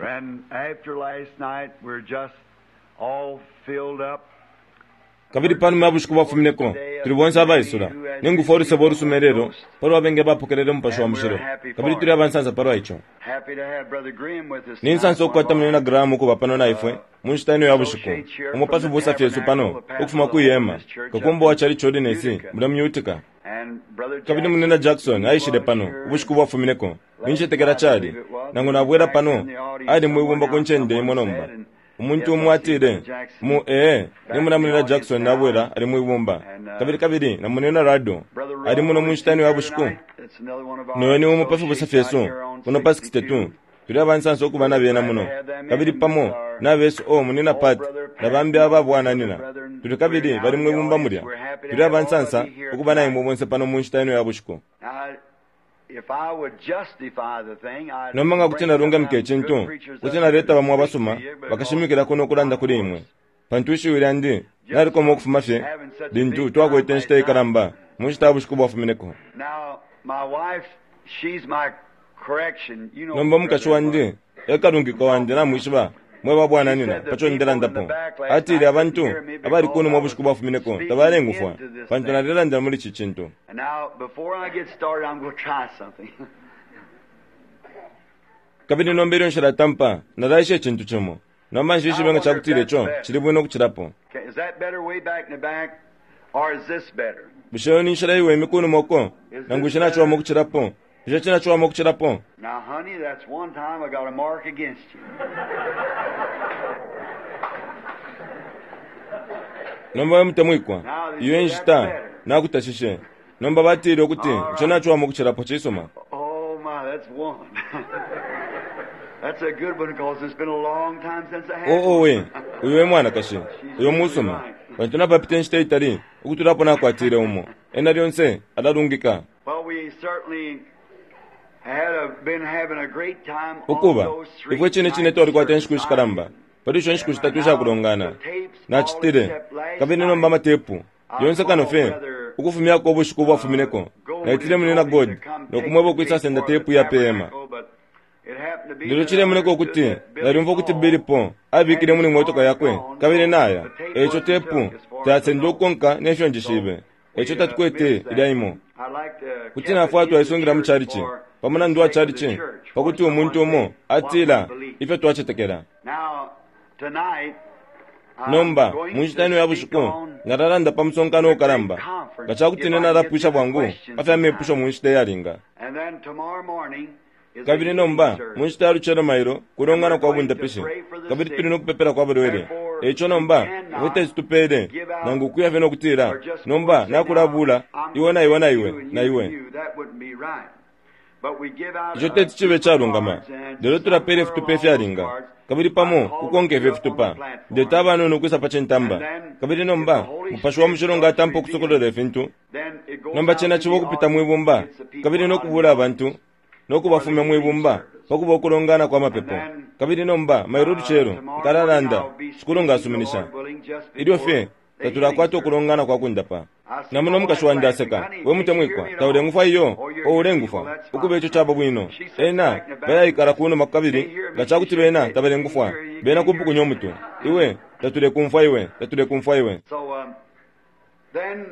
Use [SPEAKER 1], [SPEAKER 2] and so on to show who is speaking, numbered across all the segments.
[SPEAKER 1] And after last night, we're just all filled up.
[SPEAKER 2] Kabili panuma ya bushiku bwafumineko, tuli bonse abaisula, ne ngufwa ulusebo ulusuma ilelo palwa bengi abapokelele Umupashi wa Mushilo, kabili tuli abansansa palwa ico.
[SPEAKER 1] Happy to have Brother Graham with us
[SPEAKER 2] Ni nsansa
[SPEAKER 1] tonight,
[SPEAKER 2] ukukwata
[SPEAKER 1] one of
[SPEAKER 2] Munyina
[SPEAKER 1] our
[SPEAKER 2] Graham ukuba pano na ifwe mu nshita ino ya bushiku, umo pa fibusa fyesu pano ukufuma kwi hema, kakumba wa Chalichi Holiness mulya mu Utica.
[SPEAKER 1] and Brother
[SPEAKER 2] Kabili
[SPEAKER 1] Jackson,
[SPEAKER 2] Munyina Jackson aishile
[SPEAKER 1] was
[SPEAKER 2] pano
[SPEAKER 1] here
[SPEAKER 2] ubushiku bwafumineko, nincetekela cali, nangu nabwela pano, ali mwibumba ku ncende imo nomba. Umuntu umo atile, mu ee, nimona Munyina Jackson nabwela ali mwibumba. Kabili kabili na Munyina Rado, ali muno mu nshita ino ya bushiku.
[SPEAKER 1] That's another one of our
[SPEAKER 2] Noyo ni umo pa fibusa
[SPEAKER 1] associates
[SPEAKER 2] fyesu,
[SPEAKER 1] out here on
[SPEAKER 2] kuno pa
[SPEAKER 1] 62.
[SPEAKER 2] 62. Tuli abansansa ukuba na bena muno. Kabili pamo na besu o Munyina Pat na bambi aba bwananyina. Tuli kabili bali mwibumba mulya. Tuli abansansa ukuba na imwe bonse pano mu nshita ino ya bushiku.
[SPEAKER 1] Now, if I would justify the thing, I'd
[SPEAKER 2] Nomba nga kuti
[SPEAKER 1] bring
[SPEAKER 2] nalungamika
[SPEAKER 1] some
[SPEAKER 2] icintu,
[SPEAKER 1] good preachers
[SPEAKER 2] kuti
[SPEAKER 1] up
[SPEAKER 2] naleta
[SPEAKER 1] here to
[SPEAKER 2] bamo
[SPEAKER 1] speak
[SPEAKER 2] abasuma
[SPEAKER 1] to you, because
[SPEAKER 2] bakashimikila kuno ukulanda kuli imwe. Pantu ishiwi lyandi nalikoma ukufuma fye lintu twakwete inshita ikalamba mu nshita ya bushiku bwafumineko.
[SPEAKER 1] Now, my wife, she's my correction. You know,
[SPEAKER 2] Nomba umukashi wandi ekalungika wandi namwishiba mwe babwananyina paco ndelandapo. Atile abantu abali kunuma ubushiku bwafumineko tabalengufwa pantu nalelandila muli ici cintu.
[SPEAKER 1] And now, before I get started, I'm going to try something.
[SPEAKER 2] Kabili nomba ilyo nshilatampa nalaisha icintu cimo. Nomba nshishibe nga cakutila ico cili bwino ukucilapo.
[SPEAKER 1] Okay, is that better way back in the back, or is this better?
[SPEAKER 2] Bushe iyo ni nshila iweme kunuma uko nangu bushe naciwama ukucilapo? Bushe cinaciwama ukucilapo?
[SPEAKER 1] Now, honey, that's one time I got a mark against you.
[SPEAKER 2] Nomba we mutemwikwa, iyo e nshita nakutashishe. Nomba batile ukuti ico naciwama ukucilapo cisuma.
[SPEAKER 1] Oh my, that's one. that's a good one because it's been a long time since I had
[SPEAKER 2] Oo
[SPEAKER 1] one.
[SPEAKER 2] we, uyo e mwanakashi, uyo musuma. Pantu napapita inshita itali ukutula apo nakwatile umo. Ena lyonse alalungika.
[SPEAKER 1] Well, we certainly had a, been having a great time on
[SPEAKER 2] Ukuba,
[SPEAKER 1] those three
[SPEAKER 2] ifwe cine cine
[SPEAKER 1] nights
[SPEAKER 2] twalikwata inshiku
[SPEAKER 1] service.
[SPEAKER 2] ishikalamba. Pali isho nshiku shitatu ishakulongana. Nacitile, kabili nomba amatepu, yonse kano fye, ukufumyako ubushiku bwafumineko. Naitile Munyina God, no kumweba ukwisasenda tepu ya pe hema. Lelo cilemoneka ukuti nalyumfwa ukuti Billy Paul abikile muli motoka yakwe kabili naya. Eico tepu tayasendele ukukonka ne fyo njishibe. Eico tatukwete ilya imo. Kuti nafwaya twaisungila mu chalichi, pa mulandu wa chalichi, pakuti umuntu umo atila ifyo twacetekela. Nomba, mu nshita ino ya bushiku, nalalanda pa musonkano ukalamba. Nga ca kuti ine nalapwisha bwangu pa fya mepusho mu nshita iyalinga. Kabili nomba, mu nshita ya lucelo mailo, kulongana kwa bundapishi, kabili tuli no kupepela kwa balwele. Eico nomba, ifwe teti tupeele, nangu ukuya fye no kutila, nomba nakulabula, iwe na iwe na iwe, na iwe. Ico teti cibe icalungama. Lelo tulapeela ifitupa ifyalinga, kabili pamo kukonka ifyo fitupa. Ndeta abanono ukwisa pa cintamba. Kabili nomba, Mupashi wa Mushilo nga atampa ukusokolola ifintu, nomba cena ciba ukupita mwi bumba, kabili no kubula abantu, no kubafumya mwi bumba, pa kuba ukulongana kwa mapepo. Kabili nomba, mailo ulucelo, nkalalanda, Shikulu nga asuminisha. Ilyo fye tatulakwata ukulongana kwa kundapa. Namona umukashi wandi aseka, we mutemwikwa, taulengufwa iyo, o ulengufwa. Ukuba ico caba bwino. Ena bayaikala kunuma kabili nga cakuti bena tabalengufwa, bena kupukunya umutwe. Iwe, tatulekumfwa iwe, tatulekumfwa iwe.
[SPEAKER 1] So then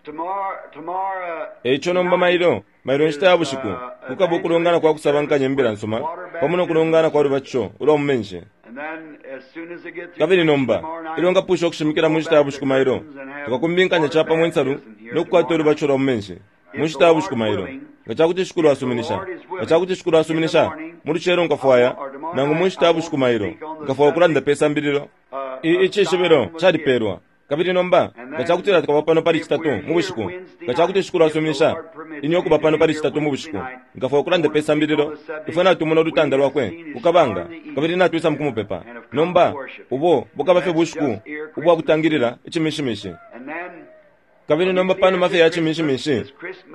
[SPEAKER 1] tomorrow, tomorrow
[SPEAKER 2] Eico nomba mailo, mailo inshita ya bushiku, kukaba ukulongana kwa kusabankanya imbila nsuma, pamo no kulongana kwa lubatisho ulwa mu menshi.
[SPEAKER 1] and then as soon as I get through
[SPEAKER 2] Kabili nomba,
[SPEAKER 1] tomorrow night,
[SPEAKER 2] ilyo nkapwisha ukushimikila mu nshita ya bushiku mailo, tukakumbinkanya capamo insalu no kukwata ulubatisho lwa mu menshi mu nshita ya bushiku mailo. Nga ca kuti Shikulu asuminisha, nga ca kuti Shikulu asuminisha, mu lucelo nkafwaya, nangu mu nshita ya bushiku mailo, nkafwaya ukulanda pe sambililo. I icishibilo calipeelwa. Kabili nomba, nga ca kutila tukaba pano pali Citatu mu bushiku, nga ca kuti Shikulu asuminisha ine ukuba pano pali Citatu mu bushiku, nkafwaya ukulanda pe sambililo, ifwe natumona ulutanda lwakwe ku kabanga, kabili natwisa mu kumupepa. Nomba, ubo bukaba fye bushiku ubwa kutangilila icimishimishi.
[SPEAKER 1] and then
[SPEAKER 2] Kabili nomba panuma fye ya cimishimishi,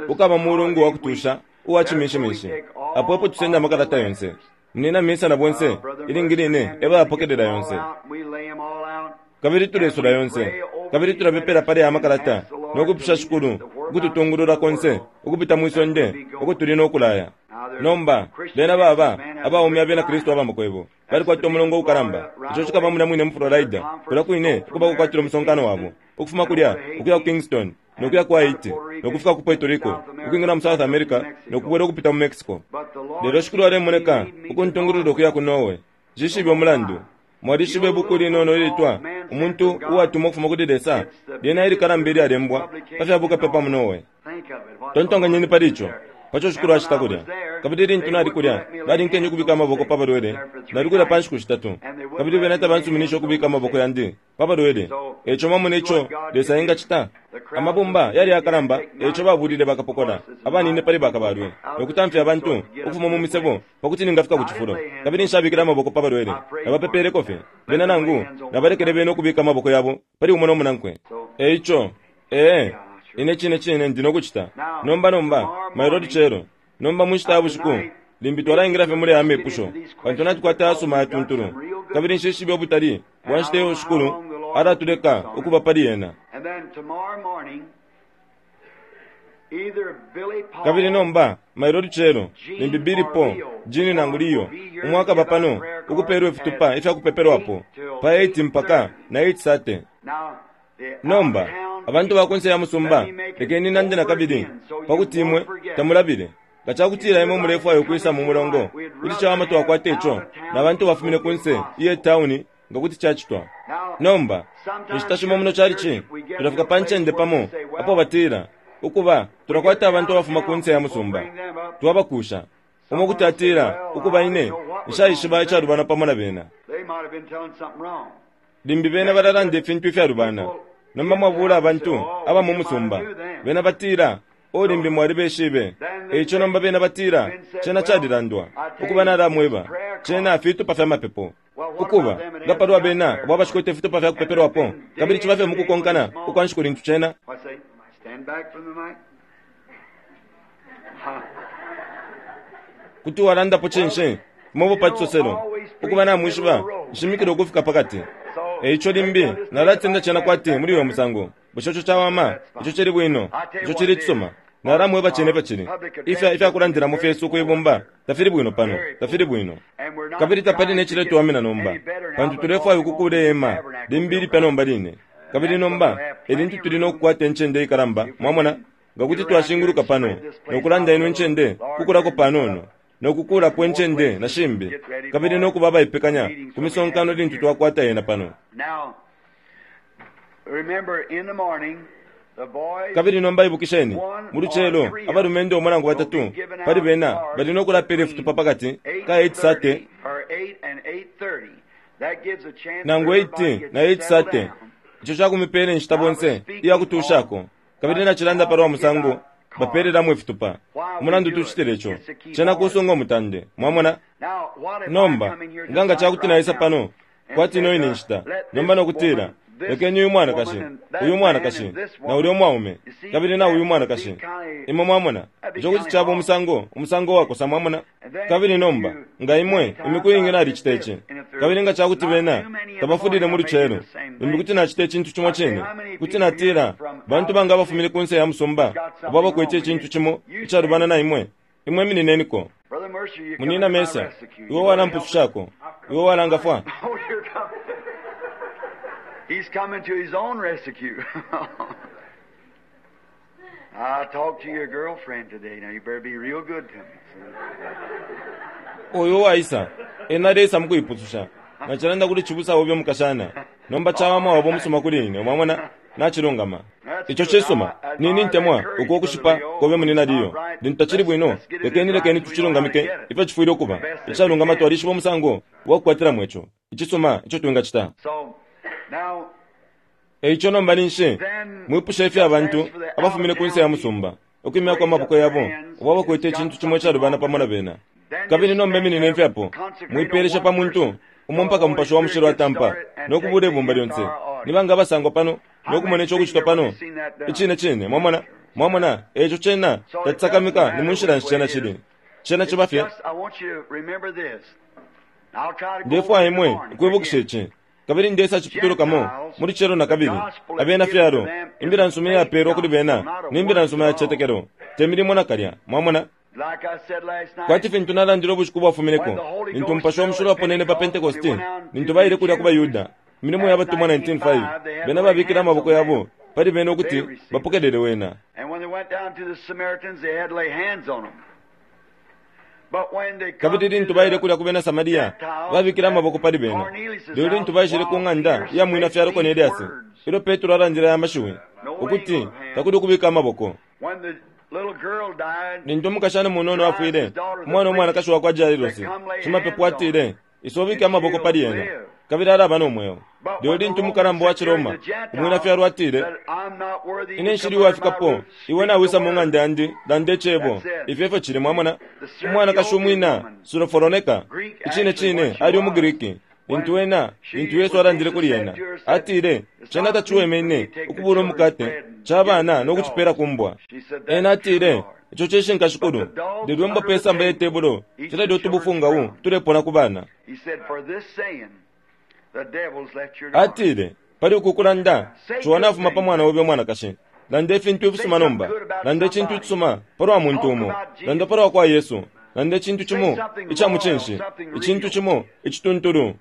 [SPEAKER 2] ukaba mulungu wa kutusha uwa cimishimishi. Apo epo tusenda amakalata yonse. Munyina Misa na bonse, ilingi line e bayapokelela yonse.
[SPEAKER 1] we lay them all out.
[SPEAKER 2] Kabili tulesula yonse. Kabili tulapepela pali aya makalata no kupusha Shikulu ukututungulula konse ukupita mwi sonde uko tuli no kulaya. Nomba, bena baba Abaume abena Kristu aba makwebo balikwata umulongo ukalamba. Ico cikaba mulya mwine mu Florida, kulya kwine uko bakukwatila umusonkano wabo, ukufuma kulya ukuya ku Kingston, no kuya ku Haiti, no kufika ku Puerto Rico, ukwingila mu South America, no kubwela ukupita mu Mexico. Lelo Shikulu alemoneka ukuntungulula ukuya ku Norway. Nshishibe umulandu. Mwalishiba ibuku linono ilitwa Umuntu Uwatumwa Ukufuma Kuli Lesa? Lyena ilikalamba ilyalembwa pa fya bukapepa mu Norway. Tontonkanyeni pali ico, pa co Shikulu acita kulya. Kabili lintu nali kulya, balinkenye ukubika amaboko pa balwele. Nali kulya pa nshiku shitatu, kabili bena tabansuminishe ukubika amaboko yandi pa balwele. E ico mwamona ico Lesa engacita? Amabumba yali yakalamba, e ico babulile bakapokola abanine pali bakabalwe no kutamfya abantu ukufuma mu misebo pa kuti ningafika ku cifulo. Kabili nshabikile amaboko pa balwele, nabapepeleko fye bena nangu nabalekele bena ukubika amaboko yabo pali umo no munankwe. E ico, ee, ine cine cine ndi no kucita. Nomba, nomba, mailo lucelo, nomba mu nshita ya bushiku, limbi twalaingila fye muli aya mepusho, pantu natukwata ayasuma ayatuntulu. Kabili nshishibe ubutali bwa nshita iyo Shikulu alatuleka ukuba pali yena. Kabili nomba, mailo lucelo, limbi Billy Paul, Gene nangu Leo, umo akaba pano ukupelwa ifitupa ifya kupepelwapo, pa 8 mpaka na 8:30. Nomba, abantu ba kunse ya musumba, lekeni nande na kabili, pa kuti imwe tamulabile. Nga ca kutila imwe mulefwaya ukwisa mu mulongo, kuti cawama twakwata ico na bantu bafumine kunse iye tauni nga kuti cacitwa. Nomba, inshita shimo muno calici, tulafika pa ncende pamo apo batila, Ukuba, tulakwata abantu abafuma kunse ya musumba. Twabakusha. Umo kuti atila, Ukuba, ine, nshaishiba icalubana pamo na bena. Limbi bena balalanda ifintu ifyalubana. Nomba mwabuula abantu aba mu musumba. Bena batila, O limbi mwalibeshibe. E ico nomba bena batila, Cena calilandwa. Ukuba nalamweba, cena fitupa fya mapepo. Ukuba, nga palwa bena abo abashikwete ifitupa fya kupepelwapo, kabili ciba fye mukukonkana ukwa nshiku lintu cena. Kuti walandapo cinshi? Fimo pa cisoselo. Ukuba namwishiba, nshimikila ukufika pakati. E ico limbi nalatenda cena kwati muli uyo musango. Bushe ico cawama? Ico cili bwino. Ico cili icisuma. Nalamweba cene ifyo cili. Ifya, ifya kulandilamo fyesu kwi bumba tafili bwino pano, tafili bwino. Kabili tapali ne ciletuwamina nomba, pantu tulefwaya ukukuula ihema limbi ilipya nomba line. Kabili nomba e lintu tuli no kukwata incende ikalamba, mwamona, nga kuti twashinguluka pano no kulanda ino incende kukulako panono, no kukuulapo incende na shimbi, kabili no kuba abaipekanya ku misonkano lintu twakwata yena pano. Kabili nomba ibukisheni, mu lucelo, abalumendo umo nangu batatu pali bena bali no kulapela ifitupa pa kati ka 8:30 nangu 8 na 8:30. Ico cakumipela inshita bonse iya kutushako. Kabili nacilanda palwa musango bapelelamo ifitupa. Umulandu tucitile ico, cena kusunga umutande. Mwamona? Nomba, nga nga cakuti naisa pano, kwati ino ine nshita, nomba nokutila, Lekeni uyu mwanakashi, uyu mwanakashi, na ulya umwaume, kabili na uyu mwanakashi. Imwe mwamona, ico kuti caba umusango, umusango uwakosa, mwamona. Kabili nomba, nga imwe, imiku iingi nalicita ici. Kabili nga ca kuti bena tabafulile mu lucelo, limbi kuti nacita icintu cimo cine. Kuti natila, Bantu banga abafumine kunse ya musumba abo abakwete icintu cimo icalubana na imwe? Imwe iminineniko. Munyina Mercer, iwe walampusushako. Iwe walangafwa.
[SPEAKER 1] He's coming to his own rescue. I talked to your girlfriend today. Now you better be real good to me.
[SPEAKER 2] Uyu uwaisa, ena aleisa mukuipususha. Nacilanda kuli cibusa obe umukashana. Nomba cawama waba umusuma kuli ine, mwamona? Nacilungama. Ico cisuma. Ni, nintemwa uko ukushipa kobe munina Leo. Lintu tacili bwino, lekeni, lekeni tucilungamike ifyo cifwile ukuba. Icalungama twalishiba umusango wa kukwatilamo ico. Icisuma ico twingacita. E ico nomba ninshi mwipusha ifyo abantu abafumine ku nse ya musumba, ukwimyako amaboko yabo, abo abakwete icintu cimo icalubana pamo na bena. Kabili nomba iminineni fye apo, mwipeelesha pa muntu umo mpaka Mupashi wa Mushilo atampa no kubuula ibumba lyonse. Ni banga abasangwa pano no kumona ico ukucitwa pano? Icine cine, mwamona, mwamona, e ico cena tacisakamika ni munshila nshi cena cili. Cena ciba fye. Ndefwaya imwe ukwibukisha ici. Kabili ndesa cipitulukamo mu lucelo na kabili. Abena fyalo, imbila nsuma iyapelwa kuli bena ni mbila nsuma ya cicetekelo, te milimo nakalya. Mwamona? Kwati fintu nalandile ubushiku bwafumineko, lintu Mupashi wa Mushilo waponene pa Pentekoste, lintu baile kulya ku baYuda, Imilimo ya Batumwa 19:5, bena babikile amaboko yabo pali bena ukuti bapokelele wena. Kabili lintu baile kulya ku bena Samaria, babikile amaboko pali bena. Lelo lintu baishile ku ng'anda ya mwina fyalo Koneliasi, ilyo Petro alandile aya mashiwi, ukuti takuli ukubika amaboko. Lintu umukashana munono afwile, umwana umwanakashi wa kwa Jairosi, shimapepo atile, Isa ubike amaboko pali ena, kabili alaba no mweo. Lelo lintu umukalamba wa ciRoma, umwina fyalo atile, Ine nshili uwafikapo, iwe nawisa mu ng'anda yandi, landa icebo. Ifyo efyo cili, mwamona. Umwanakashi umwina Suroforoneka, icine cine ali umuGriki. Lintu ena, lintu Yesu alandile kuli ena, atile, Cena taciweme ine ukubuula umukate ca bana no kucipela ku mbwa. Ena atile, Ico cishinka, Shikulu, lelo imbwa pe samba ye tebulo shilalya utubufungau tulepona ku bana. Atile, Pali uku kulanda, ciwa nafuma pa mwana obe umwanakashi. Landa ifintu ifisuma nomba. Landa icintu icisuma palwa muntu umo. Landa palwa kwa Yesu. Landa icintu cimo ica mucinshi, icintu cimo icituntulu.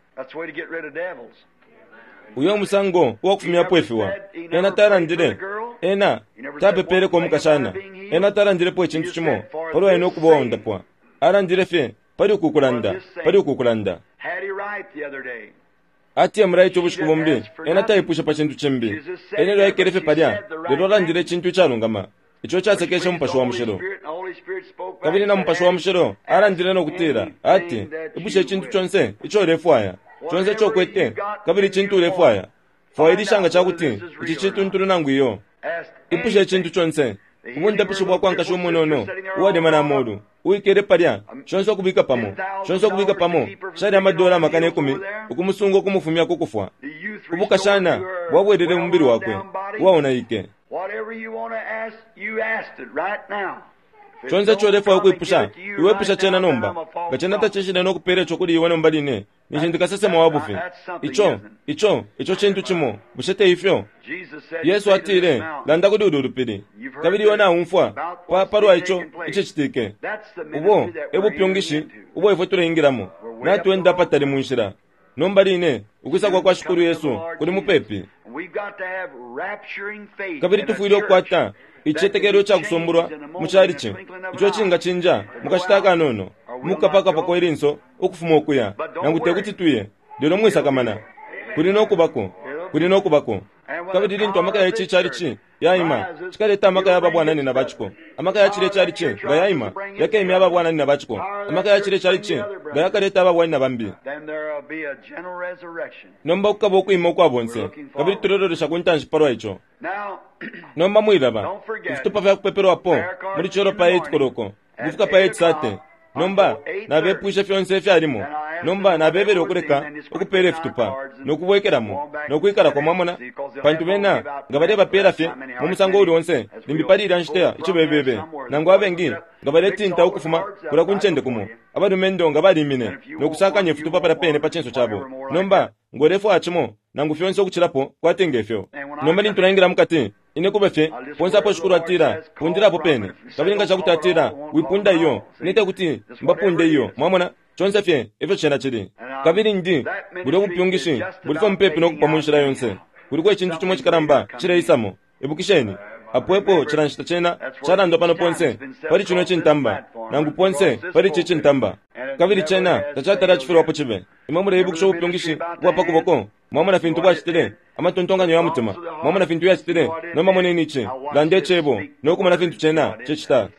[SPEAKER 2] Uyo umusango uwa kufumyapo ifiwa. Ena talandile, ena tapepeleko umukashana. Ena talandilepo icintu cimo palwa ena ukuba uwaundapwa. Alandile fye pali uku kulanda, pali uku kulanda. Ati emulaite ubushiku bumbi, ena taipwishe pa cintu cimbi. Ena elyo aikele fye palya, lelo alandile icintu icalungama. Ico casekeshe Mupashi wa Mushilo. Kabili na Mupashi wa Mushilo alandile no kutila, ati, Ipusha icintu conse ico ulefwaya, conse ico ukwete, kabili icintu ulefwaya. Fwailisha nga ca kuti ici cituntulu nangu iyo. Ipusha icintu conse. Ubundapishi bwa kwa nkashi umunono uwalemana amolu, uwikele palya, shonse ukubika pamo, shonse ukubika pamo, shali amadola 100,000 ukumusunga ukumufumya ku kufwa. Ubukashana bwabwelele mu mubili wakwe uwaonaike. Conse ico ulefwaya ukwipusha, iwe ipusha cena nomba. Nga cena tacishile no kupela ico kuli iwe nomba line, ninshi ndi kasesema wa bufi. Ico, ico, ico cintu cimo, bushe te ifyo? Yesu atile, Landa kuli ulu lupili. Kabili iwe naumfwa pa, palwa ico icicitike. Ubo e bupyungishi ubo ifwe tuleingilamo. Natwenda apatali mu nshila. Nomba line, ukwisa kwa kwa Shikulu Yesu kuli mupepi. Kabili tufwile ukukwata icitetekelo ica kusumbulwa mu calici ico icingacinja mu kashita akanono, mukukapakapako ilinso ukufuma ukuya, nangu te kuti tuye. Lelo mwisakamana, kuli no kubako, kuli no kubako. Kabili lintu amaka ya ici calici yaima, cikaleta amaka ya babwananyina ba ciko. Amaka ya cilya calici nga yaima, yakemya aba bwananyina ba ciko. Amaka ya cilya calici nga yakaleta aba bwananyina bambi. Nomba kukaba ukwima ukwa bonse, kabili tulelolesha ku ntanshi palwa ico. Nomba mwilaba, ifitupa fya kupepelwapo muli celo pa 8 koloko ukufika pa 8:30. Nomba nabepwishe fyonse ifyalimo. Nomba nabebele ukuleka ukupeela ifitupa, no kubwekelamo, no kwikalako, mwamona, pantu bena nga balebapela fye mu musango uuli onse, limbi pali ilya nshita icibebebe, nangu abengi nga baletinta ukufuma kulya ku ncende kumo, abalumendo nga balimine no kusakanya ifitupa palya pene pa cinso cabo. Nomba, ngo ulefwaya cimo, nangu fyonse ukucilapo, kwati nge fyo. Nomba lintu naingila mukati, Ine kuba fye, ponse apo Shikulu atila, Pundila apo pene. Kabili nga ca kuti atila, Wipunda iyo, ine te kuti mbapunde iyo. Mwamona? Conse fye ifyo cena cili. Kabili ndi, bulyo bupyungishi buli fye mupepi no kupwa mu nshila yonse. Kuliko icintu cimo icikalamba cileisamo. Ibukisheni, apo epo cila nshita cena calandwa pano ponse pali cino icintamba, nangu ponse pali ici cintamba. Kabili cena tacatala acifilwapo cibe. Imwe muleibukisha ubupyungishi ubwa pa kuboko? Mwamona fintu bwacitile? Amatontonkanyo ya mutima, mwamona fintu yacitile? Nomba moneni ici, landa Icebo, no kumona fintu Cena cicita.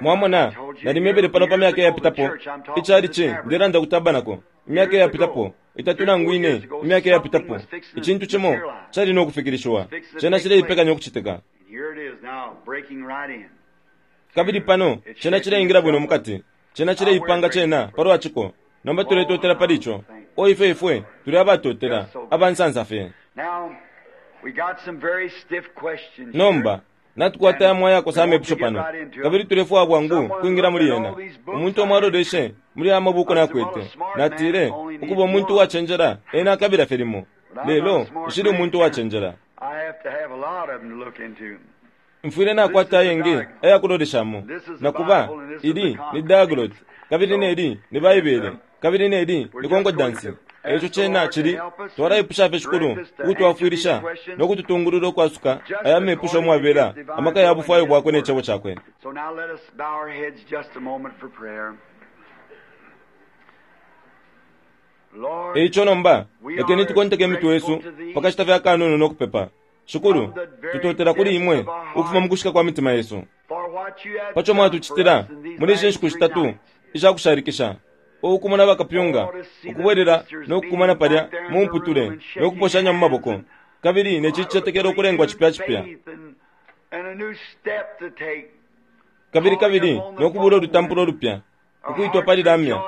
[SPEAKER 2] Mwamona, nalimwebele pano pa myaka iyapitapo, ichalichi, ndelanda ku tabernacle, imyaka iyapitapo, itatu nangu ine imyaka iyapitapo, icintu cimo cali no kufikilishiwa. Cena cileipekanya ukucitika. Kabili pano cena cileingila bwino mukati. Cena cileipanga cena palwa ciko. Nomba tuletotela pali ico. O ifwe ifwe tuli abatotela, abansansa fye. Nomba, natukwata yamo ayakosa amepusho pano, kabili tulefwaya bwangu kwingila muli yena. Umuntu umo aloleshe muli aya mabuku nakwete. Natile, Ukuba umuntu uwacenjela, ena akabila fye limo. Lelo, nshili umuntu uwacenjela. Mfwile nakwata ayengi ayakuloleshamo. Na kuba, ili ni Diaglott, kabili neli ni Baibele, kabili neli ni konkodansi. E ico cena cili, twalaipusha fye Shikulu ukutwafwilisha no kututungulula ukwasuka aya mepusho umwabela amaka ya bufwayo bwakwe ne Cebo cakwe.
[SPEAKER 1] So now let us bow our heads just a moment for prayer. Lord,
[SPEAKER 2] E ico nomba, lekeni tukonteke imitwe yesu pa kashita fye akanono no kupepa. Shikulu, tutotela kuli imwe ukufuma mu kushika kwa mitima yesu.
[SPEAKER 1] for what you have
[SPEAKER 2] Pa co
[SPEAKER 1] done for
[SPEAKER 2] mwatucitila
[SPEAKER 1] us in these
[SPEAKER 2] muli ishi
[SPEAKER 1] last
[SPEAKER 2] nshiku
[SPEAKER 1] three
[SPEAKER 2] shitatu
[SPEAKER 1] nights.
[SPEAKER 2] ishakushalikisha, ukumona bakapyunga ukubwelela no kukumana palya mu mputule no kuposhanya mu maboko, kabili ne cicetekelo ukulengwa cipya cipya,
[SPEAKER 1] Faith and a new step to take.
[SPEAKER 2] kabili kabili no kubula ulutampulo lupya, ukuitwa pali lamya,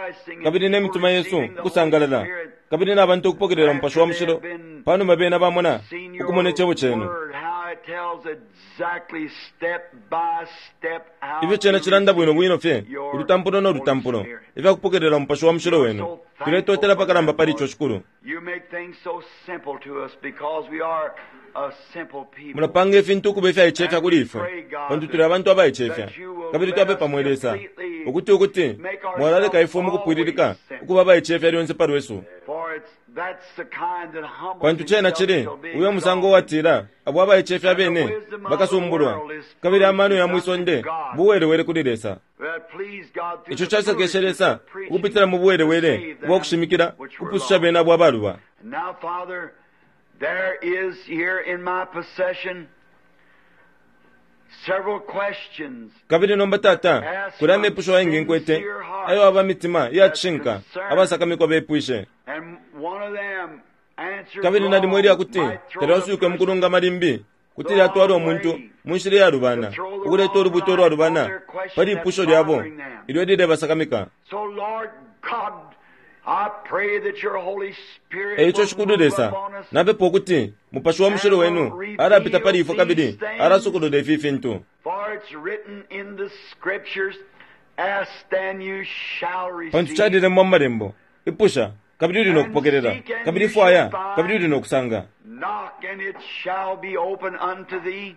[SPEAKER 2] kabili ne mitima yesu ukusangalala, kabili na bantu ukupokelela Umupashi wa Mushilo panuma bena bamona
[SPEAKER 1] Seen your
[SPEAKER 2] ukumona icebo cenu.
[SPEAKER 1] word, how it tells exactly step by step how
[SPEAKER 2] Ifyo cena
[SPEAKER 1] to
[SPEAKER 2] cilanda bwino bwino fye
[SPEAKER 1] receive your
[SPEAKER 2] ulutampulo no
[SPEAKER 1] Holy
[SPEAKER 2] lutampulo
[SPEAKER 1] Spirit.
[SPEAKER 2] ifyakupokelela Umupashi wa Mushilo wenu. Tuletotela pakalamba pali ico, Shikulu.
[SPEAKER 1] You make things so simple to us because we are a simple people.
[SPEAKER 2] Mulapanga ifintu ukuba ifyaicefya kuli ifwe pantu tuli abantu abaicefya, kabili twapepa mwe Lesa ukuti ukuti mwalaleka ifwe mukupwililika ukuba abaicefya lyonse pa lwesu,
[SPEAKER 1] For it's that's the kind that humbles
[SPEAKER 2] pantu cena
[SPEAKER 1] himself
[SPEAKER 2] cili
[SPEAKER 1] shall be
[SPEAKER 2] uyo musango
[SPEAKER 1] exalted.
[SPEAKER 2] uwatila abo abaicefya abene bakasumbulwa, kabili amano ya mwisonde buwelewele kuli Lesa.
[SPEAKER 1] That pleased God through
[SPEAKER 2] Ico
[SPEAKER 1] the
[SPEAKER 2] casekeshe
[SPEAKER 1] foolishness
[SPEAKER 2] Lesa
[SPEAKER 1] of preaching
[SPEAKER 2] ukupitila mu buwelewele
[SPEAKER 1] to save them
[SPEAKER 2] ubwa kushimikila
[SPEAKER 1] which were
[SPEAKER 2] kupususha
[SPEAKER 1] lost.
[SPEAKER 2] bena abo abaluba.
[SPEAKER 1] And now, Father, there is here in my possession several questions
[SPEAKER 2] Kabili nomba Tata, kuli amepusho ayengi nkwete ayo aba mitima iya cishinka abasakamikwa bepwishe,
[SPEAKER 1] and one of them answered
[SPEAKER 2] kabili nalimo ilya kuti
[SPEAKER 1] wrong might throw the
[SPEAKER 2] talyaswike mu kulungama limbi kuti lyatwala umuntu mu nshila iyalubana, ukuleta ulubuto ulwalubana pali ipusho lyabo ilyo lilebasakamika.
[SPEAKER 1] So, Lord God, I pray that your Holy Spirit
[SPEAKER 2] E ico
[SPEAKER 1] will
[SPEAKER 2] Shikulu
[SPEAKER 1] move
[SPEAKER 2] Lesa,
[SPEAKER 1] upon us
[SPEAKER 2] napepa ukuti Mupashi wa Mushilo wenu alapita pali ifwe kabili alasokolola ifi fintu.
[SPEAKER 1] For it's written in the scriptures, ask and you shall
[SPEAKER 2] Pantu
[SPEAKER 1] receive.
[SPEAKER 2] calilembwa mu malembo, ipusha kabili uli no kupokelela, kabili fwaya kabili uli no kusanga,
[SPEAKER 1] Knock and it shall be open unto thee.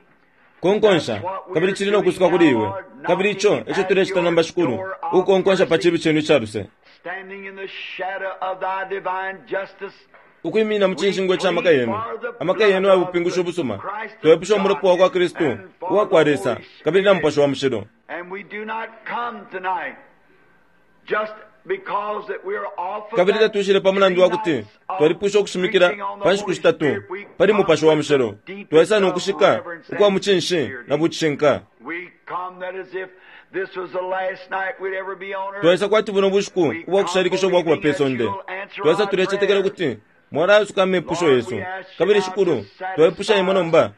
[SPEAKER 2] konkonsha kabili cili no kusuka kuli iwe. Kabili ico eco tulecita nomba, Shikulu, ukukonkonsha pa cibi cenu ica luse,
[SPEAKER 1] Standing in the shadow of thy divine justice,
[SPEAKER 2] ukwimina mu cinshingwa ca maka yenu, amaka yenu aya bupingushi ubusuma. Twepusha umulopa wa kwa Kristu uwa kwa Lesa kabili na Mupashi wa Mushilo.
[SPEAKER 1] and we do not come tonight just because that we're off of
[SPEAKER 2] Kabili
[SPEAKER 1] that
[SPEAKER 2] tatuishile pa mulandu wa kuti
[SPEAKER 1] nights of
[SPEAKER 2] twalipwisha ukushimikila
[SPEAKER 1] preaching on the
[SPEAKER 2] pa nshiku
[SPEAKER 1] Holy
[SPEAKER 2] shitatu
[SPEAKER 1] Spirit. We
[SPEAKER 2] pali
[SPEAKER 1] come
[SPEAKER 2] Mupashi wa
[SPEAKER 1] with the
[SPEAKER 2] Mushilo.
[SPEAKER 1] deepest
[SPEAKER 2] Twaisa no
[SPEAKER 1] of
[SPEAKER 2] kushika
[SPEAKER 1] reverence
[SPEAKER 2] ukwa
[SPEAKER 1] and
[SPEAKER 2] mucinshi
[SPEAKER 1] sincerity.
[SPEAKER 2] na bucishinka.
[SPEAKER 1] We come that as if this was the last night we'd ever be on earth.
[SPEAKER 2] Twaisa kwati buno bushiku ubwa kushalikisha ubwa kuba pe sonde. Twaisa tulecetekela ukuti mwalayasuka amepusho yesu. Kabili Shikulu, twaipusha imwe nomba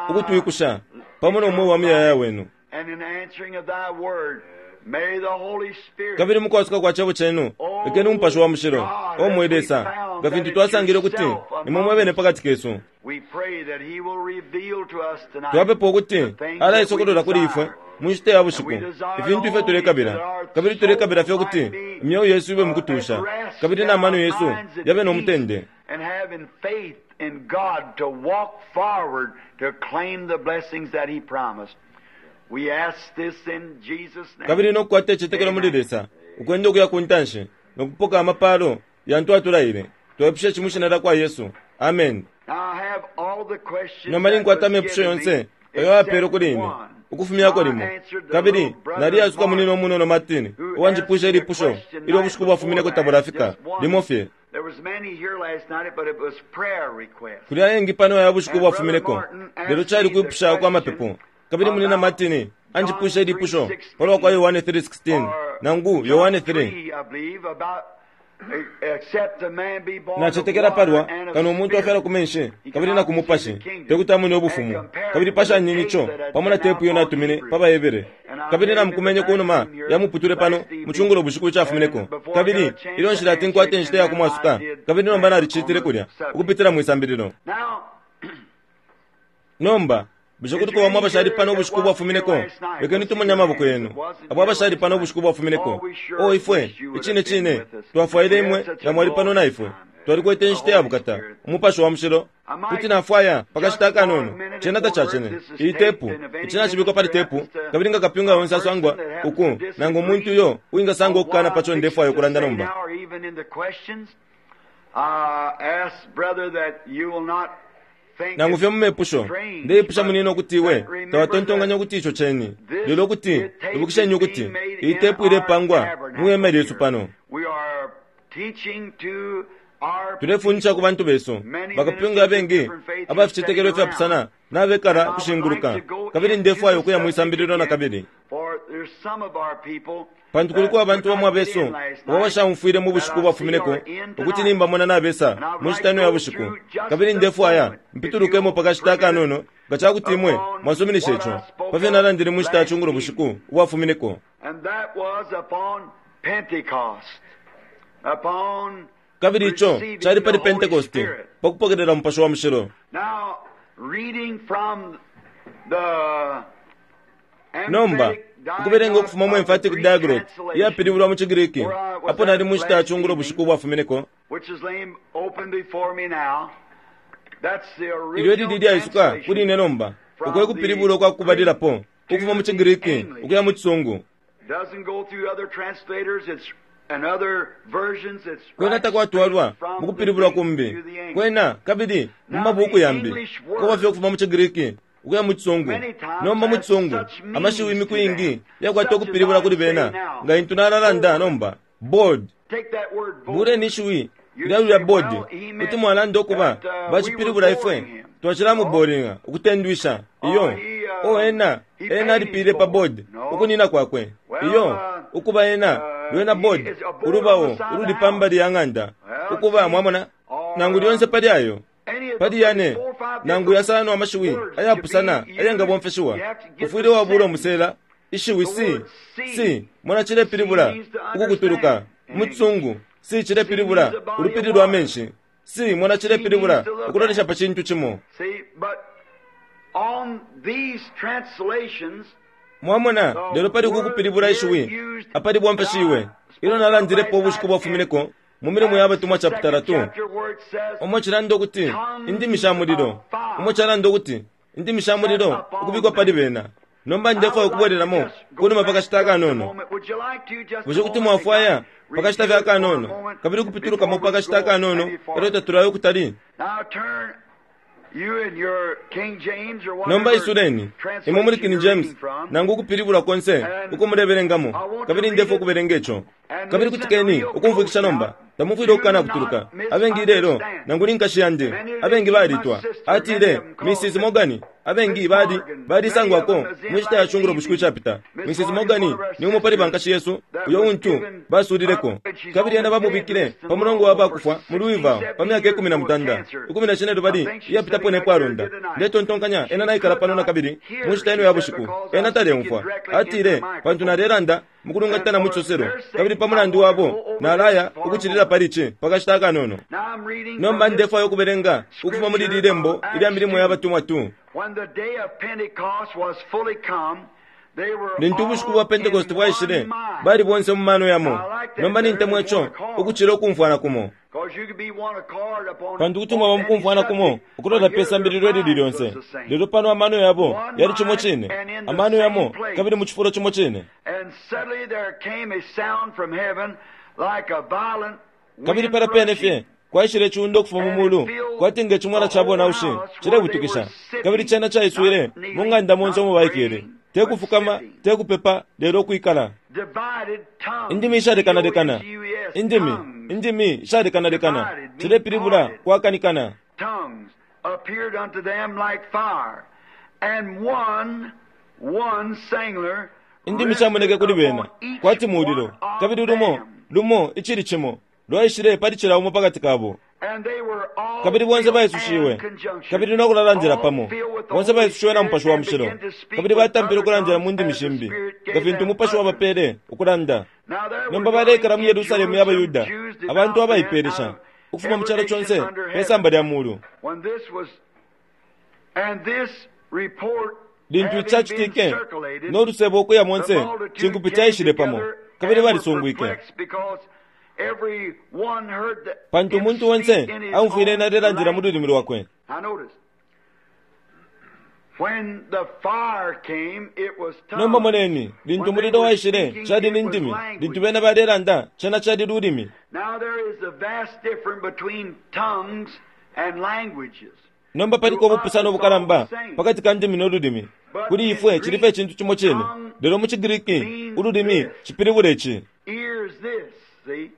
[SPEAKER 2] ukutwikusha pamo no mweo wa muyayaya wenu.
[SPEAKER 1] And in answering of thy word, may the Holy Spirit
[SPEAKER 2] Kabili mukwasuka kwa cebo cenu, lekeni Umupashi wa Mushilo, o mwe Lesa, nga fintu twasangile ukuti nimwe mwebene pakati kesu.
[SPEAKER 1] we pray that he will reveal to us tonight
[SPEAKER 2] Twapepa ukuti
[SPEAKER 1] the things that we
[SPEAKER 2] alaisokolola kuli ifwe
[SPEAKER 1] desire.
[SPEAKER 2] mu nshita ya bushiku ifintu ifyo tulekabila, kabili tulekabila fye ukuti imyeo yesu ibe mukutusha, kabili na mano yesu yabe no mutende,
[SPEAKER 1] And having faith in God to walk forward to claim the blessings that he promised. We ask this in Jesus' name.
[SPEAKER 2] kabili no kukwata icitetekelo muli Lesa ukwenda ukuya ku ntanshi no kupoka amapalo yantu atulaile. Twepusha ici mwi shina lya kwa Yesu, amen.
[SPEAKER 1] Now I have all the questions
[SPEAKER 2] Nomba
[SPEAKER 1] that
[SPEAKER 2] ninkwata
[SPEAKER 1] was
[SPEAKER 2] amepusho
[SPEAKER 1] given me
[SPEAKER 2] yonse ayo apele kuli ine
[SPEAKER 1] except one.
[SPEAKER 2] ukufumyako
[SPEAKER 1] I
[SPEAKER 2] limo,
[SPEAKER 1] answered the
[SPEAKER 2] kabili
[SPEAKER 1] little brother
[SPEAKER 2] naliyasuka munino
[SPEAKER 1] Martin,
[SPEAKER 2] munono Martin
[SPEAKER 1] who
[SPEAKER 2] uwanjipwisha
[SPEAKER 1] asked me a
[SPEAKER 2] ilipusho
[SPEAKER 1] question
[SPEAKER 2] ilyo
[SPEAKER 1] night
[SPEAKER 2] ubushiku bwafumineko
[SPEAKER 1] before
[SPEAKER 2] tabulafika
[SPEAKER 1] last, just one.
[SPEAKER 2] limo fye.
[SPEAKER 1] There was many here last night, but it was prayer requests.
[SPEAKER 2] Kuli ayengi pano aya bushiku
[SPEAKER 1] And Brother
[SPEAKER 2] bwafumineko,
[SPEAKER 1] Martin
[SPEAKER 2] lelo
[SPEAKER 1] asked
[SPEAKER 2] cali
[SPEAKER 1] me the
[SPEAKER 2] kwipusha kwa mapepo.
[SPEAKER 1] question
[SPEAKER 2] Kabili munina
[SPEAKER 1] about
[SPEAKER 2] Martin anjipwisha
[SPEAKER 1] John
[SPEAKER 2] ilipusho
[SPEAKER 1] 3:16
[SPEAKER 2] palwa kwa Yohane 3:16
[SPEAKER 1] or
[SPEAKER 2] nangu
[SPEAKER 1] John
[SPEAKER 2] Yohane 3.
[SPEAKER 1] 3, I believe, about except a man be born of
[SPEAKER 2] Nacetekela
[SPEAKER 1] water
[SPEAKER 2] palwa
[SPEAKER 1] and of
[SPEAKER 2] kano umuntu
[SPEAKER 1] spirit,
[SPEAKER 2] afyalwa ku menshi
[SPEAKER 1] he
[SPEAKER 2] kabili na
[SPEAKER 1] cannot
[SPEAKER 2] ku
[SPEAKER 1] receive
[SPEAKER 2] mupashi
[SPEAKER 1] the kingdom.
[SPEAKER 2] tekuti amone
[SPEAKER 1] And
[SPEAKER 2] ubufumu.
[SPEAKER 1] compare
[SPEAKER 2] Kabili
[SPEAKER 1] it with the
[SPEAKER 2] pashanyeni
[SPEAKER 1] tape
[SPEAKER 2] ico
[SPEAKER 1] that had
[SPEAKER 2] pamo na
[SPEAKER 1] been out
[SPEAKER 2] tepu iyo
[SPEAKER 1] on
[SPEAKER 2] natumine
[SPEAKER 1] Hebrews.
[SPEAKER 2] pa baHebere.
[SPEAKER 1] And I
[SPEAKER 2] Kabili
[SPEAKER 1] made him in the
[SPEAKER 2] namukumenye ku numa
[SPEAKER 1] bathroom here
[SPEAKER 2] ya muputule pano
[SPEAKER 1] last
[SPEAKER 2] mu
[SPEAKER 1] evening,
[SPEAKER 2] cungulo bushiku cafumineko.
[SPEAKER 1] and before I got
[SPEAKER 2] Kabili
[SPEAKER 1] a chance
[SPEAKER 2] ilyo
[SPEAKER 1] to
[SPEAKER 2] nshilati
[SPEAKER 1] answer
[SPEAKER 2] nkwate
[SPEAKER 1] it, and
[SPEAKER 2] inshita ya
[SPEAKER 1] then I
[SPEAKER 2] kumwasuka,
[SPEAKER 1] did
[SPEAKER 2] kabili nomba
[SPEAKER 1] that on
[SPEAKER 2] nalicitile
[SPEAKER 1] the
[SPEAKER 2] kulya
[SPEAKER 1] subject.
[SPEAKER 2] ukupitila mwi sambililo.
[SPEAKER 1] Now,
[SPEAKER 2] Nomba bushe
[SPEAKER 1] is
[SPEAKER 2] kuti
[SPEAKER 1] there
[SPEAKER 2] kubamo
[SPEAKER 1] any
[SPEAKER 2] abashali
[SPEAKER 1] here
[SPEAKER 2] pano
[SPEAKER 1] that
[SPEAKER 2] ubushiku
[SPEAKER 1] wasn't here
[SPEAKER 2] bwafumineko?
[SPEAKER 1] last night?
[SPEAKER 2] Lekeni
[SPEAKER 1] Let's see
[SPEAKER 2] tumone
[SPEAKER 1] your
[SPEAKER 2] amaboko
[SPEAKER 1] hands.
[SPEAKER 2] yenu.
[SPEAKER 1] That wasn't
[SPEAKER 2] Abo
[SPEAKER 1] here
[SPEAKER 2] abashali
[SPEAKER 1] last
[SPEAKER 2] pano
[SPEAKER 1] night.
[SPEAKER 2] ubushiku
[SPEAKER 1] Oh,
[SPEAKER 2] bwafumineko,
[SPEAKER 1] we
[SPEAKER 2] o
[SPEAKER 1] sure
[SPEAKER 2] ifwe
[SPEAKER 1] wish you would
[SPEAKER 2] icine
[SPEAKER 1] have been
[SPEAKER 2] cine
[SPEAKER 1] with us.
[SPEAKER 2] twafwaile
[SPEAKER 1] We had
[SPEAKER 2] imwe
[SPEAKER 1] such
[SPEAKER 2] nga
[SPEAKER 1] a
[SPEAKER 2] mwali pano na
[SPEAKER 1] glorious
[SPEAKER 2] ifwe.
[SPEAKER 1] time.
[SPEAKER 2] Twalikwete inshita ya bukata, Umupashi wa Mushilo. Kuti nafwaya pakashita akanono. Cena tacacene. Iyi tepu, ici nacibikwa pali tepu, kabili nga kapyunga onse asangwa uku, nangu umuntu uyo uwingasanga ukukana paco ndefwaya ukulanda nomba. Nangu fye mu mepusho, ndeipusha munino ukuti iwe tawatontonkanya ukuti ico ceni, lelo ukuti ibukisheni ukuti iyi tepu ilepangwa mu hema lyesu pano. Tulefundisha ku bantu besu, bakapyunga abengi aba ficetekelo ifyapusana nabekala ukushinguluka, kabili ndefwaya ukuya mwisambililo na kabili. Pantu kuliko abantu bamo abesu abo abashaumfwile mu bushiku ubwafumineko ukuti nimbamona nabesa mu nshita ino ya bushiku, kabili ndefwaya mpitulukemo pa kashita akanono nga ca kuti imwe mwasuminisha ico, pa fyo nalandile mu nshita ya cungulo bushiku ubwafumineko. Kabili ico cali pali Pentekoste, pa kupokelela Mupashi wa Mushilo. Nomba, ukubelenga ukufuma mu Emphatic Diaglott iyapilibulwa mu ciGriki, apo nali mu nshita ya cungulo bushiku ubwafumineko, ilyo ilili ilyaisuka kuli ine nomba, uko e kupilibula ukwa kubalilapo ukufuma mu ciGriki ukuya mu Cisungu. Kwena takwatwalwa mu kupilibulwa kumbi, kwena kabili mu mabuuku yambi, kwaba fye ukufuma mu ciGriki ukuya mu Cisungu. Nomba mu Cisungu, amashiwi imiku iingi yakwata ukupilibula kuli bena, nga intu nalalanda nomba, board. Buleni ishiwi lya lulya board, kuti mwalanda ukuba bacipilibula ifwe twacilamuboringa ukutendwisha. Iyo, o ena, ena alipile pa board ukunina kwakwe. Iyo, ukuba ena, lwena board, ulubao ululi pa mbali ya ng'anda. Ukuba, mwamona, nangu lyonse pali ayo, pali yane nangu yasano amashiwi ayapusana ayengabomfeshiwa, ufwile wabula umusela ishiwi si si mona cilepilibula ukukutuluka mu Cisungu, si cilepilibula ulupili lwa menshi, si mona cilepilibula ukulolesha pa cintu cimo. Mwamona, lelo pali uku kupilibula ishiwi apali bomfeshiwe ilyo nalandilepo ubushiku bwafumineko mu Milimo ya Batumwa chapitala 2, umo cilanda ukuti indimi sha mulilo, umo calanda ukuti indimi sha mulilo ukubikwa pali bena. Nomba ndefwaya ukubwelelamo kunuma pa kashita akanono. Bushe kuti mwafwaya pa kashita fye akanono, kabili ukupitulukamo pa kashita akanono elyo tatulayo ukutali? Nomba isuleni imwe muli King James nangu ukupilibula konse uko mulebelengamo, kabili ndefwaya ukubelenga ico. Kabili kutikeni ukumfwikisha nomba, tamufwile ukukana kutuluka. Abengi ilelo, nangu ni nkashi yandi, abengi balitwa, atile Mrs. Morgan, abengi bali balisangwako mu nshita ya cungulo bushiku icapita. Mrs. Morgan ni umo pali bankashi yesu uyo untu basulileko, kabili ena bamubikile pa mulongo wa bakufwa mu Louisville pa myaka 18, 15 iyapitapo ne kwalunda. Ndetontonkanya ena naikala pano na kabili mu nshita ino ya bushiku. Ena taleumfwa. Atile, pantu nalelanda mukulungatana mu cisoselo, kabili pa mulandu wabo nalaya ukucilila pali ici pa kashita akanono. Nomba ndefwaya ukubelenga ukufuma muli ili lembo ilya Milimo ya Batumwa 2. Lintu ubushiku bwa Pentekoste bwaishile, bali bonse mu mano yamo. Nomba nintemwa ico ukucila ukumfwana kumo. Pantu kuti mwaba mukumfwana kumo ukulola pe sambililo ilili lyonse, lelo pano amano yabo yali cimo cine, amano yamo kabili mu cifulo cimo cine. Kabili pala pene fye kwaishile iciunda ukufuma mu mulu kwati nge cimwela ca bonaushi cilebutukisha, kabili cena caiswile mu ng'anda monse umo baikele, te kufukama, te kupepa, lelo ukwikala. Indimi ishalekanalekana, indimi, indimi ishalekanalekana, cilepilibula kwakanikana. Indimi shamoneke kuli bena kwati mulilo, kabili lumo lumo icili cimo lwaishile pali cila umo pakati kabo. Kabili bonse baisushiwe, kabili no kulalandila pamo, bonse baisushiwe na Mupashi wa Mushilo, kabili batampile ukulandila mu ndimi shimbi, nga fintu Umupashi wabapele ukulanda. Nomba baleikala mu Yerusalemu ya baYuda, abantu abaipelesha, ukufuma mu calo conse pe samba lya mulu. Lintu ici cacitike, no lusebo ukuya monse, cinkupi caishile pamo, kabili balisungwike.
[SPEAKER 1] Every one heard the,
[SPEAKER 2] Pantu
[SPEAKER 1] him
[SPEAKER 2] umuntu
[SPEAKER 1] speak
[SPEAKER 2] onse
[SPEAKER 1] in his
[SPEAKER 2] aumfwile
[SPEAKER 1] own
[SPEAKER 2] ena alelandila mu
[SPEAKER 1] language.
[SPEAKER 2] lulimi lwakwe.
[SPEAKER 1] Now notice, when the fire came, it was
[SPEAKER 2] Nomba
[SPEAKER 1] tongues.
[SPEAKER 2] moneni, lintu
[SPEAKER 1] When they
[SPEAKER 2] umulilo
[SPEAKER 1] were
[SPEAKER 2] waishile,
[SPEAKER 1] speaking,
[SPEAKER 2] cali ni
[SPEAKER 1] it was
[SPEAKER 2] ndimi.
[SPEAKER 1] language.
[SPEAKER 2] Lintu bena balelanda, cena cali lulimi.
[SPEAKER 1] Now there is a vast difference between tongues and languages.
[SPEAKER 2] Nomba paliko ubupusano ubukalamba pakati ka ndimi no lulimi. Kuli ifwe cili fye icintu cimo cine, lelo mu ciGriki ululimi cipilibula ici.
[SPEAKER 1] Ears this, see?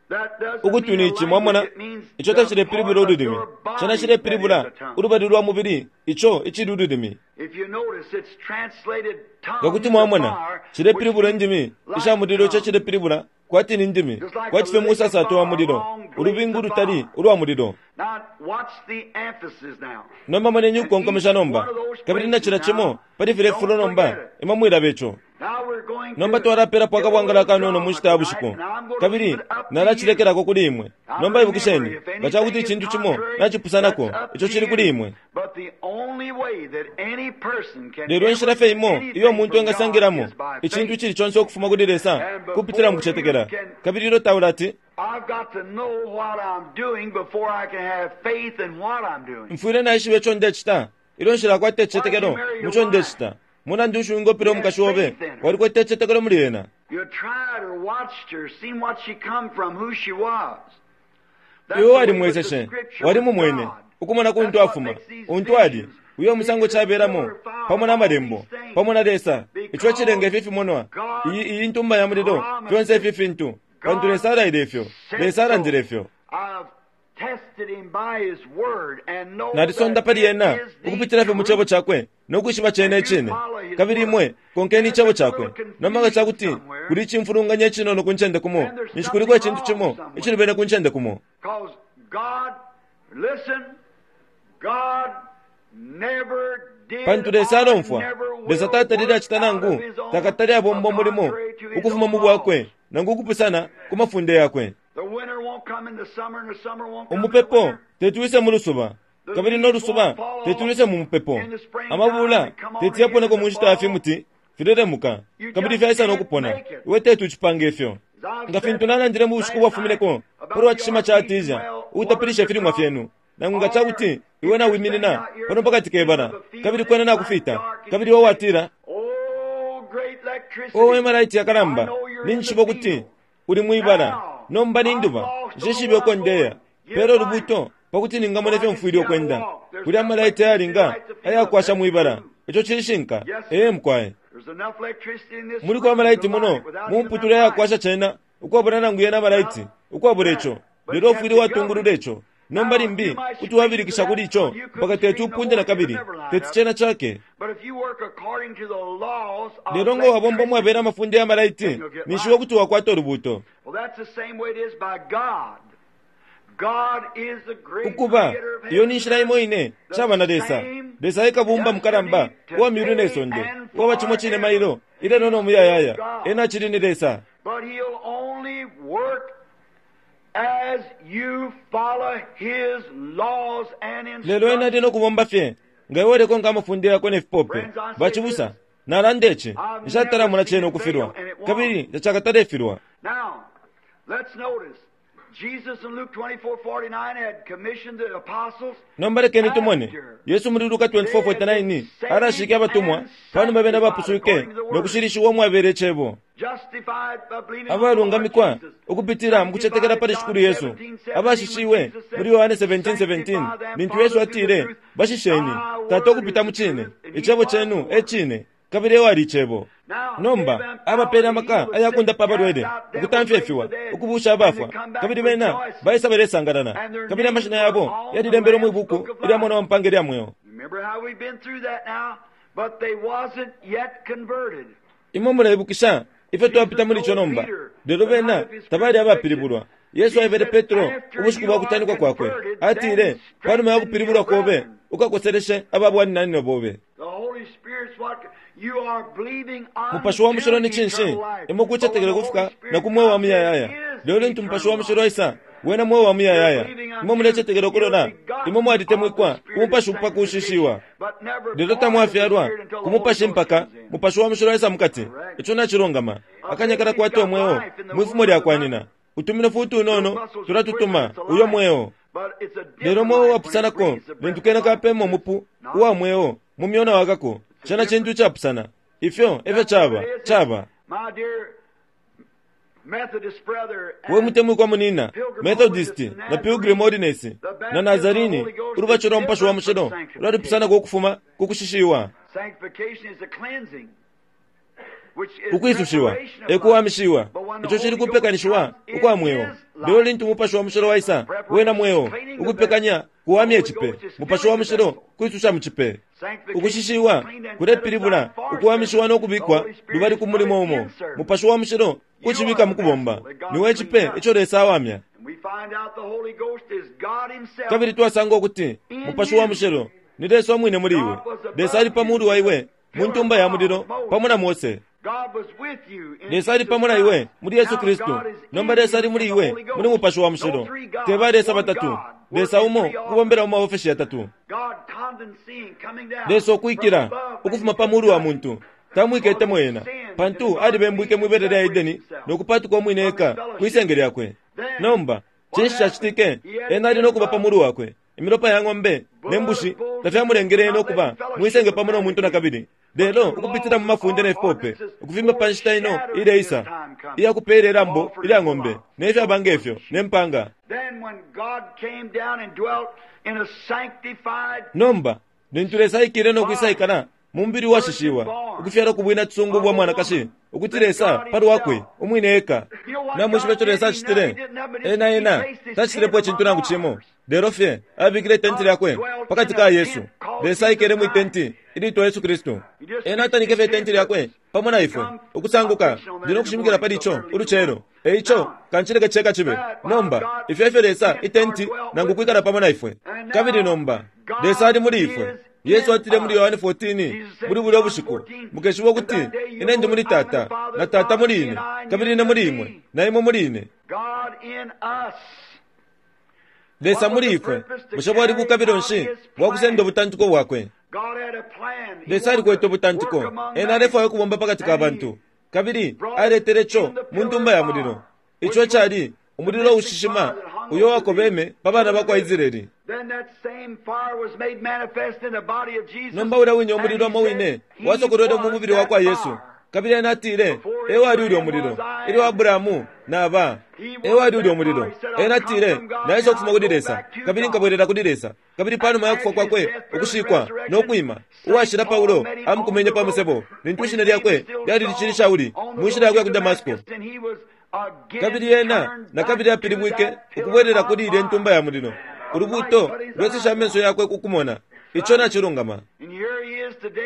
[SPEAKER 1] That doesn't
[SPEAKER 2] Ukutwi
[SPEAKER 1] mean
[SPEAKER 2] ni
[SPEAKER 1] a
[SPEAKER 2] ici,
[SPEAKER 1] language,
[SPEAKER 2] mwamona,
[SPEAKER 1] it means
[SPEAKER 2] ico
[SPEAKER 1] the
[SPEAKER 2] tacilepilibula
[SPEAKER 1] part of
[SPEAKER 2] ululimi.
[SPEAKER 1] your body
[SPEAKER 2] Cena
[SPEAKER 1] that is
[SPEAKER 2] cilepilibula
[SPEAKER 1] a tongue.
[SPEAKER 2] ulubali lwa mubili, ico icili ululimi.
[SPEAKER 1] If you notice, it's translated
[SPEAKER 2] Nga
[SPEAKER 1] tongues
[SPEAKER 2] kuti
[SPEAKER 1] of
[SPEAKER 2] mwamona,
[SPEAKER 1] fire,
[SPEAKER 2] cilepilibula
[SPEAKER 1] which
[SPEAKER 2] indimi
[SPEAKER 1] means
[SPEAKER 2] isha
[SPEAKER 1] like
[SPEAKER 2] mulilo ico
[SPEAKER 1] tongues.
[SPEAKER 2] cilepilibula kwati ni ndimi,
[SPEAKER 1] Just like
[SPEAKER 2] kwati
[SPEAKER 1] a
[SPEAKER 2] fye
[SPEAKER 1] lick of
[SPEAKER 2] musasato wa
[SPEAKER 1] fire,
[SPEAKER 2] mulilo,
[SPEAKER 1] a long blaze
[SPEAKER 2] ulubingu
[SPEAKER 1] of
[SPEAKER 2] lutali
[SPEAKER 1] fire.
[SPEAKER 2] ulwa mulilo.
[SPEAKER 1] Now, watch the emphasis now.
[SPEAKER 2] Nomba moneni
[SPEAKER 1] And
[SPEAKER 2] ukukonkomesha
[SPEAKER 1] each
[SPEAKER 2] nomba,
[SPEAKER 1] one of those
[SPEAKER 2] kabili na
[SPEAKER 1] places
[SPEAKER 2] cila cimo
[SPEAKER 1] now,
[SPEAKER 2] pali filya
[SPEAKER 1] don't
[SPEAKER 2] fifulo nomba,
[SPEAKER 1] forget it.
[SPEAKER 2] imwe mwilaba ico.
[SPEAKER 1] Now we're going
[SPEAKER 2] Nomba
[SPEAKER 1] to
[SPEAKER 2] twalapelapo
[SPEAKER 1] give a
[SPEAKER 2] akabwangala
[SPEAKER 1] little
[SPEAKER 2] kanono mu
[SPEAKER 1] drama
[SPEAKER 2] nshita ya
[SPEAKER 1] tonight,
[SPEAKER 2] bushiku,
[SPEAKER 1] and I'm going to leave
[SPEAKER 2] kabili
[SPEAKER 1] it up to you.
[SPEAKER 2] nalacilekelako kuli imwe.
[SPEAKER 1] Now
[SPEAKER 2] Nomba
[SPEAKER 1] remember,
[SPEAKER 2] ibukisheni,
[SPEAKER 1] if
[SPEAKER 2] nga ca kuti
[SPEAKER 1] anything is
[SPEAKER 2] icintu cimo
[SPEAKER 1] contrary,
[SPEAKER 2] nacipusanako,
[SPEAKER 1] that's up
[SPEAKER 2] ico
[SPEAKER 1] to
[SPEAKER 2] cili kuli
[SPEAKER 1] you.
[SPEAKER 2] imwe.
[SPEAKER 1] But the only way that any person can
[SPEAKER 2] Lelo
[SPEAKER 1] ever
[SPEAKER 2] inshila
[SPEAKER 1] get
[SPEAKER 2] fye imo iyo
[SPEAKER 1] anything
[SPEAKER 2] umuntu
[SPEAKER 1] from God
[SPEAKER 2] engasangilamo
[SPEAKER 1] is by
[SPEAKER 2] icintu
[SPEAKER 1] faith.
[SPEAKER 2] icili conse ukufuma kuli Lesa
[SPEAKER 1] And
[SPEAKER 2] kupitila mu
[SPEAKER 1] before you
[SPEAKER 2] kucetekela.
[SPEAKER 1] can,
[SPEAKER 2] Kabili ilyo taulati,
[SPEAKER 1] I've got to know what I'm doing before I can have faith in what I'm doing.
[SPEAKER 2] mfwile naishiba ico ndecita, ilyo nshilakwata
[SPEAKER 1] Why did you
[SPEAKER 2] icicetekelo
[SPEAKER 1] marry
[SPEAKER 2] mu
[SPEAKER 1] your
[SPEAKER 2] co
[SPEAKER 1] wife?
[SPEAKER 2] ndecita. Mulandu nshi wingopela
[SPEAKER 1] You had
[SPEAKER 2] umukashi obe,
[SPEAKER 1] faith in her.
[SPEAKER 2] walikwete icicetekelo muli ena.
[SPEAKER 1] You tried her, watched her, seen what she come from, who she was. That's
[SPEAKER 2] Iwe
[SPEAKER 1] the way with the
[SPEAKER 2] walimweseshe,
[SPEAKER 1] scripture with
[SPEAKER 2] walimumwene,
[SPEAKER 1] God.
[SPEAKER 2] ukumona kuntu
[SPEAKER 1] That's what
[SPEAKER 2] afuma,
[SPEAKER 1] makes these
[SPEAKER 2] untu ali,
[SPEAKER 1] visions,
[SPEAKER 2] uyo musango
[SPEAKER 1] these
[SPEAKER 2] cabelamo,
[SPEAKER 1] pillar fire,
[SPEAKER 2] pamo na
[SPEAKER 1] all
[SPEAKER 2] malembo,
[SPEAKER 1] these things,
[SPEAKER 2] pamo na Lesa, ico cilenga
[SPEAKER 1] because
[SPEAKER 2] ifi fimonwa, iyi
[SPEAKER 1] God
[SPEAKER 2] iyi ntumba ya mulilo, fyonse
[SPEAKER 1] promised
[SPEAKER 2] ifi
[SPEAKER 1] it.
[SPEAKER 2] fintu, pantu
[SPEAKER 1] God
[SPEAKER 2] Lesa alaile ifyo,
[SPEAKER 1] said
[SPEAKER 2] Lesa alandile
[SPEAKER 1] so.
[SPEAKER 2] ifyo.
[SPEAKER 1] I've tested him by his word and know
[SPEAKER 2] Nalisonda
[SPEAKER 1] that
[SPEAKER 2] pali
[SPEAKER 1] it
[SPEAKER 2] ena
[SPEAKER 1] is the
[SPEAKER 2] ukupitila fye mu cebo
[SPEAKER 1] truth.
[SPEAKER 2] cakwe no kwishiba cene
[SPEAKER 1] And you
[SPEAKER 2] icine.
[SPEAKER 1] follow his
[SPEAKER 2] Kabili
[SPEAKER 1] word.
[SPEAKER 2] imwe konkeni
[SPEAKER 1] And if
[SPEAKER 2] icebo
[SPEAKER 1] there's a little
[SPEAKER 2] cakwe. Nomba nga ca
[SPEAKER 1] confusion
[SPEAKER 2] kuti
[SPEAKER 1] somewhere,
[SPEAKER 2] kuli icimfulunganya icinono ku ncende kumo,
[SPEAKER 1] then there's
[SPEAKER 2] ninshi kuliko
[SPEAKER 1] something
[SPEAKER 2] icintu
[SPEAKER 1] wrong
[SPEAKER 2] cimo
[SPEAKER 1] somewhere.
[SPEAKER 2] icilubene ku ncende kumo.
[SPEAKER 1] Because God, listen, God never did
[SPEAKER 2] Pantu Lesa
[SPEAKER 1] or
[SPEAKER 2] alomfwa,
[SPEAKER 1] never
[SPEAKER 2] Lesa
[SPEAKER 1] will
[SPEAKER 2] tatalile
[SPEAKER 1] work
[SPEAKER 2] acita
[SPEAKER 1] out
[SPEAKER 2] nangu
[SPEAKER 1] of his own,
[SPEAKER 2] takatali abomba
[SPEAKER 1] uh,
[SPEAKER 2] umulimo
[SPEAKER 1] contrary to his
[SPEAKER 2] ukufuma
[SPEAKER 1] own
[SPEAKER 2] mu bwakwe
[SPEAKER 1] laws.
[SPEAKER 2] nangu ukupusana ku mafunde yakwe.
[SPEAKER 1] The winter won't come in the summer and the summer won't come in the
[SPEAKER 2] Umupepo
[SPEAKER 1] winter.
[SPEAKER 2] teti wise mu lusuba,
[SPEAKER 1] The
[SPEAKER 2] kabili no
[SPEAKER 1] leaves
[SPEAKER 2] lusuba
[SPEAKER 1] won't fall
[SPEAKER 2] teti
[SPEAKER 1] off
[SPEAKER 2] wise mu mupepo.
[SPEAKER 1] in the springtime
[SPEAKER 2] Amabula
[SPEAKER 1] and come on
[SPEAKER 2] teti
[SPEAKER 1] again in
[SPEAKER 2] yaponeko
[SPEAKER 1] the
[SPEAKER 2] mu nshita ya
[SPEAKER 1] fall.
[SPEAKER 2] fimuti filelemuka,
[SPEAKER 1] You
[SPEAKER 2] kabili
[SPEAKER 1] just
[SPEAKER 2] fyaisa no
[SPEAKER 1] can't
[SPEAKER 2] kupona.
[SPEAKER 1] make it.
[SPEAKER 2] Iwe teti ucipange ifyo.
[SPEAKER 1] As I've
[SPEAKER 2] Nga
[SPEAKER 1] said
[SPEAKER 2] fintu nalandile mu bushiku
[SPEAKER 1] last night
[SPEAKER 2] bwafumineko
[SPEAKER 1] about
[SPEAKER 2] palwa
[SPEAKER 1] the
[SPEAKER 2] cishima ca
[SPEAKER 1] artesian
[SPEAKER 2] Artesia,
[SPEAKER 1] well, watering
[SPEAKER 2] utapilisha
[SPEAKER 1] your
[SPEAKER 2] ifilimwa
[SPEAKER 1] crop,
[SPEAKER 2] fyenu. Nangu nga ca
[SPEAKER 1] or
[SPEAKER 2] kuti iwe
[SPEAKER 1] if you're standing
[SPEAKER 2] nawiminina
[SPEAKER 1] out here
[SPEAKER 2] pano pakati
[SPEAKER 1] in the
[SPEAKER 2] ke
[SPEAKER 1] middle
[SPEAKER 2] bala,
[SPEAKER 1] of a field
[SPEAKER 2] kabili
[SPEAKER 1] and
[SPEAKER 2] kwena
[SPEAKER 1] it's night
[SPEAKER 2] nakufita,
[SPEAKER 1] dark and
[SPEAKER 2] kabili
[SPEAKER 1] you
[SPEAKER 2] iwe
[SPEAKER 1] say,
[SPEAKER 2] watila,
[SPEAKER 1] Oh, great
[SPEAKER 2] owe
[SPEAKER 1] electricity,
[SPEAKER 2] malaiti
[SPEAKER 1] I
[SPEAKER 2] yakalamba,
[SPEAKER 1] know you're in the
[SPEAKER 2] ninjishiba ukuti
[SPEAKER 1] field.
[SPEAKER 2] uli mwibala,
[SPEAKER 1] Now,
[SPEAKER 2] nomba
[SPEAKER 1] I've
[SPEAKER 2] ninduba,
[SPEAKER 1] lost on
[SPEAKER 2] nshishibe
[SPEAKER 1] where
[SPEAKER 2] uko
[SPEAKER 1] I'm
[SPEAKER 2] ndeya,
[SPEAKER 1] going. Give
[SPEAKER 2] pelo
[SPEAKER 1] light
[SPEAKER 2] lubuto pakuti
[SPEAKER 1] so
[SPEAKER 2] ningamona
[SPEAKER 1] I
[SPEAKER 2] ifyo
[SPEAKER 1] can
[SPEAKER 2] mfwile
[SPEAKER 1] see how to
[SPEAKER 2] ukwenda.
[SPEAKER 1] walk. There's
[SPEAKER 2] Kuli
[SPEAKER 1] enough
[SPEAKER 2] amalaiti
[SPEAKER 1] electricity to
[SPEAKER 2] ayalinga
[SPEAKER 1] light the field up.
[SPEAKER 2] ayakwasha
[SPEAKER 1] That's
[SPEAKER 2] mwibala,
[SPEAKER 1] true.
[SPEAKER 2] ico cilishinka,
[SPEAKER 1] Yes,
[SPEAKER 2] ee
[SPEAKER 1] sir.
[SPEAKER 2] mukwaye.
[SPEAKER 1] There's enough electricity in this
[SPEAKER 2] Muliko
[SPEAKER 1] room
[SPEAKER 2] amalaiti
[SPEAKER 1] to light
[SPEAKER 2] muno
[SPEAKER 1] it without even that
[SPEAKER 2] mumputule
[SPEAKER 1] light.
[SPEAKER 2] ayakwasha cena ukwabula nangu yena amalaiti
[SPEAKER 1] Now,
[SPEAKER 2] ukwabula
[SPEAKER 1] that,
[SPEAKER 2] ico
[SPEAKER 1] but
[SPEAKER 2] lelo
[SPEAKER 1] you have
[SPEAKER 2] ufwile
[SPEAKER 1] to
[SPEAKER 2] watungulula
[SPEAKER 1] govern it.
[SPEAKER 2] ico. Nomba
[SPEAKER 1] Now, you
[SPEAKER 2] limbi
[SPEAKER 1] might
[SPEAKER 2] kuti
[SPEAKER 1] scream to
[SPEAKER 2] wabilikisha
[SPEAKER 1] that
[SPEAKER 2] kuli ico
[SPEAKER 1] till you
[SPEAKER 2] mpaka
[SPEAKER 1] couldn't
[SPEAKER 2] teti
[SPEAKER 1] scream no
[SPEAKER 2] upunde
[SPEAKER 1] more.
[SPEAKER 2] na
[SPEAKER 1] It'll
[SPEAKER 2] kabili
[SPEAKER 1] never light
[SPEAKER 2] teti
[SPEAKER 1] up.
[SPEAKER 2] cena cake.
[SPEAKER 1] But if you work according to the laws of
[SPEAKER 2] Lelo nga wabomba mwabela
[SPEAKER 1] electricity,
[SPEAKER 2] amafunde ya
[SPEAKER 1] then
[SPEAKER 2] malaiti
[SPEAKER 1] you'll get
[SPEAKER 2] ninshi
[SPEAKER 1] light.
[SPEAKER 2] wokuti wakwata ulubuto.
[SPEAKER 1] Well, that's the same way it is by God. God is the great
[SPEAKER 2] Ukuba
[SPEAKER 1] creator of
[SPEAKER 2] iyo
[SPEAKER 1] heaven
[SPEAKER 2] ni
[SPEAKER 1] and
[SPEAKER 2] nshila
[SPEAKER 1] earth,
[SPEAKER 2] imo ine
[SPEAKER 1] the
[SPEAKER 2] caba na Lesa.
[SPEAKER 1] same
[SPEAKER 2] Lesa ekabumba mukalamba
[SPEAKER 1] yesterday,
[SPEAKER 2] uwa myulu ne
[SPEAKER 1] today,
[SPEAKER 2] sonde,
[SPEAKER 1] and
[SPEAKER 2] uwaba cimo cine
[SPEAKER 1] forever.
[SPEAKER 2] mailo ilelo no
[SPEAKER 1] He's still
[SPEAKER 2] muyayaya,
[SPEAKER 1] God.
[SPEAKER 2] ena acili ni Lesa.
[SPEAKER 1] But he'll only work as you follow his laws and
[SPEAKER 2] Lelo ena ali
[SPEAKER 1] instructions.
[SPEAKER 2] no kubomba fye nga iwe ulekonka amafunde yakwe ne fipope.
[SPEAKER 1] Friends, I say
[SPEAKER 2] Bacibusa,
[SPEAKER 1] this.
[SPEAKER 2] nalanda ici,
[SPEAKER 1] I've
[SPEAKER 2] nshatala
[SPEAKER 1] never
[SPEAKER 2] mona
[SPEAKER 1] seen
[SPEAKER 2] cene
[SPEAKER 1] it fail,
[SPEAKER 2] ukufilwa,
[SPEAKER 1] and it won't.
[SPEAKER 2] kabili tacakatalefilwa.
[SPEAKER 1] Now, let's notice. Jesus in Luke 24:49 had commissioned the apostles
[SPEAKER 2] Nomba lekeni tumone,
[SPEAKER 1] after
[SPEAKER 2] Yesu muli Luka
[SPEAKER 1] they had been
[SPEAKER 2] 24:49
[SPEAKER 1] saved
[SPEAKER 2] alashike abatumwa
[SPEAKER 1] and
[SPEAKER 2] panuma bena
[SPEAKER 1] sanctified
[SPEAKER 2] bapuswike
[SPEAKER 1] according to the
[SPEAKER 2] no
[SPEAKER 1] word,
[SPEAKER 2] kushilishiwa umwabela icebo,
[SPEAKER 1] justified by believing on the Lord
[SPEAKER 2] abalungamikwa
[SPEAKER 1] Jesus,
[SPEAKER 2] ukupitila mu kucetekela
[SPEAKER 1] sanctified
[SPEAKER 2] pali
[SPEAKER 1] in John
[SPEAKER 2] Shikulu Yesu,
[SPEAKER 1] 17:17 when
[SPEAKER 2] abashishiwe
[SPEAKER 1] Jesus said,
[SPEAKER 2] muli Yohane 17:17
[SPEAKER 1] Sanctify them,
[SPEAKER 2] lintu Yesu
[SPEAKER 1] Father, through the
[SPEAKER 2] atile,
[SPEAKER 1] truth.
[SPEAKER 2] bashisheni
[SPEAKER 1] Thy
[SPEAKER 2] tata
[SPEAKER 1] word
[SPEAKER 2] ukupita
[SPEAKER 1] is
[SPEAKER 2] mu
[SPEAKER 1] the
[SPEAKER 2] cine,
[SPEAKER 1] truth, and he
[SPEAKER 2] icebo
[SPEAKER 1] was the
[SPEAKER 2] cenu e
[SPEAKER 1] word.
[SPEAKER 2] cine, kabili ewali icebo.
[SPEAKER 1] Now, gave
[SPEAKER 2] Nomba
[SPEAKER 1] them power
[SPEAKER 2] abapeele
[SPEAKER 1] to
[SPEAKER 2] amaka
[SPEAKER 1] heal the sick,
[SPEAKER 2] ayakundapa
[SPEAKER 1] cast
[SPEAKER 2] abalwele,
[SPEAKER 1] out devils,
[SPEAKER 2] ukutamfya
[SPEAKER 1] raise the
[SPEAKER 2] ifiwa,
[SPEAKER 1] dead,
[SPEAKER 2] ukubuusha
[SPEAKER 1] and they
[SPEAKER 2] abafwa,
[SPEAKER 1] come back
[SPEAKER 2] kabili bena
[SPEAKER 1] rejoicing.
[SPEAKER 2] baisa balesangalala,
[SPEAKER 1] And their
[SPEAKER 2] kabili
[SPEAKER 1] names
[SPEAKER 2] amashina
[SPEAKER 1] were
[SPEAKER 2] yabo
[SPEAKER 1] on the
[SPEAKER 2] yalilembelwe mwi
[SPEAKER 1] Lamb's
[SPEAKER 2] buku
[SPEAKER 1] book of
[SPEAKER 2] ilya
[SPEAKER 1] life.
[SPEAKER 2] mwana wa mpanga ilya mweo.
[SPEAKER 1] Remember how we've been through that now? But they wasn't yet converted.
[SPEAKER 2] Imwe muleibukisha ifyo twapita
[SPEAKER 1] Jesus
[SPEAKER 2] muli ico
[SPEAKER 1] told
[SPEAKER 2] nomba.
[SPEAKER 1] Peter,
[SPEAKER 2] Lelo
[SPEAKER 1] the night
[SPEAKER 2] bena
[SPEAKER 1] of his
[SPEAKER 2] tabali
[SPEAKER 1] crucifixion,
[SPEAKER 2] abapilibulwa. Yesu
[SPEAKER 1] he
[SPEAKER 2] aebele
[SPEAKER 1] said,
[SPEAKER 2] Petro
[SPEAKER 1] After
[SPEAKER 2] ubushiku
[SPEAKER 1] you
[SPEAKER 2] bwa
[SPEAKER 1] are
[SPEAKER 2] kutanikwa kwakwe,
[SPEAKER 1] converted, then
[SPEAKER 2] atile, panuma ya
[SPEAKER 1] strengthen
[SPEAKER 2] kupilibulwa
[SPEAKER 1] your
[SPEAKER 2] kobe
[SPEAKER 1] brethren.
[SPEAKER 2] ukakoseleshe ababwananyina bobe.
[SPEAKER 1] The Holy Spirit's what you are believing
[SPEAKER 2] Mupashi wa
[SPEAKER 1] unto
[SPEAKER 2] mushilo ni cinshi?
[SPEAKER 1] eternal life.
[SPEAKER 2] Imwe
[SPEAKER 1] But when
[SPEAKER 2] kucetekela
[SPEAKER 1] the Holy
[SPEAKER 2] kufika na
[SPEAKER 1] Spirit
[SPEAKER 2] ku mweo wa
[SPEAKER 1] comes, it
[SPEAKER 2] muyayaya.
[SPEAKER 1] is
[SPEAKER 2] Lelo lintu Mupashi wa
[SPEAKER 1] eternal
[SPEAKER 2] mushilo
[SPEAKER 1] life.
[SPEAKER 2] aisa, wena mweo wa
[SPEAKER 1] You're
[SPEAKER 2] muyayaya.
[SPEAKER 1] believing
[SPEAKER 2] Imwe
[SPEAKER 1] unto
[SPEAKER 2] mulecetekela
[SPEAKER 1] your
[SPEAKER 2] ukulola, imwe
[SPEAKER 1] begotten of the
[SPEAKER 2] mwalitemwikwa ku
[SPEAKER 1] Spirit of
[SPEAKER 2] Mupashi upakushishiwa.
[SPEAKER 1] sanctification, but never
[SPEAKER 2] Lelo
[SPEAKER 1] born of the
[SPEAKER 2] tamwafyalwa
[SPEAKER 1] Spirit until
[SPEAKER 2] ku
[SPEAKER 1] the Holy
[SPEAKER 2] Mupashi
[SPEAKER 1] Ghost
[SPEAKER 2] mpaka
[SPEAKER 1] comes in.
[SPEAKER 2] Mupashi wa mushilo aisa mukati.
[SPEAKER 1] Correct.
[SPEAKER 2] Ico nacilungama.
[SPEAKER 1] A
[SPEAKER 2] Akanya
[SPEAKER 1] baby's
[SPEAKER 2] kalakwata
[SPEAKER 1] got
[SPEAKER 2] umweo
[SPEAKER 1] life in the
[SPEAKER 2] mwifumo
[SPEAKER 1] womb of
[SPEAKER 2] lya
[SPEAKER 1] the
[SPEAKER 2] kwa
[SPEAKER 1] mother.
[SPEAKER 2] nyina. Utuminofu utunono tulatutuma uyo mweo. Lelo mweo wapusanako lintu kena kapema umupu uwa mweo mu myona wakako. Cena cintu icapusana. Ifyo efyo caba, caba. We mutemwikwa munina, Methodist na Pilgrim Holiness na Nazarene, ulubatisho lwa Mupashi wa Mushilo lwalipusanako ukufuma ku kushishiwa. Ukwisushiwa e kuwamishiwa, ico cili kupekanishiwa ukwa mweo. Lelo lintu Mupashi wa Mushilo waisa, wena mweo, ukupekanya kuwamya icipe. Mupashi wa Mushilo kwisusha mu cipe. Ukushishiwa kulepilibula ukuwamishiwa no kubikwa lubali ku mulimo umo. Mupashi wa Mushilo kucibika mu kubomba. Niwe icipe ico Lesa awamya. Kabili twasanga ukuti Mupashi wa Mushilo ni Lesa umwine muli iwe. Lesa ali pa mulu wa iwe mu ntumba ya mulilo pamo na Mose. Lesa ali pamo na iwe muli Yesu Kristu. Nomba Lesa ali muli iwe muli Mupashi wa Mushilo. Te ba Lesa batatu, Lesa umo ukubombela mu maofeshi yatatu. Lesa ukwikila ukufuma pa mulu wa muntu tamwiketemo ena, pantu alibembwike mwibele lya Edeni no kupatuka umwine eka kwisenge lyakwe. Nomba cinshi cacitike? Ena ali no kuba pa mulu wakwe. Imilopa ya ng'ombe ne mbushi tafyamulengele ena ukuba mwisenge pamo no muntu nakabili. Lelo ukupitila mu mafunde ne fipope, ukufimba pa nshita ino ileisa iya kupeela ilambo ilya ng'ombe ne fyaba nge fyo ne mpanga. Nomba lintu Lesa aikile no kwisaikala mu mubili uwashishiwa, ukufyalwa ku bwina cisungu bwa mwanakashi, ukuti Lesa pa lwakwe umwine eka. Namwishiba ico Lesa acitile? Ena, Ena tacitilepo icintu nangu cimo, lelo fye abikile itenti lyakwe pakati ka Yesu. Lesa aikele mwi tenti ilitwa Yesu Kristu. Ena atanike fye itenti lyakwe pamo na ifwe. Ukusanguka, ndi no kushimikila pali ico ulucelo. E ico, kancileke ceka cibe. Nomba, ifyo efyo Lesa, itenti, nangu kwikala pamo na ifwe. Kabili nomba, Lesa ali muli ifwe. Yesu atile muli Yohane 14, muli bulya bushiku, mukeshiba ukuti ine ndi muli Tata, na Tata muli ine, kabili ine muli imwe, na imwe muli ine. Lesa muli ifwe. Bushe bwali bukabilo nshi bwa kusenda ubutantiko bwakwe? Lesa alikwete ubutantiko. Ena alefwaya ukubomba pakati ka bantu, kabili aletele ico mu ntumba ya mulilo. Ico ecali umulilo ushishima uyo wakobeme pa bana ba kwa Israeli. Nomba ulya wine umulilo umo wine wasokolwele mu mubili wa kwa Yesu, kabili ena atile, E wali ulya umulilo ilyo Abrahamu na ba. E wali ulya umulilo. Ena atile, Naisa ukufuma kuli Lesa, kabili nkabwelela kuli Lesa. Kabili panuma ya kufwa kwakwe, ukushikwa, no kwima, uwashila Paulo amukumenye pa musebo, lintu ishina lyakwe lyali licili Shauli, mu nshila yakwe ya ku Damasko. Kabili ena nakabili apilibwike ukubwelela kuli ilye ntumba ya mulilo. Ulubuuto lweseshe amenso yakwe ku kumona. Ico nacilungama.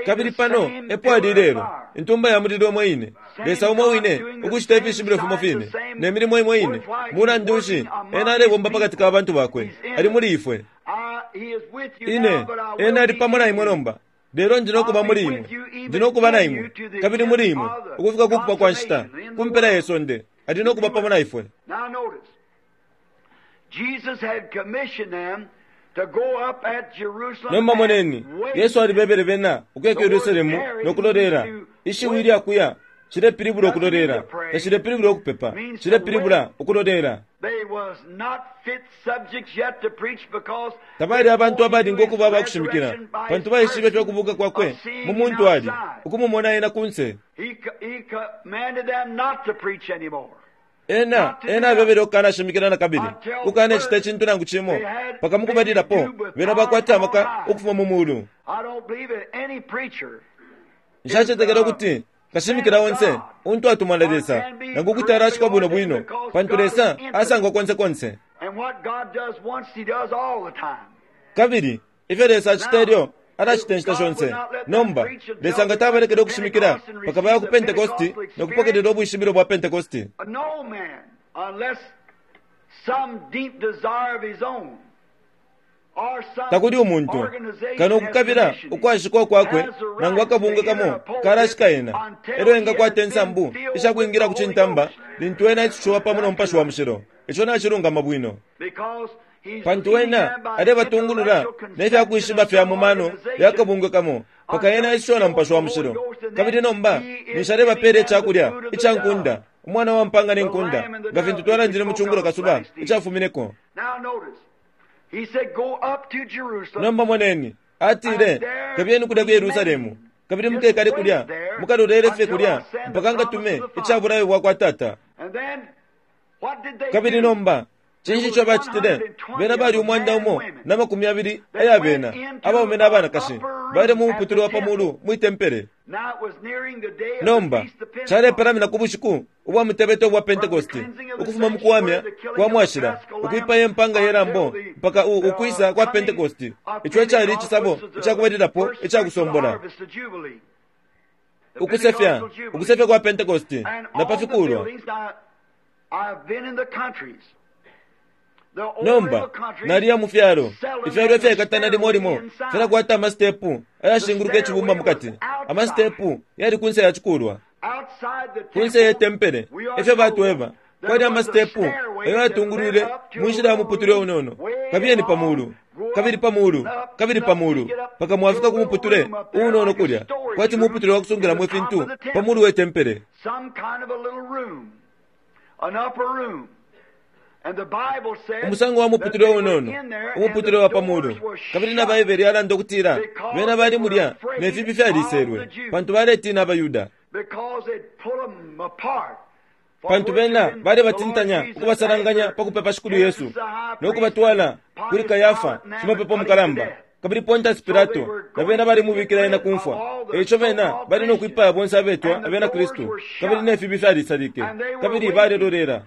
[SPEAKER 2] Kabili pano epo ali ilelo, intumba ya mulilo imo ine, Lesa umo wine ukucita ifishibilo fimo fine ne milimo imo ine. Mulandu nshi, Ena alebomba pakati ka bantu Bakwe. Ali muli ifwe. Ine, Ena ali pamo na imwe nomba. Lelo ndi no kuba muli imwe. Ndi no kuba na imwe, kabili muli imwe, ukufika ku kupwa kwa nshita, ku mpela ye sonde. Ali no kuba pamo na ifwe. Nomba moneni, Yesu alibebele bena ukuya ku Yerusalemu no kulolela. Ishiwi ilya kuya cilepilibula ukulolela, tacilepilibula ukupepa, cilepilibula ukulolela. Tabali abantu abalinga ukuba abakushimikila, pantu baishibe ifyo kubuka kwakwe mu muntu ali, ukumumona ena kunse. Ena, ena abebele ukukanashimikila nakabili, ukukanacita icintu nangu cimo, mpaka mukubalilapo bena bakwata amaka ukufuma mu mulu. Nshacetekela ukuti kashimikila onse untu atumwa na Lesa, nangu kuti alashikwa bwino bwino, pantu Lesa asangwa konse konse. Kabili ifyo Lesa acita elyo alacita inshita shonse. Nomba, Lesa nga tabalekele ukushimikila mpaka baya ku Pentekosti no kupokelela ubwishibilo bwa Pentekosti. Takuli umuntu, kano ukukabila ukwashikwa kwakwe nangu akabungwe kamo kalashika ena, elyo engakwata insambu isha kwingila ku cintamba lintu ena aisushiwa pamo no Mupashi wa Mushilo. Ico nacilungama bwino. Pantu ena alebatungulula ne fya kwishiba fya mu mano ya kabungwe kamo, mpaka ena aisushiwa na Mupashi wa Mushilo. Kabili nomba ninshi alebapeela ica kulya ica nkunda, Umwana wa mpanga ne nkunda, nga fintu twalandile mu cungulo kasuba icafumineko. Nomba moneni, atile, Kabiyeni kulya ku Yerusalemu, kabili mukekale kulya, mukalolele fye kulya mpaka ngatume ica bulayo bwa kwa Tata. Kabili nomba cinshi ico bacitile? Bena bali 120 aya bena, abaume na banakashi, baile mu muputule wa pa mulu mwi tempele. Nomba calepalamina ku bushiku ubwa mutebeto bwa Pentekoste, ukufuma mu kuwamya kwa mwashila, ukwipaya impanga ye lambo mpaka ukwisa kwa Pentekoste. Ico ecali icisabo icakubalilapo icakusombola. Ukusefya, ukusefya kwa Pentekoste na pa fikulwa. Nomba naliya mu fyalo, ifyalo ifyaikatana limo limo filakwata amastepu ayashinguluka icibumba mukati. Amastepu yali kunse ya cikulwa, kunse ye tempele. Efyo batweba, kwali amastepu ayo yatungulwile mu nshila ya muputule unono. Kabiyeni pa mulu, kabili pa mulu, kabili pa mulu, mpaka mwafika ku muputule unono kulya, kwati muputule wa kusungilamo ifintu pa mulu we tempele. Umusango wa muputule unono, umuputule wa pa mulu. Kabili na Baibele yalanda ukutila bena bali mulya ne fibi fyaliselwe, pantu baletina abaYuda, pantu bena bali batintanya ukubasalanganya pa kupepa Shikulu Yesu no kubatwala kuli Kayafa shimapepo mukalamba, kabili Pontius Pilato, na bena balimubikila ena kumfwa. Eico bena bali no kwipaya bonse abetwa abena Kristu, kabili ne fibi fyalisalike, kabili balelolela.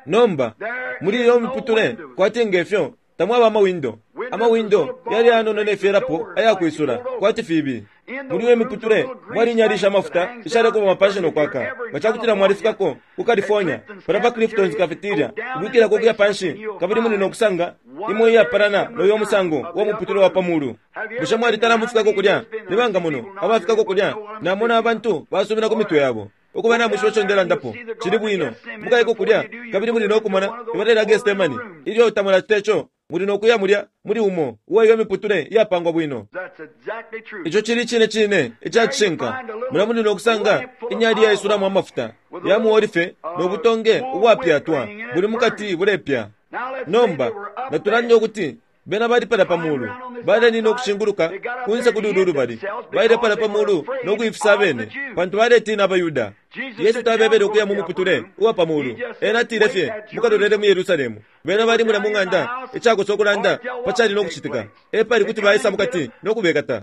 [SPEAKER 2] Nomba muli iyo miputule kwati ngefyo tamwaba amawindo. Amawindo yali yanono ne fyelapo ayakwisula kwati fibi. Muli iyo miputule mwali inyali sha mafuta ishalekuba mapanshi no kwaka. Nga cakutila mwalifikako ku California, pala pa Clifton's Cafeteria, ukwikilako ukuya panshi, kabili muli no kusanga imo iyapalana no yo musango wa muputule wa pa mulu. Bushe mwalitala mufikako kulya? Ni banga muno abafikako kulya? Namona abantu basumina ku mitwe yabo. Ukuba namwishiba ico ndelandapo, cili bwino. Mukayeko kulya, kabili muli no kumona ibala lya Gethsemane. Ilyo tamulacita ico, muli no kuya mulya muli umo uwa iyo miputule iyapangwa bwino. Ico cili cine cine ica cishinka. Mulya muli no kusanga inyali iyaisulamo amafuta ya muolife no butonge ubwapyatwa buli mukati bulepya. Nomba natulande ukuti bena bali palya pa mulu, balenina ukushinguluka kunse kuli ulu lubali, baile palya pa mulu no kuifisa abene, pantu baletina abaYuda. Yesu tabebele ukuya mu muputule uwa pa mulu. Ena atile fye, mukalolele mu Yerusalemu. Bena bali mulya mu ng'anda, icakosa ukulanda pa cali no kucitika, epali kuti baisa mukati no kubekata.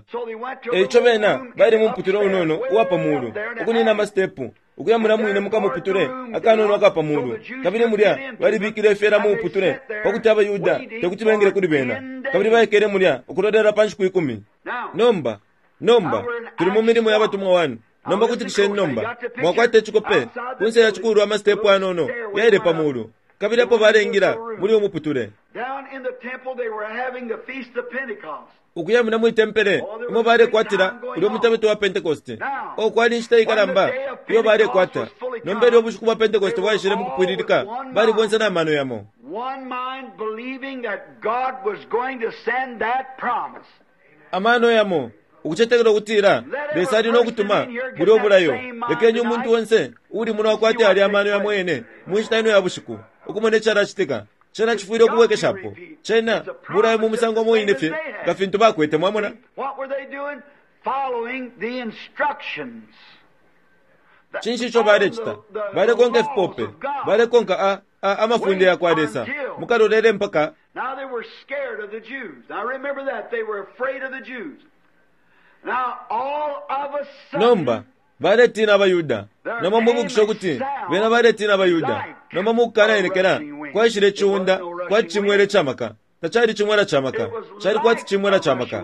[SPEAKER 2] Eico bena bali mu muputule unono uwa pa mulu, ukunina amastepu ukuya mulya mwine mukamuputule akanono aka pa mulu. Kabili mulya balibikile ifyela mu muputule pakuti abaYuda tekuti bengile kuli bena, kabili baikele mulya ukulolela pa nshiku 10. Nomba tuli mu milimo ya batumwa 1. Nomba kutikisheni nomba, mwakwata icikope kunse ya cikulwa amastepu anono yaile pa mulu, kabili apo balengila muli umuputule. Ukuya muna mwi tempele imo balekwatila ulyo mutebeto wa Pentekoste. O kwali inshita ikalamba iyo balekwata. Nomba ilyo ubushiku bwa Pentekoste bwaishile mu kupwililika, bali bonse na mano yamo. Amano yamo, ukucetekela ukutila Lesa ali no kutuma bulyo bulayo. Lekeni umuntu onse uuli muno akwate ali amano yamo yene mu nshita ino ya bushiku, ukumona icalacitika. Cena cifwile ukubwekeshapo. Cena bulayo mu musango mwine fye nga fintu bakwete, mwamona. Cinshi ico balecita? Balekonka ifipope, balekonka amafunde ya kwa Lesa. Mukalolele mpaka. Nomba baletina abaYuda. Nomba mubukisha ukuti bena baletina abaYuda. Nomba mukukanaenekela kwaishile iciunda kwati cimwela ca maka. Tacali cimwela ca maka, cali kwati cimwela ca maka.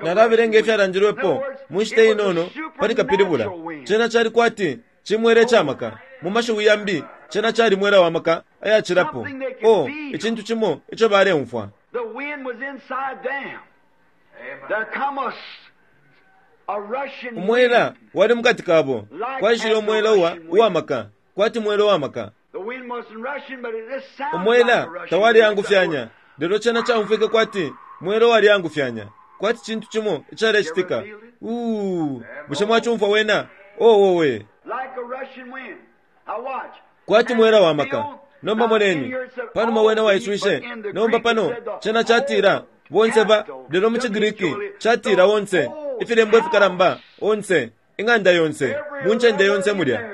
[SPEAKER 2] Nalabelenga ifyalandilwepo mu nshita inono pali kapilibula. Cena cali kwati cimwela ca maka. Mu mashiwi yambi, cena cali mwela wa maka ayacilapo. O, icintu cimo ico baleumfwa. Umwela wali mukati kabo. Kwaishile umwela uwa maka, kwati mwela wa maka. Umwela tawali angufyanya, lelo cena caumfwike kwati mwela wali angufyanya, Kwati cintu cimo icalecitika. Uu, bushe mwacumfwa wena? Oh, owe. Kwati mwela wa maka. Nomba moneni, panuma wena waiswishe. Nomba pano, cena catila, bonse ba, lelo mu ciGriki, catila onse, ifilembo ifikalamba, onse, ing'anda yonse, mu ncende yonse mulya.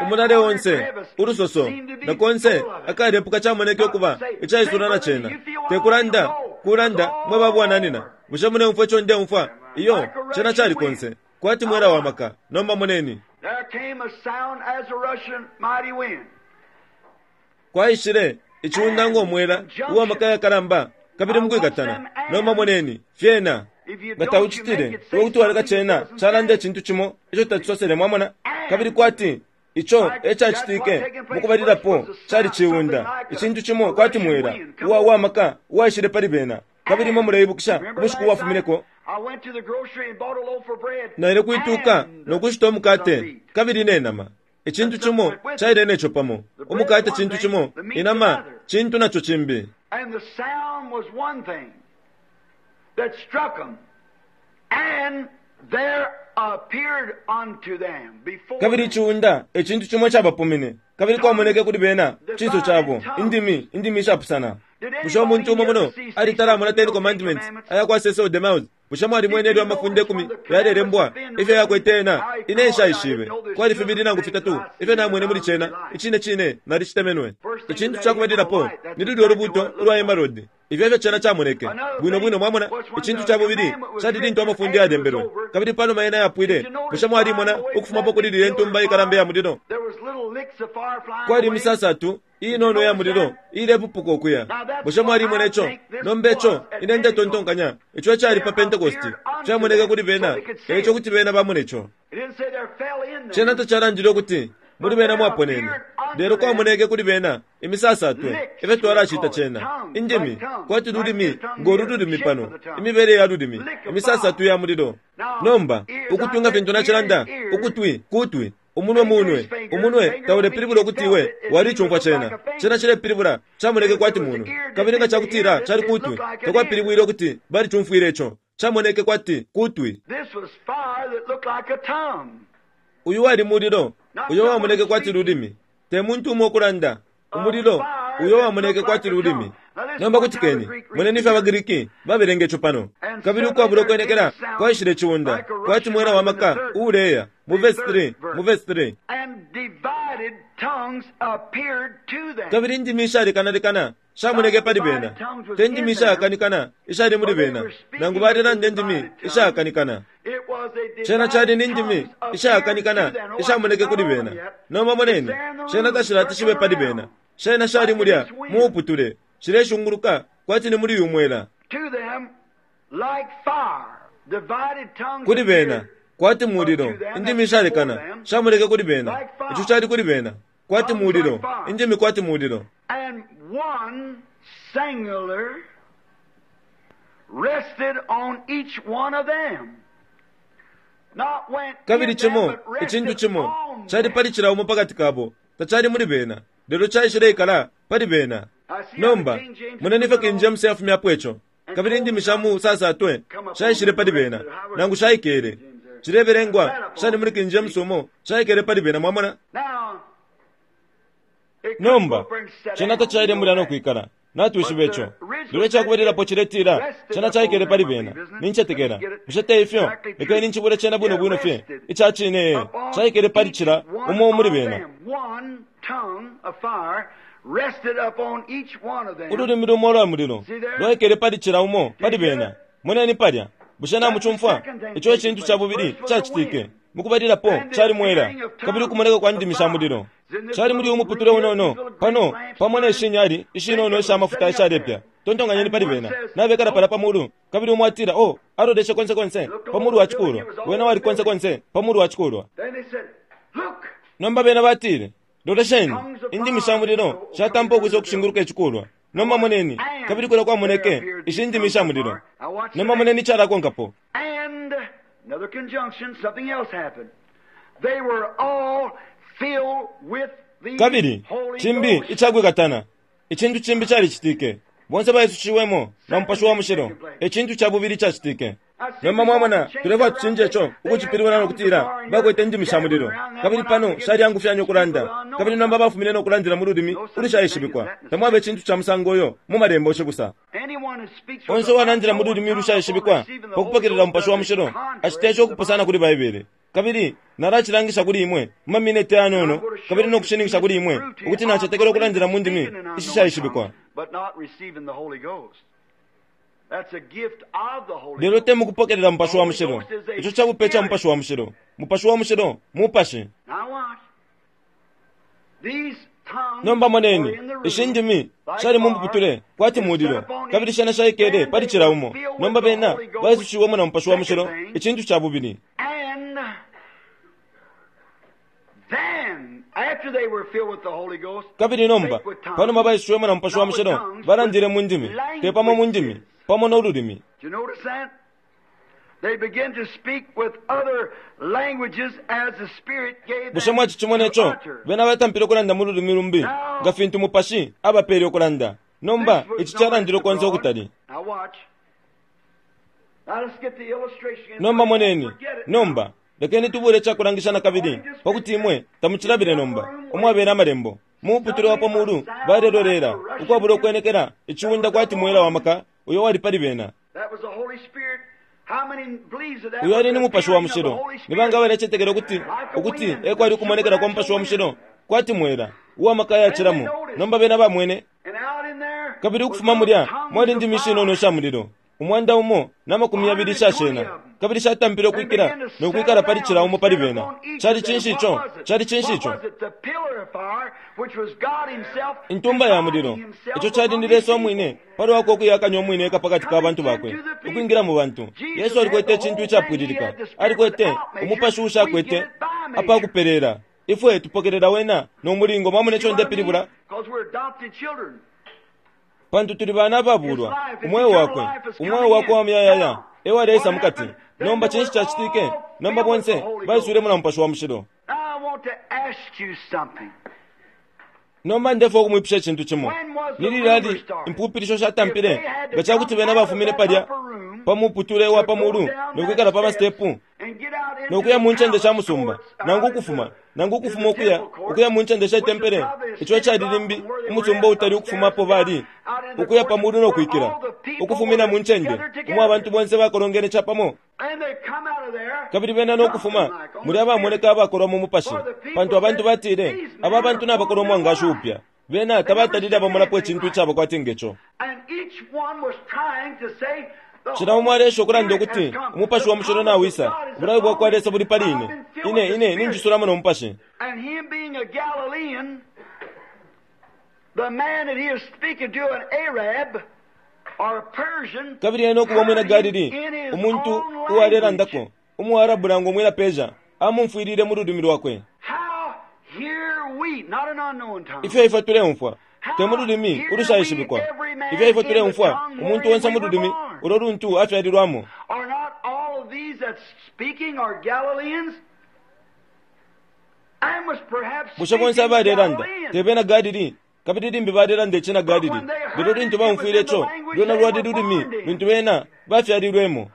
[SPEAKER 2] Umulale onse, ulusoso, na konse akalepuka camoneke ukuba icaisula na cena. Te kulanda, kulanda, mwe babwananina. Bushe muleumfwa ico ndeumfwa? Iyo, cena cali konse. Kwati mwela wa maka. Nomba moneni. Kwaishile iciunda ngo mwela uwa maka yakalamba kabili mukwikatana. Nomba moneni, fyena. Nga taucitile, iwe kuti waleka cena calanda icintu cimo ico tacisosele, mwamona? Kabili kwati ico ecacitike mukubalilapo cali ciunda, icintu cimo kwati mwela uwa uwamaka uwaishile pali bena. Kabili imwe muleibukisha ubushiku bwafumineko, naile kwituka no kushita umukate kabili ne nama. Icintu cimo caile neco pamo. Umukate cintu cimo, inama cintu naco cimbi.
[SPEAKER 1] And the sound was one thing that struck them, and there appeared unto them before
[SPEAKER 2] Kabili iciunda ecintu cimo icabapumine, kabili kwamoneke kuli bena cinso cabo indimi, indimi ishapusana. Bushe umuntu umo muno alitalamona Ten Commandments aya kwa Cecil DeMille? Bushe mwalimwene ilyo amafunde 10 yalelembwa ifyo yakwete ena? Ine nshaishibe. Kwali fibili nangu fitatu ifyo namwene muli cena. Icine cine nalicitemenwe. Icintu cakubalilapo ni lulyo lubuto ulwa emerald. Ifyo efyo cena camoneke bwino bwino, mwamona. Icintu ca bubili cali lintu amafunde yalembelwe, kabili panuma yena yapwile. Bushe mwalimona ukufumapo kuli lilye ntumba ikalamba ya mulilo? Kwali imisasatu inono ya mulilo ilepupuka ukuya. Bushe mwalimona ico? Nomba ico ine ndetontonkanya ico ecali pa Pentecost camoneke kuli bena, eico kuti bena bamone ico. Cena tacalandile ukuti muli bena mwaponene, lelo kwamoneke kuli bena imisasatwe ifyo twalacita cena. Indimi kwati lulimi ngo lululimi pano, imibele ya lulimi, imisasatwe ya mulilo. Nomba ukutwi nga fintu nacilanda, ukutwi kutwi, umunwe munwe. Umunwe taulepilibula ukuti iwe walicumfwa cena. Cena cilepilibula camoneke kwati munwe. Kabili nga cakutila cali kutwi, takwapilibwile ukuti balicumfwile ico. Camoneke kwati kutwi. Uyu wali mulilo uyo wamoneke kwati lulimi. Te muntu umo ukulanda. Umulilo uyo wamoneke kwati lulimi. Nomba kutikeni, moneni ifyo abaGriki babelenga ico pano. Kabili ukwabula ukwenekela kwaishile iciunda kwati mwela wa maka uuleya. Mu verse 3, mu verse 3. Kabili indimi ishalekanalekana shamoneke pali bena. Te ndimi ishayakanikana ishali muli bena, nangu balelanda indimi ishayakanikana. Cena cali ni ndimi ishayakanikana ishamoneke kuli bena. Nomba moneni, cena tashilati shibe pali bena. Shena shali mulya mu uputule, shileshunguluka kwati ni muli uyu mwela. Kuli bena kwati mulilo, indimi ishalekana shamoneke kuli bena. Ico cali kuli bena kwati mulilo, indimi kwati mulilo.
[SPEAKER 1] And one singular rested on each one of them. Not went
[SPEAKER 2] Kabili
[SPEAKER 1] in them,
[SPEAKER 2] cimo
[SPEAKER 1] but rested
[SPEAKER 2] icintu cimo
[SPEAKER 1] on
[SPEAKER 2] cali
[SPEAKER 1] them.
[SPEAKER 2] pali cila umo pakati kabo, tacali muli bena, lelo caishileikala pali bena. Nomba moneni ifyo King James yafumyapo ico. Kabili indimi sha mu sasatwe shaishile pali bena, nangu shaikele. Cilebelengwa shali muli King James umo shaikele pali bena, mwamona.
[SPEAKER 1] Now, it couldn't
[SPEAKER 2] Nomba
[SPEAKER 1] go up there and sit
[SPEAKER 2] cena
[SPEAKER 1] down,
[SPEAKER 2] tacaile
[SPEAKER 1] you
[SPEAKER 2] mulya
[SPEAKER 1] know
[SPEAKER 2] no
[SPEAKER 1] that.
[SPEAKER 2] kwikala. Natwishiba ico. Lelo icakubalilapo ciletila cena caikele pali bena. Nincetekela. Bushe te ifyo? Lekeni ncibule cena bwino bwino fye. Ica cine caikele pali cila umo muli bena.
[SPEAKER 1] One tongue of fire rested upon each one of them.
[SPEAKER 2] Ululimi lumo ulwa mulilo lwaikele pali cila umo pali bena. Moneni palya. Bushe namucumfwa? Ico ecintu ca bubili cacitike. Mukubalilapo cali mwela, kabili ukumoneka kwa ndimi sha mulilo cali muli umuputule unono pano pamo ne shinyali ishinono isha mafuta ishalepya. Tontonkanyeni pali bena nabekala pala pa mulu, kabili umo atila, oh, aloleshe konse konse pa mulu wa cikulwa. Wena wali konse konse pa mulu wa cikulwa.
[SPEAKER 1] Then they said, Look,
[SPEAKER 2] Nomba bena batile, lolesheni, indimi sha mulilo shatampa ukwisa ukushinguluka icikulwa. Nomba moneni, kabili kulya kwamoneke ishi ndimi sha mulilo. Nomba moneni icalakonkapo.
[SPEAKER 1] and another conjunction, something else happened. They were all filled with the
[SPEAKER 2] Kabili
[SPEAKER 1] Holy
[SPEAKER 2] cimbi
[SPEAKER 1] Ghost.
[SPEAKER 2] icakwikatana, icintu cimbi calicitike. Bonse baisushiwemo na Mupashi wa Mushilo. E cintu ca bubili icacitike. Nomba mwamona, tulefwaya tucinje ico, ukucipilibula no kutila, Bakwete indimi sha mulilo. Kabili pano shalyangufyanya ukulanda. Kabili nomba bafumine no kulandila mu lulimi ulushaishibikwa. Tamwaba icintu ca musango uyo mu Malembo cibusa. Onse uwalandila mu lulimi ulushaishibikwa pa kupokelela Mupashi wa Mushilo acita ico ukupusana kuli Baibele. Kabili nalacilangisha kuli imwe mu mamineti ayanono, kabili no kushininkisha kuli imwe ukuti nacetekela ukulandila mu ndimi ishishaishibikwa. Lelo te mukupokelela Mupashi wa Mushilo. Ico ca bupe ca Mupashi wa Mushilo. Mupashi wa Mushilo Mupashi. Nomba moneni, ishi ndimi shali mu muputule kwati mulilo, kabili shena shaikele pali cila umo. Nomba bena baisushiwemo na Mupashi wa Mushilo, icintu ca bubili. Kabili nomba, panuma baisushiwemo na Mupashi wa Mushilo, balandile mu ndimi, te pamo mu ndimi, pamo no lulimi. Bushe mwacicimona ico? Bena batampile ukulanda mu lulimi lumbi, nga fintu Mupashi abapele ukulanda. Nomba, ici calandilwe konse ukutali. Nomba moneni. Nomba, lekeni tubule icakulangisha nakabili, pakuti imwe tamucilabile nomba, umwabela Amalembo. Mu muputule wa pa mulu balelolela, ukwabula ukwenekela, iciunda kwati mwela wa maka uyo wali pali bena. Uyo ali ni Mupashi wa Mushilo. Ni banga abalecetekela ukuti, ukuti e kwali ukumonekela kwa Mupashi wa Mushilo, kwati mwela, uwa maka ayacilamo? Nomba bena bamwene. Kabili ukufuma mulya mwali indimi ishinono isha mulilo, 120 isha shena, kabili shatampile ukwikila no kwikala pali cila umo pali bena. Cali cinshi ico? Cali cinshi ico? Intumba ya mulilo. Ico cali ni Lesa umwine palwakwe ukuyakanya umwine eka pakati ka bantu bakwe, ukwingila mu bantu. Yesu alikwete icintu icapwililika. Alikwete umupashi uushakwete apakupeleela. Ifwe tupokelela wena no mulingo. Mwamona ico ndepilibula? Pantu tuli bana ababulwa, umweo wakwe, umweo wakwe wa muyayaya e waleisa mukati. Nomba cinshi cacitike? Nomba bonse baiswilemo na Mupashi wa Mushilo. Nomba ndefwaya ukumwipusha icintu cimo. Ni lilali impupilisho shatampile? Nga ca kuti bena bafumine palya pa muputule wa pa mulu no kwikala pa masitepu no kuya mu ncende sha musumba, nangu ukufuma, nangu ukufuma ukuya, ukuya mu ncende she tempele, ico icali limbi umusumba utali ukufuma apo bali, ukuya pa mulu no kwikila, ukufumina mu ncende umo abantu bonse bakolongene capamo, kabili bena no kufuma mulya abamoneka abakolwa mu mupashi, pantu abantu batile, Aba bantu nabakolwa umwangashi upya. Bena tabatalile abamonapo icintu icaba kwati nge co. Cila umo aleesha ukulanda ukuti, Umupashi wa Mushilo nawisa, ubulayo bwakwa Lesa buli pali ine. Ine, ine ninjisulamo no Mupashi. Kabili ena ukuba umwina Galili, umuntu uwalelandako, umuArabu nangu umwina Persia, amumfwilile mu lulimi lwakwe. Ifyo ifwe tuleumfwa, te mu lulimi ulushaishibikwa. Ifyo ifwe tuleumfwa, umuntu onse mu lulimi ulo luntu afyalilwamo. Bushe bonse abalelanda te bena Galili? Kabili limbi balelanda icina Galili. Lelo lintu baumfwile ico, lwena lwali lulimi luntu bena bafyalilwemo.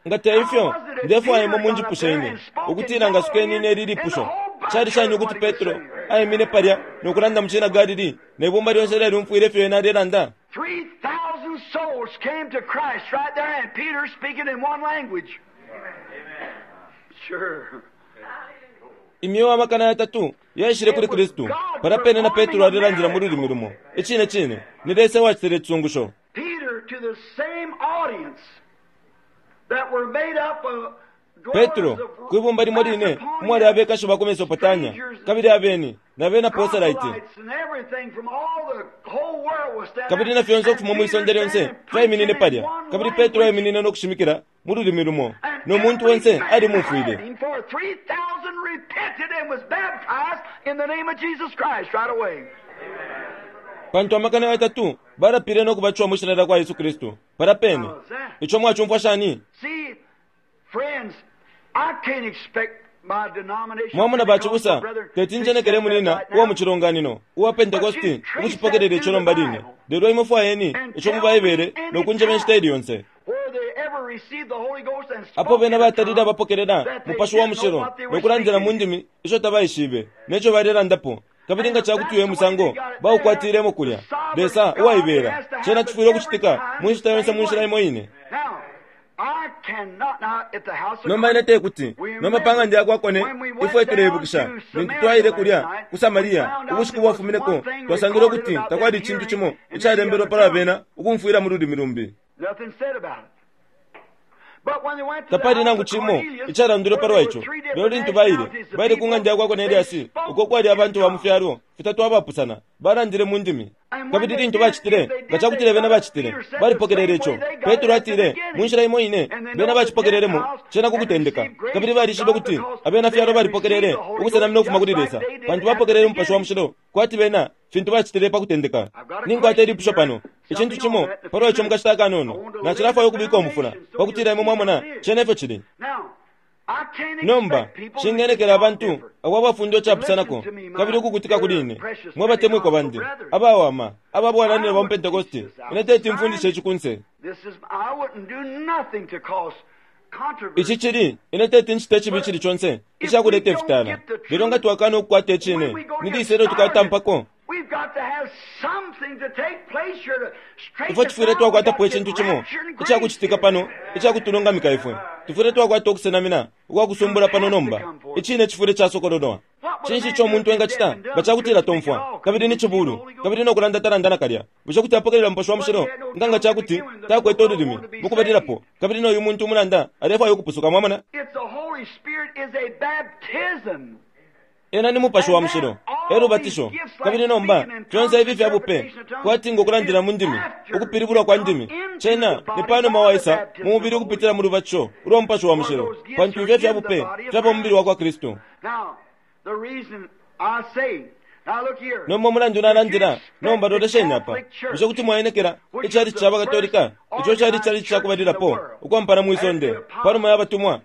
[SPEAKER 2] Nga te ifyo, ndefwaya imwe munjipushe ine, ukutila ngasukeni ine ili lipusho. Cali shani ukuti Petro aimine palya no kulanda mu cina Galili, ne bumba lyonse lyalyumfwile ifyo ena alelanda?
[SPEAKER 1] 3,000 souls came to Christ right there, and Peter speaking in one language. Sure.
[SPEAKER 2] Imyeo 3,000 yaishile kuli Kristu, palya pene na Petro alelandila mu lulimi lumo. Icine cine, ni Lesa ewacitile icisungusho.
[SPEAKER 1] Peter to the same audience that were made up of
[SPEAKER 2] Petro, kwi bumba limo line umwali abekashi ba ku Mesopotania, kabili abeni, na bena proselyte, kabili na fyonse ukufuma mwi sonde lyonse fyaiminine palya, kabili Petro aiminine no kushimikila mu lulimi lumo, no muntu onse alimumfwile.
[SPEAKER 1] Him for 3,000 repented and was baptized in the name of Jesus Christ right away.
[SPEAKER 2] Pantu 3,000 balapile no kubatishiwa mwi shina lya kwa Yesu Kristu palya pene. Ico mwacumfwa shani?
[SPEAKER 1] See, friends, I can't expect
[SPEAKER 2] Mwamona bacibusa, teti njenekele munina uwa mu cilonganino uwa Pentecosti ukucipokelela ico nomba line, lelo imwe fwayeni ico mu Baibele no kunjeba inshita ili yonse apo bena batalile abapokelela Mupashi wa Mushilo no kulandila mu ndimi isho tabaishibe neco balelandapo. Kabili nga ca kuti uyo musango baukwatilemo kulya, Lesa uwaibela, cena cifwile ukucitika mu nshita yonse mu nshila imo ine. Nomba ine te kuti, nomba pa ng'anda ya kwa Kone, ifwe tuleibukisha lintu twaile kulya ku Samaria ubushiku bwafumineko, twasangile ukuti takwali icintu cimo icalembelwe palwa bena ukumfwila mu lulimi lumbi. Tapali nangu cimo icalandilwe palwa ico. Lelo lintu baile, baile ku ng'anda ya kwa Koneliasi, uko kwali abantu ba mu fyalo fitatu abapusana, balandile mu ndimi. Kabili lintu bacitile, nga cakutila bena bacitile, balipokelele ico. Petro atile, mu nshila imo ine, bena bacipokelelemo cena ku kutendeka. Kabili balishibe ukuti abena fyalo balipokelele ukusenamina ukufuma kuli Lesa, pantu bapokelele Umupashi wa Mushilo kwati bena fintu bacitile pa kutendeka. Ninkwata ilipusho pano, icintu cimo palwa ico mukashita akanono. Nacilafwaya ukubika umufula, pakutila imwe mwamona cena ifyo cili. Nomba, nshingenekela abantu abo abafundwa icapusanako kabili ukukutika kuli ine, mwe batemwikwa bandi abawama aba bwananyina ba mu Pentekoste. Ine teti mfundishe ici kunse. Ici cili, ine teti ncite icibi icili conse icakuleta ifitala. Lelo nga twakana ukukwata icine, ni lisa ilyo tukatampako? Ifwe tufwile twakwatapo icintu cimo icakucitika pano icakutulungamika ifwe. Tufwile twakwata ukusenamina ukwa kusumbula pano nomba. Icine cifwile casokololwa. Cinshi ico umuntu engacita nga cakutila tomfwa, kabili ni cibulu, kabili no kulanda talanda nakalya? Bushe kuti apokelela Mupashi wa Mushilo nga nga ca kuti takwete ululimi mukubalilapo, kabili no yu muntu umulanda alefwaya ukupusuka? Mwamona? Ena ni Mupashi wa Mushilo, e lubatisho. Kabili nomba, fyonse ifi fya bupe, kwati ngo kulandila mu ndimi, ukupilibulwa kwa ndimi, cena ni panuma waisa mu mubili ukupitila mu lubatisho ulwa Mupashi wa Mushilo, pantu ifyo ifya bupe fyaba mubili wakwa Kristu. Nomba umulandu nalandila, nomba lolesheni apa. Bushe kuti mwaenekela icalici ca baKatolika, ico cali icalici ca kubalilapo ukwampana mwi sonde panuma ya batumwa?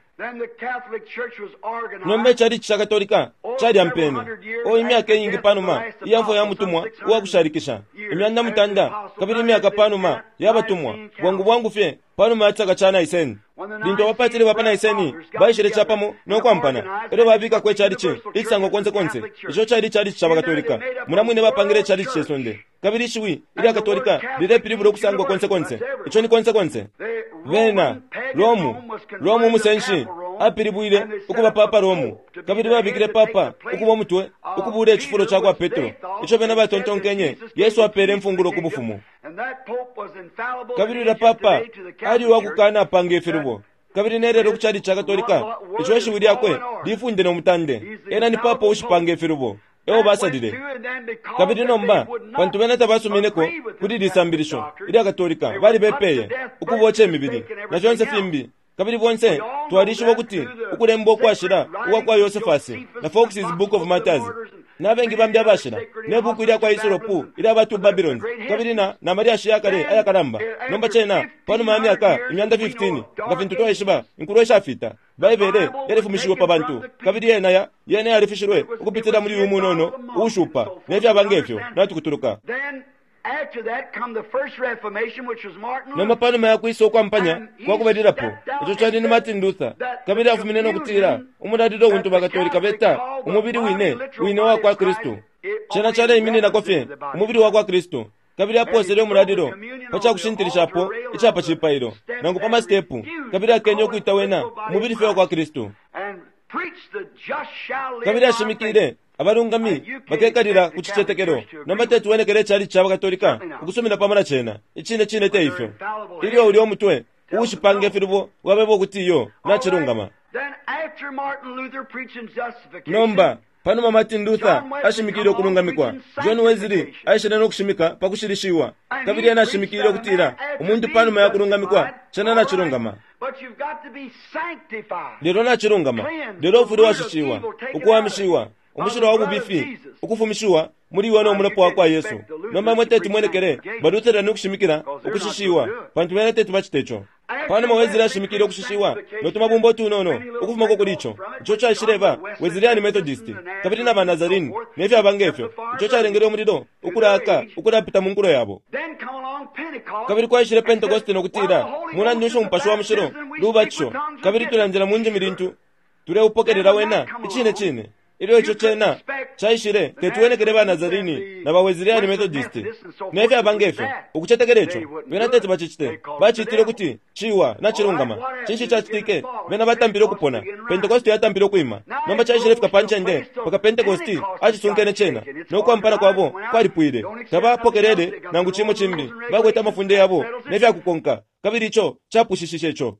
[SPEAKER 2] Nomba icalici ca Katolika calyampene, o imyaka iingi panuma iya mfwa ya mutumwa uwa kushalikisha, 300 kabili imyaka panuma ya batumwa, bwangu bwangu fye panuma ya cisaka ca Nicene. Lintu abapatili ba pa Nicene baishile capamo no kwampana, e lyo babikako icalici icisangwa konse konse, ico cali icalici ca baKatolika. Mulya mwine bapangile icalici ce sonde. Kabili ishiwi ilya Katolika lilepilibula ukusangwa konse konse. Ico ni konse konse. Bena, Romu, Romu umusenshi, apilibwile ukuba Papa Romu, kabili babikile papa ukuba umutwe, ukubuula icifulo ca kwa Petro, ico bena batontonkenye Yesu apeele imfungulo ku bufumu. Kabili ulya papa ali uwa kukanapanga ifilubo. Kabili ne lelo ku calici ca Katolika, ico ishiwi lyakwe lifunde no mutande. Ena ni papa uushipanga ifilubo. E o basalile. Kabili nomba, pantu bena tabasumineko kuli ili sambilisho ilya Katolika, balibepeye, ukuboca imibili, na fyonse fimbi. Kabili bonse twalishiba ukuti ukulemba ukwashila ukwa kwa Yosefasi na Foxe's Book of Martyrs na bengi bambi abashila, ne buku ilya kwa Hislop ilya ba Two Babylons, kabili na, na malyashi ya kale ayakalamba. Nomba cena, panuma ya myaka 15,000, nga fintu twaishiba, inkulo ishafita, Baibele yalifumishiwe pa bantu, kabili yena ya, yena yalifishilwe ukupitila muli uyu munono uushupa, ne fyaba nge fyo, natukutuluka. Nomba panuma ya kwisa ukwampanya kwa kubalilapo, ico cali ni Martin Luther, kabili afumine no kutila umulalilo untu baKatolika beta umubili wine wine uwa kwa Kristu. Cena caleimininako fye umubili wa kwa Kristu. Kabili apoosele umulalilo pa ca kushintilishapo ica pa cipailo, nangu pa masitepu, kabili akenye ukwita wena umubili fye wa kwa Kristu. Kabili ashimikile Abalungami bakekalila ku cicetekelo. Nomba teti wenekele icalici ca baKatolika ukusumina pamo na cena. Icine cine te ifyo. Ilyo ulya umutwe uushipanga ifilubo wabeba ukuti iyo, nacilungama. Nomba, panuma Martin Luther ashimikile ukulungamikwa, John Wesley aishile no kushimika pa kushilishiwa, kabili ena ashimikile ukutila umuntu panuma ya kulungamikwa, cena nacilungama. Lelo nacilungama, lelo ufwile washishiwa, ukuwamishiwa, umushilwa wa bubifi ukufumishiwa muli iwe no mulopa wa kwa Yesu. Nomba imwe teti mwenekele baLutherani ukushimikila ukushishiwa, pantu bena teti bacite ico. Panuma Wesley ashimikile ukushishiwa no tumabumba utunono ukufumako kuli ico, Ico caishileba Wesleyani Methodist, kabili na ba Nazarene, ne fyaba ngefyo. Ico calengele umulilo ukulaaka ukulapita mu nkulo yabo. Kabili kwaishile Pentekoste no kutila, Mulandu nshi Umupashi wa Mushilo lubatisho, kabili tulandila mu ndimi lintu tuleupokelela wena? Icine cine. Ilyo ico cena caishile, teti wenekele ba Nazarini na ba Wesleyani Methodist, ne fyaba ngefyo, ukucetekela ico. Bena teti bacicite. Bacitile ukuti ciwa nacilungama. Cinshi cacitike? Bena batampile ukupona. Pentekoste yatampile ukwima. Nomba caishile fika pa ncende mpaka Pentekoste acisunkene cena, no kwampana kwabo kwalipwile. Tabapokelele nangu cimo cimbi. Bakwete amafunde yabo ne fya kukonka, kabili ico capwishishishe ico.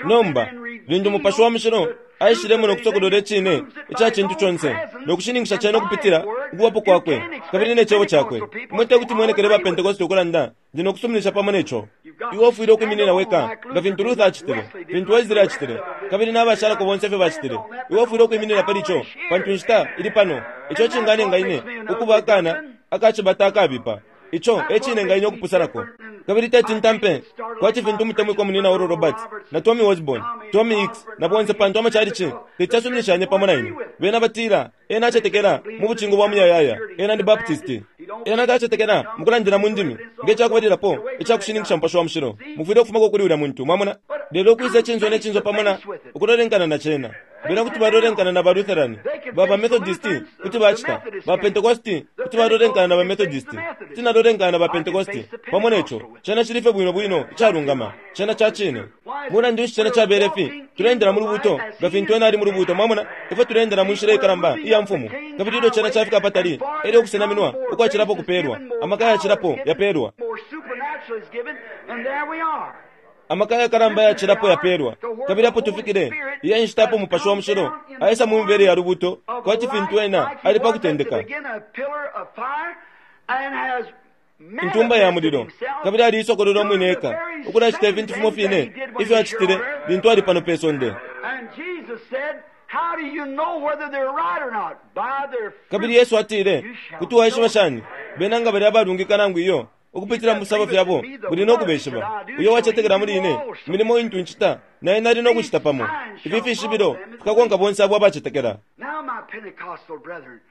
[SPEAKER 2] Nomba, lintu Mupashi wa Mushilo aishilemo no kusokolola Icine ica cintu conse, no kushininkisha cena ukupitila Ukubapo Kwakwe kabili ne Cebo Cakwe, imwe tekuti mwenekele ba Pentekoste ukulanda, Ndi no kusuminisha pamo ne co. Iwe ufwile ukwiminina weka, nga fintu Luther acitile, fintu Wesley acitile, kabili na bashalako bonse ifyo bacitile. Iwe ufwile ukwiminina pali co, pantu inshita ili pano. Ico ecinganenga ine ukuba akana aka cibata akabipa. Ico e cinenga ine ukupusanako. Kabili teti ntampe kwati fintu umutemwikwa Munyina Oral Roberts, na Tommy Osborn, Tommy Hicks, na bonse, pantu amachalichi teti yasuminishanye pamo na ine. Bena batila, Ena acetekela mu bucingo bwa muyayaya. Ena ni Baptisti. Ena tacetekela mukulandila mu ndimi nge cakubalilapo ica kushininkisha Mupashi wa Mushilo. Mufwile ukufumako kuli ulya muntu. Mwamona? Lelo ukwisa icinso ne cinso pamo na ukulolenkana na cena. Bena kuti balolenkana na ba Lutherani, ba ba Methodisti kuti bacita, ba Pentecosti kuti balolenkana na ba Methodisti. Kuti nalolenkana na ba Pentecosti pamo neco. Cena cili fye bwino bwino icalungama. Cena ca cine. Mulandu nshi cena cabele fi? Tuleendela mu Lubuuto nga fintu Ena ali mu Lubuuto. Mwamona? Ifwe tuleendela mu nshila ikalamba iya Mfumu. Kabili ilyo cena cafika apatali, elyo ukusenaminwa ukwacilapo kupelwa, amaka ayacilapo yapelwa. Amaka ayakalamba ayacilapo yapelwa. Kabili apo tufikile, iyi e nshita apo Mupashi wa Mushilo aisa mu mibele ya Lubuuto, kwati fintu Ena ali pa kutendeka. Intumba ya Mulilo, kabili aliisokolola Umwine eka, ukulacita ifintu fimo fine ifyo Acitile lintu Ali pano pe sonde. Kabili Yesu atile, Kuti waishiba shani bena nga bali abalungika nangu iyo? Ukupitila mu fisabo fyabo muli no kubeshiba. Uyo uwacetekela muli Ine, imilimo intu Ncita, na ena ali no kucita pamo. Ifi fishibilo fikakonka bonse abo abacetekela.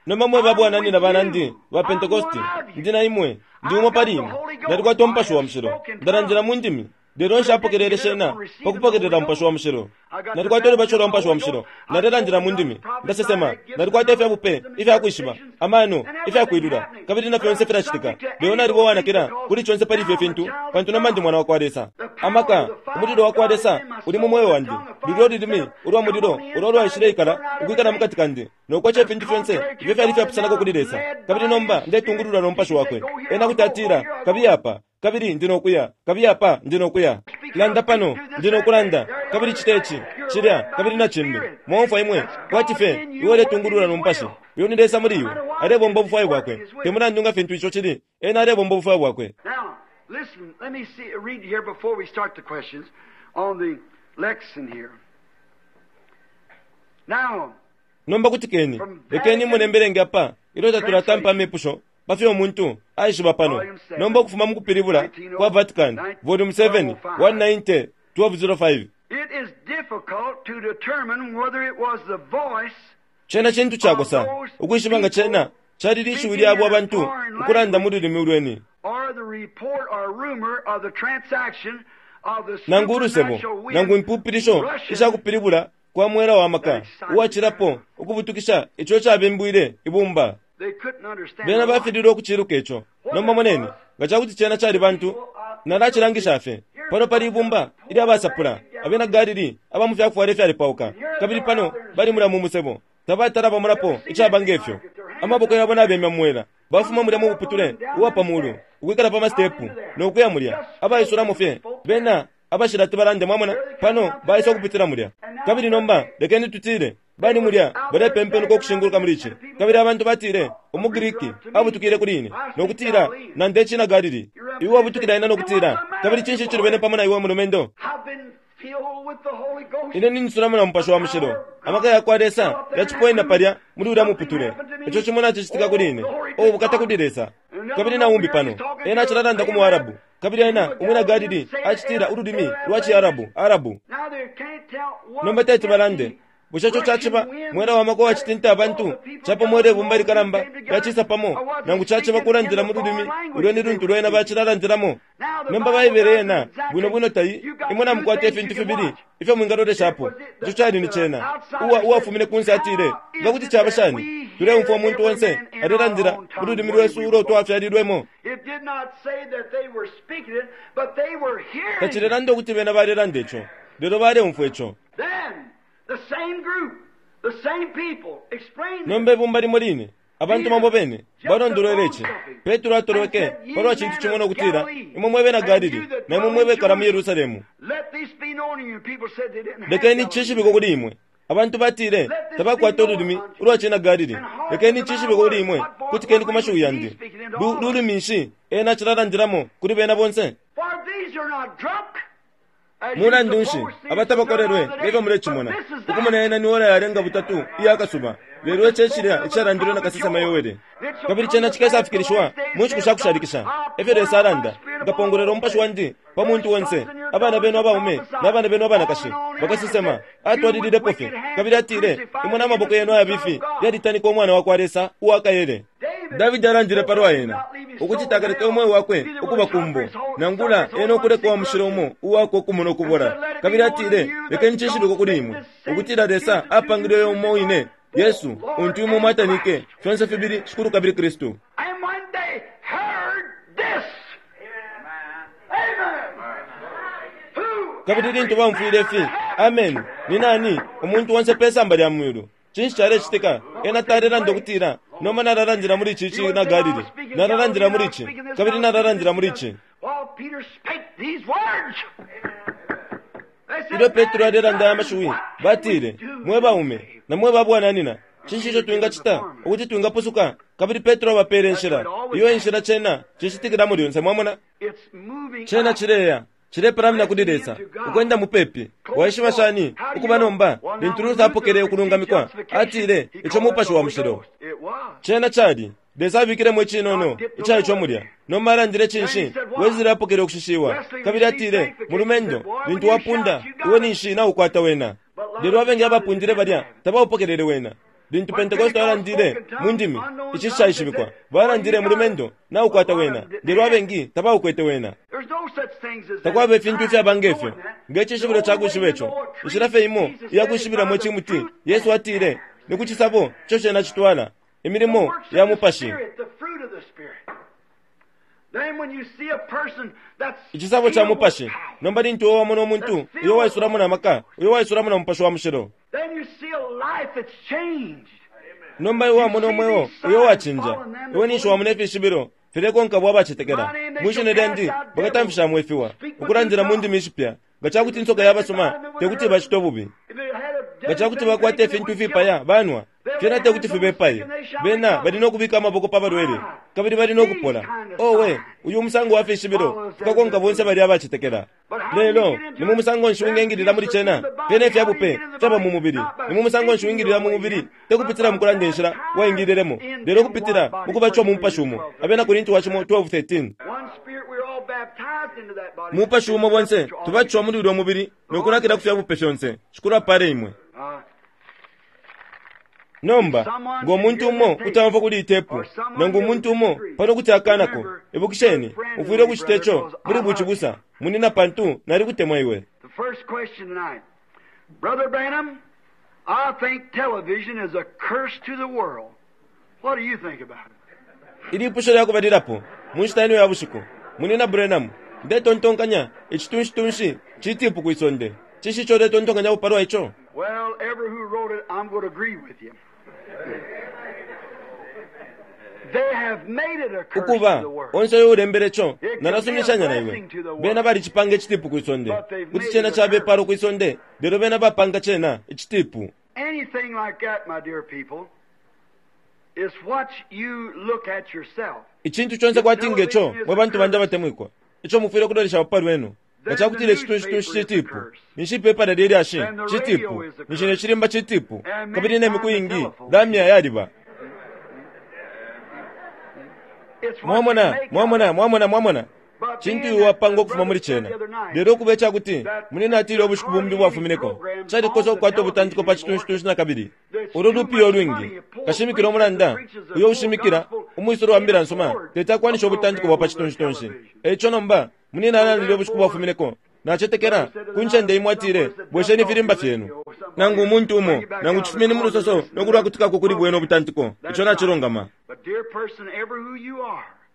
[SPEAKER 2] Nomba mwe babwananyina banandi ba Pentekoste, ndi na imwe. Ndi umo pali imwe. Nalikwata Umupashi wa Mushilo. Ndalandila mu ndimi. Lelo nshapokelele shena pa kupokelela Mupashi wa Mushilo. Nalikwata ulubatisho lwa Mupashi wa Mushilo. Nalelandila mu ndimi. Ndasesema. Nalikwata ifya bupe, ifya kwishiba, amano, ifya kwilula, kabili na fyonse filacitika. Lelo naliba uwanakila kuli conse pali ifyo fintu, pantu nomba ndi mwana wakwa Lesa. Amaka, umulilo wakwa Lesa uli mu mweo wandi. Lulyo lulimi ulwa mulilo ulo lwaishileikala ukwikala mukati kandi, no koca ifintu fyonse ifyo fyali ifyapusanako kuli Lesa. Kabili nomba ndetungululwa no Mupashi Wakwe. Ena kuti atila, Kabiye apa, kabili ndi no kuya. Kabiye apa, ndi no kuya. Landa pano, ndi no kulanda. Kabili cita ici, cilya, kabili na cimbi. Mwaumfwa imwe, kwati fye iwe uletungululwa no Mupashi. Uyo ni Lesa muli iwe, alebomba ubufwayo Bwakwe. Te mulandu nga fintu ico cili, Ena alebomba ubufwayo Bwakwe.
[SPEAKER 1] Now, listen, let me see, read here before we start the questions on the lexicon here. Now,
[SPEAKER 2] Nomba kutikeni, lekeni imone mbelenge apa ilyo tatulatampa amepusho pa fyo umuntu aishiba pano. Nomba ukufuma mu kupilibula kwa Vatican, Volume 7, 190, 1205.
[SPEAKER 1] It is difficult to determine whether it was the voice
[SPEAKER 2] Cena cintu cakosa ukwishiba nga cena cali lishiwi lya abo abantu ukulanda mu lulimi ulweni,
[SPEAKER 1] or the report or rumor of the transaction of the
[SPEAKER 2] nangu ulusebo,
[SPEAKER 1] supernatural wind
[SPEAKER 2] nangu impupilisho
[SPEAKER 1] rushing
[SPEAKER 2] isha kupilibula kwa mwela wa maka uwacilapo ukubutukisha ico cabimbwile ibumba.
[SPEAKER 1] They couldn't understand
[SPEAKER 2] Bena
[SPEAKER 1] why.
[SPEAKER 2] bafililwe ukuciluka ico. Nomba moneni, nga ca kuti cena cali bantu, nalacilangisha fye. Pano pali ibumba ilya basapula, abena Galili aba mu fyakufwala ifyalepauka, kabili pano bali mulya mu musebo. Tabatala bamonapo icaba nge fyo. Amaboko yabo nabemya mu mwela, bafuma mulya mu muputule uwa pa mulu, ukwikala pa masitepu, no kuya mulya, abaisulamo fye. Bena abashilati balande, mwamona, pano baisa ukupitila mulya. Kabili nomba lekeni tutile, Bali mulya, balepempenuka ukushinguluka muli ici. Kabili abantu batile, Umu Griki abutukile kuli ine, no kutila, Nanda icina Galili. Iwe wabutukila ine no kutila, Kabili cinshi icilubene pamo na iwe, mulumendo?
[SPEAKER 1] I've been filled with the Holy Ghost.
[SPEAKER 2] Ine ninsulamo na Mupashi wa Mushilo. Amaka yakwa Lesa yacipoena palya muli ulya muputule. Ico cimo nacicitika kuli ine. Oh, ubukata kuli Lesa! Kabili na umbi pano, ena acilalanda ku mu Arabu. Kabili ena umwina Galili acitila ululimi lwa ciArabu, Arabu. Nomba teti balande. Bushe ico caciba mwela wa maka uwacitinta abantu capamo ilyo ibumba likalamba lyacisa pamo, nangu caciba kulandila mu lulimi ulyo ni luntu lwena bacilalandilamo? Nomba Baibele yena bwino bwino tai, imwe namukwata ifintu fibili ifyo mwingaloleshapo. Ico cali ni cena. Uwa, uwafumine kunse atile, Nga kuti caba shani? Tuleumfwa umuntu onse alelandila mu lulimi lwesu ulo twafyalilwemo. Tacilelanda ukuti bena balelanda ico, lelo baleumfwa ico. Nomba ibumba limo line, abantu bamo bene, balondolwele ici. Petro atolweke pa lwa cintu cimo no kutila, Imwe mwe bena Galili, na imwe mwe bekala mu Yerusalemu, lekeni cishibikwe kuli imwe. Abantu batile tabakwata ululimi ulwa cina Galili. Lekeni cishibikwe kuli imwe, kutikeni ku mashiwi yandi. Lu, lulimi nshi ena acilalandilamo kuli bena bonse? Mulandu nshi aba tabakolelwe nge fyo mulecimona? Ukumona ena ni ora yalenga butatu iya kasuba, lelo ici e cilya icalandilwe na kasesema Yoele. Kabili cena cikesafikilishiwa mu nshiku sha kushalikisha, e fyo Lesa alanda, Nkapongolwela umupashi wandi pa muntu onse, abana benu abaume na bana benu abanakashi bakasesema. Atwalililepo fye, kabili atile, Imwe na maboko yenu ayabifi yalitanika Umwana wa kwa Lesa uwa kaele. Davidi alandile palwa ena, ukuti takaleke umweo wakwe ukuba ku mbo, nangula ena ukuleka uwa Mushilo umo uwakwe ukumona ukubola. Kabili atile, Lekeni cishibikwe kuli imwe, ukutila Lesa apangile uyo umo wine, Yesu, untu imwe mwatanike, fyonse fibili Shikulu kabili Kristu. Kabili lintu baumfwile ifi, Ameni! Ni nani umuntu onse pe samba lya mwiulu? Cinshi calecitika? Ena talelanda ukutila, Nomba nalalandila muli ici cina Galili. Nalalandila muli ici, kabili nalalandila muli ici. Ilyo Petro alelanda aya mashiwi, batile, Mwe baume, na mwe ba bwananyina, cinshi ico twingacita ukuti twingapusuka? Kabili Petro abapeele inshila. Iyo e nshila cena cicitikilamo lyonse. Mwamona? Cena cileya. Cilepalamina kuli Lesa, ukwenda mupepi. Waishiba shani ukuba nomba? Lintu Luther apokele ukulungamikwa, atile, Ico Mupashi wa Mushilo. Cena cali, Lesa abikilemo icinono ica ico mulya. Nomba alandile cinshi? Wesley apokele ukushishiwa, kabili atile, Mulumendo, lintu wapunda, iwe ninshi naukwata wena. Lelo abengi abapundile balya tabaupokelele wena. Lintu Pentekoste alandile mu ndimi ishishaishibikwa, balandile, Mulumendo, naukwata wena. Lelo abengi tabaukwete wena. Takwaba ifintu ifyaba nge fyo, nge cishibilo ca kwishiba ico. Inshila fye imo iya kwishibilamo icimuti, Yesu atile, ni ku cisabo ico cena citwala, imilimo ya Mupashi. Icisabo ca Mupashi. Nomba lintu iwe wamona umuntu uyo waisulamo na maka, uyo waisulamo na Mupashi wa Mushilo, Nomba iwe wamona umweo uyo uwacinja, iwe ninshi wamona ifishibilo filekonka abo abacetekela. Mwi shina lyandi bakatamfishamo ifiwa, ukulandila mu ndimi ishipya. Nga ca kuti insoka yabasuma, te kuti ibacite ububi. Nga ca kuti bakwata ifintu ifipaya banwa, fyena te kuti fibepaye. Bena bali no kubika amaboko pa balwele, kabili bali no kupola. Owe, uyu umusango wa fishibilo fikakonka bonse balya abacetekela. Lelo ni mu musango nshi wingengilila muli cena? Fyena ifya bupe fyaba mu mubili. Ni mu musango nshi wingilila mu mubili? Te kupitila mu kulanda inshila waingililemo, lelo kupitila mu kubatishiwa mu Mupashi umo. Abena Korinti wa cimo 12:13. Mupashi umo bonse tubatishiwa muli ulyo mubili no kunakila ku fya bupe fyonse. Shikulu apale imwe. Nomba, ngo muntu umo kuti aumfwa kuli iyi tepu, nangu umuntu umo pano kuti akanako, ibukisheni, ufwile ukucita ico muli bucibusa, munina, pantu nalikutemwa iwe.
[SPEAKER 1] The first question tonight. Brother Branham, I think television is a curse to the world. What do you think about it?
[SPEAKER 2] Ilipusho lya kubalilapo mu nshita ino ya bushiku, Munina Branham, ndetontonkanya icitunshitunshi citipu kwi sonde. Cinshi ico uletontonkanyapo palwa ico?
[SPEAKER 1] Well, ever who wrote it, I'm going to agree with you. They have made it a curse to
[SPEAKER 2] Ukuba,
[SPEAKER 1] the world.
[SPEAKER 2] onse uyo ulembele co, nalasuminishanya na iwe. Bena balicipanga icitipu kwi sonde. Kuti cena caba ipalo kwi sonde, lelo bena bapanga cena icitipu.
[SPEAKER 1] Anything like that, my dear people, is what you look at yourself.
[SPEAKER 2] Icintu conse kwati nge co, mwe bantu bandi abatemwikwa, ico mufwile ukulolesha pa lwenu. Nga ca kutila icitunshi-tunshi citipu, ninshi ipepala lye lyashi citipu, ninshi ne cilimba citipu, kabili ne miku iingi lamya yaliba. Mwamona, mwamona, mwamona, mwamona? Cintu iwe wapanga ukufuma muli cena. Lelo ukuba icakuti munene atile ubushiku bumbi bwafumineko, calikosa ukukwata ubutantiko pa citunshi-tunshi nakabili. Ulu lupiya ulwingi. Kashimikila umulanda uyo ushimikila umwisolo wa mbila nsuma teti akwanishe ubutantiko bwa pa citunshi-tunshi. Eico nomba, munene alandile ubushiku bwafumineko, Nacetekela, ku ncende imo atile, Bwesheni ifilimba fyenu. Nangu umuntu umo, nangu cifumeni mu lusoso no kulwakutikako kuli bwena ubutantiko. Ico nacilungama.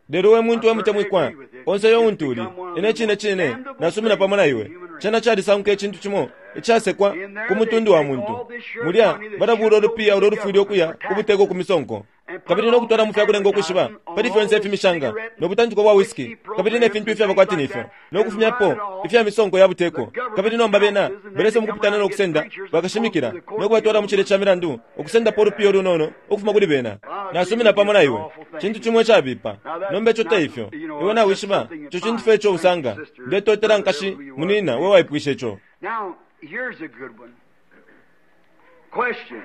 [SPEAKER 2] Lelo we muntu we mutemwikwa, onse uyo untu uli, ine cine cine nasumina pamo na iwe. Cena calisanguka icintu cimo icasekwa ku mutundu wa muntu. Mulya balabuula ulupiya ulo lufwile ukuya ku buteko ku misonko. Kabili no kutwala mu fya kulenga ukwishiba pali fyonse ifimishanga no butantiko bwa whisky kabili ne fintu ifyaba kwati ni fyo, no kufumyapo ifya misonko ya buteko. Kabili nomba bena balesa mukupitana no kusenda bakashimikila no kubatwala mu cilye ca milandu, ukusendapo ulupiya ulunono ukufuma kuli bena. Nasumina pamo na iwe. Cintu cimo icabipa. Nomba ico te ifyo. Iwe nawishiba, ico cintu fye ico usanga. Ndetotela nkashi, munina, we waipwishe ico.
[SPEAKER 1] Now, here's a good one. Question.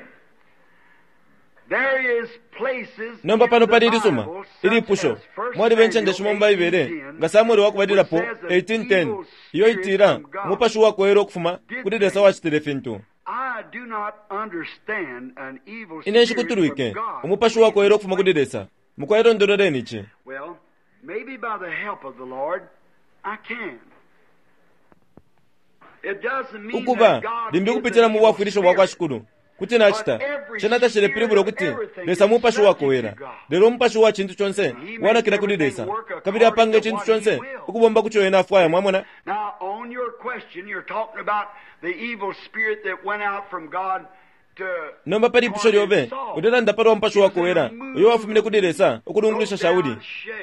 [SPEAKER 2] Nomba pano pali ilisuma ilipusho. Mwaliba incende shimo mu Baibele, nga Samwele wa Kubalilapo 18:10, iyo itila umupashi uwakowela ukufuma kuli Lesa wacitile fintu. Ine nshikutulwike umupashi uwakowela ukufuma kuli Lesa. Mukwai londololeni ici. Ukuba, limbi ukupitila mu bwafwilisho bwa kwa Shikulu, kuti nacita. Cena tacilepilibula ukuti Lesa mupashi uwakowela, lelo umupashi uwa cintu conse wanakila kuli Lesa, kabili apanga icintu conse ukubomba ku co ena afwaya. Mwamona? Nomba pa lipusho lyobe, ulelanda palwa mupashi uwakowela uyo wafumine kuli Lesa ukulungulusha Shauli.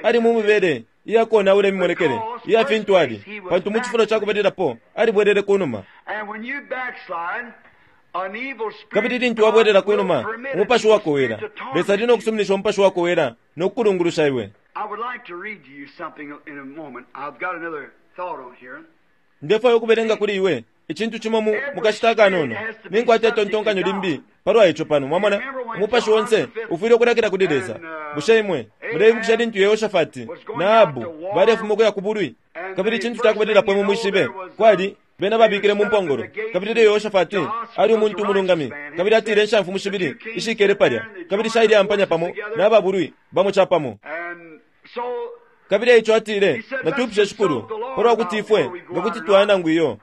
[SPEAKER 2] Ali mu mibele iya konaula imimonekele iya fintu ali, pantu mu cifulo ca kubalilapo alibwelele ku numa. Kabili lintu wabwelela ku numa, umupashi uwakowela, Lesa ali no kusuminisha umupashi uwakowela no kukulungulusha iwe. Ndefwaya ukubelenga kuli iwe icintu cimo mu, mu kashita akanono. Ninkwata itontonkanyo limbi palwa ico pano. Mwamona? Umupashi onse ufwile ukulakila kuli Lesa. Bushe imwe muleibukisha lintu Yehoshafati na Ahabu balefuma ukuya ku bulwi? Kabili icintu ca kubalilapo imwe mwishibe, kwali, bena babikile mu mpongolo. Kabili ilyo Yehoshafati ali umuntu umulungami, kabili atile inshamfumu shibili ishikele palya, kabili shaileampanya pamo naba bulwi bamo capamo. Kabili eico atile, Natwipushe Shikulu palwa kuti ifwe nga kuti twaya nangu iyo.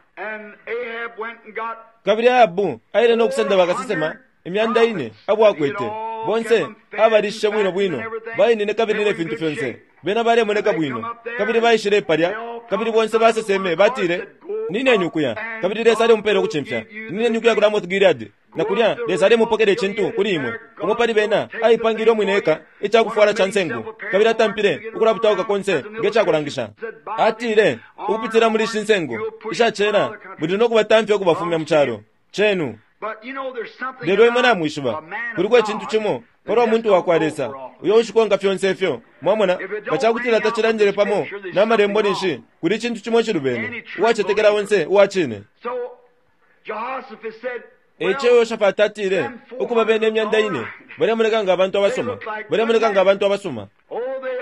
[SPEAKER 2] Kabili Ahabu aile no kusenda bakasesema 400 abo akwete, bonse abalishishe bwino bwino, bainine kabili ne fintu fyonse. Bena balemoneka bwino. Kabili baishile palya, kabili bonse baseseme, batile, Nineni ukuya, kabili Lesa alemupela ukucimfya. Nineni ukuya ku Ramoth Gileadi, na kulya Lesa alemupokela icintu kuli imwe. Umo pali bena aipangile umwine eka ica kufwala ca nsengu, kabili atampile ukulabutauka konse nge ca kulangisha. Atile, Ukupitila muli ishi nsengu isha cela muli no kubatamfya ukubafumya mu calo cenu. Lelo imwe namwishiba, kuliko icintu cimo palwa muntu wa kwa Lesa uyo ushikonka fyonse ifyo. Mwamona, nga ca kutila tacilandile pamo na Malembo ninshi kuli icintu cimo icilubene. Uwacetekela onse uwa cine. E ico Yehoshafati atile, Ukuba bena 400 balemoneka nga abantu abasuma, balemoneka nga abantu abasuma.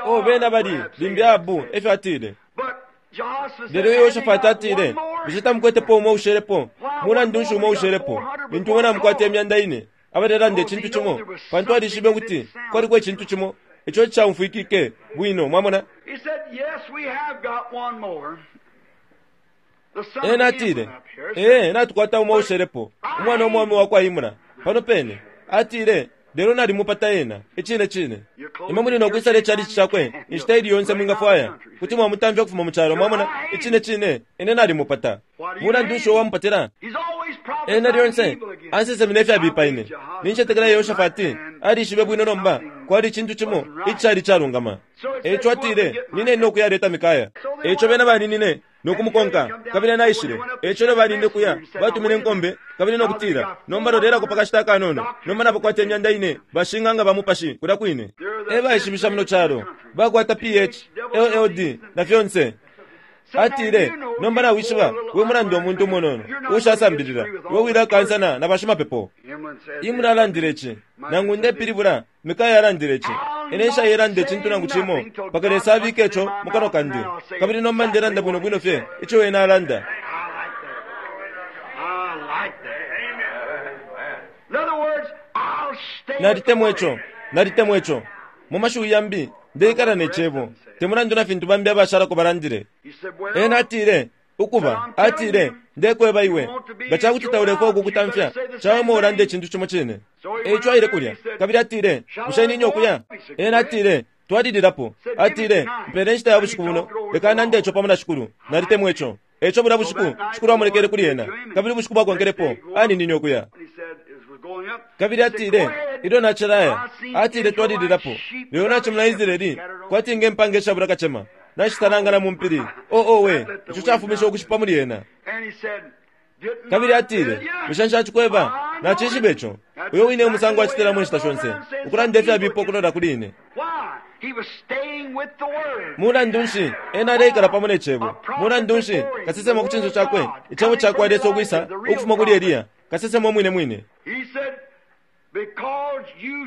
[SPEAKER 2] Oh, bena bali, limbi Ahabu e fyo atile. Lelo Yehoshafati atile, Bushe tamukwetepo umo ushelepo? Mulandu nshi umo ushelepo, lintu imwe namukwata 400 abalelanda icintu cimo? Pantu alishibe ukuti kwaliko icintu cimo ico icishaumfwikike bwino. Mwamona? Ena atile, Ee, natukwata umo ushelepo, umwana umwaume wakwa Imla, pano pene. Atile, Lelo nalimupata ena. Icine cine. Imwe muli no kwisala ichalichi cakwe inshita ili yonse mwingafwaya. Kuti mwamutamfya ukufuma mu calo. Mwamona? Icine cine. Ine nalimupata. Mulandu nshi uo wamupatila? Ena lyonse ansesemina ifyabipa ine. Nincetekela Yehoshafati alishibe bwino nomba kwali icintu cimo icishali icalungama. E ico atile, Nineni no kuyaleta Mikaya. E ico bena baninine no kumukonka, kabili ena aishile. E ico ilyo balinine kuya, batumine inkombe, kabili no kutila, Nomba lolelako pa kashita akanono. Nomba nabakwata 4,000 bashing'anga ba mupashi kulya kwine. E baishibisha muno calo. Bakwata Ph, LLD, na fyonse. Atile, Nomba nawishiba, we mulandu umuntu umunono, uushasambilila, iwe wilakansana na bashimapepo. Imla alandile ici, nangu ndepilibula, Mikaya alandile ici. Ine nshailanda icintu nangu cimo mpaka Lesa abike ico mu kanwa kandi, kabili nomba ndelanda bwino bwino fye ico Ena alanda. Nalitemwa ico. Nalitemwa ico. Mu mashiwi yambi, ndeikala ne Cebo, te mulandu na fintu bambi abashalako balandile. Ena atile, Ukuba, atile, Ndekweba iwe, nga ca kuti taulefwaya ukukutamfya, cawama ulande icintu cimo cine. E ico aile kulya, kabili atile, Bushe nine ukuya? Ena atile, Twalililapo. Atile, Mpele inshita ya bushiku buno, leka nande ico pamo na Shikulu. Nalitemwa ico. E ico bulya bushiku, Shikulu amonekele kuli ena, kabili ubushiku bwakonkelepo, aninine ukuya. Kabili atile, Ilyo nacilaya, atile, twalililapo, lelo nacimona Israeli kwati nge mpanga ishabula kacema, nashisalangana mu mpili. Oh, owe, ico cafumishe ukushipa muli ena. Kabili atile, Bushe nshacikweba? Nacishiba ico. Uyo wine umusango acitilamo inshita shonse, ukulanda ifyabipa ukulola kuli ine. Mulandu nshi, ena aleikala pamo ne Cebo. Mulandu nshi, kasesema ku cinso cakwe, Icebo cakwa Lesa ukwisa ukufuma kuli Eliya, kasesema umwine mwine.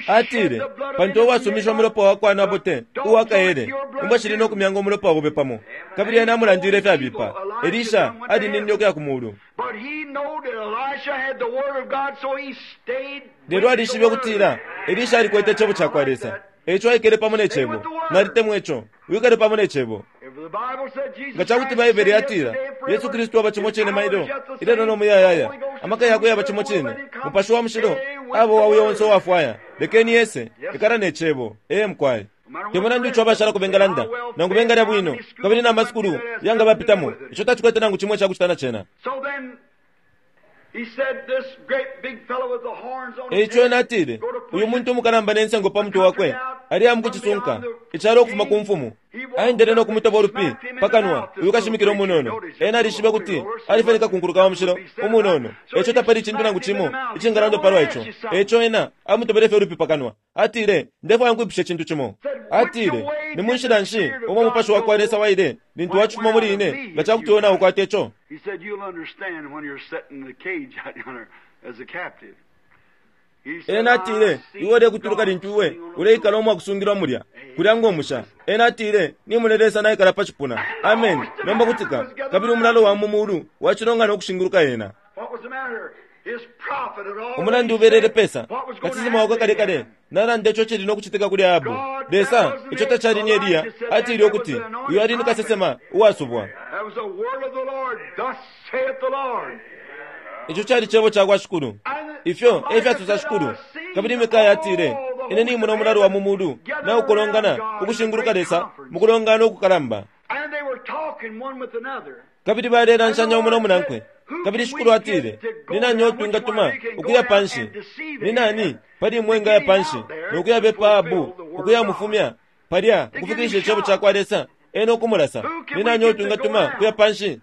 [SPEAKER 2] Atile, Pantu uwasumisha umulopa wa kwa Nabote uwa kaele, imbwa shili no kumyanga umulopa obe pamo. Kabili ena amulandile ifyabipa. Elisha alininine ukuya ku muulu. Lelo alishibe ukutila Elisha alikwete Icebo ca kwa Lesa, e ico aikele pamo ne Cebo. Nalitemwa ico. Wikale pamo ne Cebo. Nga ca kuti Baibele yatila, Yesu Kristu aba cimo cine mailo, ilelo no muyayaya, amaka yakwe yaba cimo cine, Mupashi wa Mushilo aba wa uyo onse uwafwaya, lekeni ese, ikala ne Cebo. Ee, mukwai. Te mulandu ico abashalako bengalanda, nangu bengalya bwino, kabili na masukulu yanga bapitamo, ico tacikwete nangu cimo icakucita na cena. E ico ena atile, Uyu muntu umukalamba ne nsengo pa mutwe wakwe, aliya mukucisunka icalo ukufuma ku mfumu. Aendele no kumutoba ulupi pa kanwa uyu kashimikila umunono. Ena alishibe ukuti ali fye ni kakunkuluka wa mushilo umunono, e ico tapali icintu nangu cimo icingalandwa palwa ico. E ico ena amutobele fye ulupi pa kanwa. Atile, Ndefwaya nkwipushe icintu cimo. Atile, Ni mu nshila nshi umo Umupashi wa kwa Lesa waile lintu wacifuma muli ine, nga ca kuti iwe naukwata ico? Ena atile, Iwe ulekutuluka lintu iwe uleikala umwakusungilwa mulya, kulya ngo musha. Ena atile, Nimona Lesa naikala pa cipuna. Ameni. Nomba kutika. Kabili umulalo wa mu mulu wacilongana ukushinguluka ena. Umulandu ubelele pesa? Kasesema wakwe kale kale nalanda ico cili no kucitika kuli Ahabu. Lesa, ico tacali ni Eliya, atile ukuti uyu ali ni kasesema uwasubwa. Ico cali Cebo cakwa Shikulu. Ifyo e fyasosa Shikulu. Kabili Mikaya atile, Ine nimona umulalo wa mu mulu naukolongana ukushinguluka Lesa mukulongana ukukalamba. Kabili balelanshanya umo no munankwe. Kabili Shikulu atile, Ni nani uo twingatuma ukuya panshi? Ni nani pali imwe engaya panshi no kuyabepa Ahabu ukuyamufumya palya ukufikilisha Icebo cakwa Lesa, ena ukumulasa? Ni nani uo twingatuma ukuya panshi?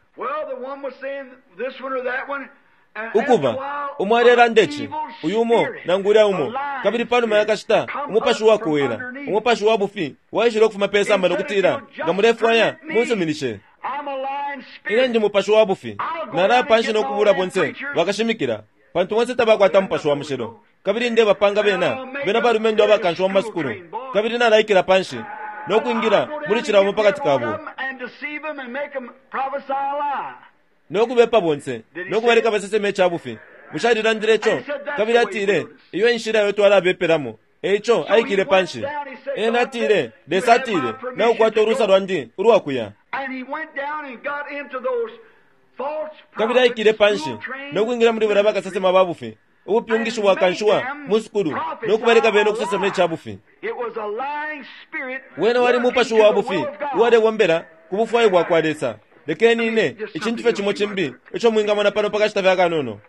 [SPEAKER 2] Ukuba, umo alelanda ici, uyu umo nangu ulya umo, kabili panuma ya kashita umupashi uwakowela, umupashi wa bufi waishile ukufuma pe samba no kutila, Nga mulefwaya, munsuminishe. Ine ndi mupashi wa bufi. Nalaya panshi no kubula bonse bakashimikila, pantu bonse tabakwata Mupashi wa Mushilo. Kabili ndebapanga bena, bena balumendo abakanshiwa mu masukulu. Kabili nalaikila panshi no kwingila muli cila umo pakati kabo. No kubepa bonse, no kubaleka baseseme ica bufi. Bushe alilandile ico? Kabili atile, Iyo e nshila iyo twalabepelamo. E ico aikile panshi. Ena atile, Lesa atile, Naukwata ulusa lwandi ulwa kuya. Kabili aikile panshi no kwingila muli balya bakasesema ba bufi, ubupyungishi bwakanshiwa mu sukulu, no kubaleka bena ukusesema ica bufi. Wena wali mupashi wa bufi uwalebombela ku bufwayo bwakwa Lesa. Lekeni ine, icintu fye cimo cimbi ico mwingamona pano pa kashita fye akanono.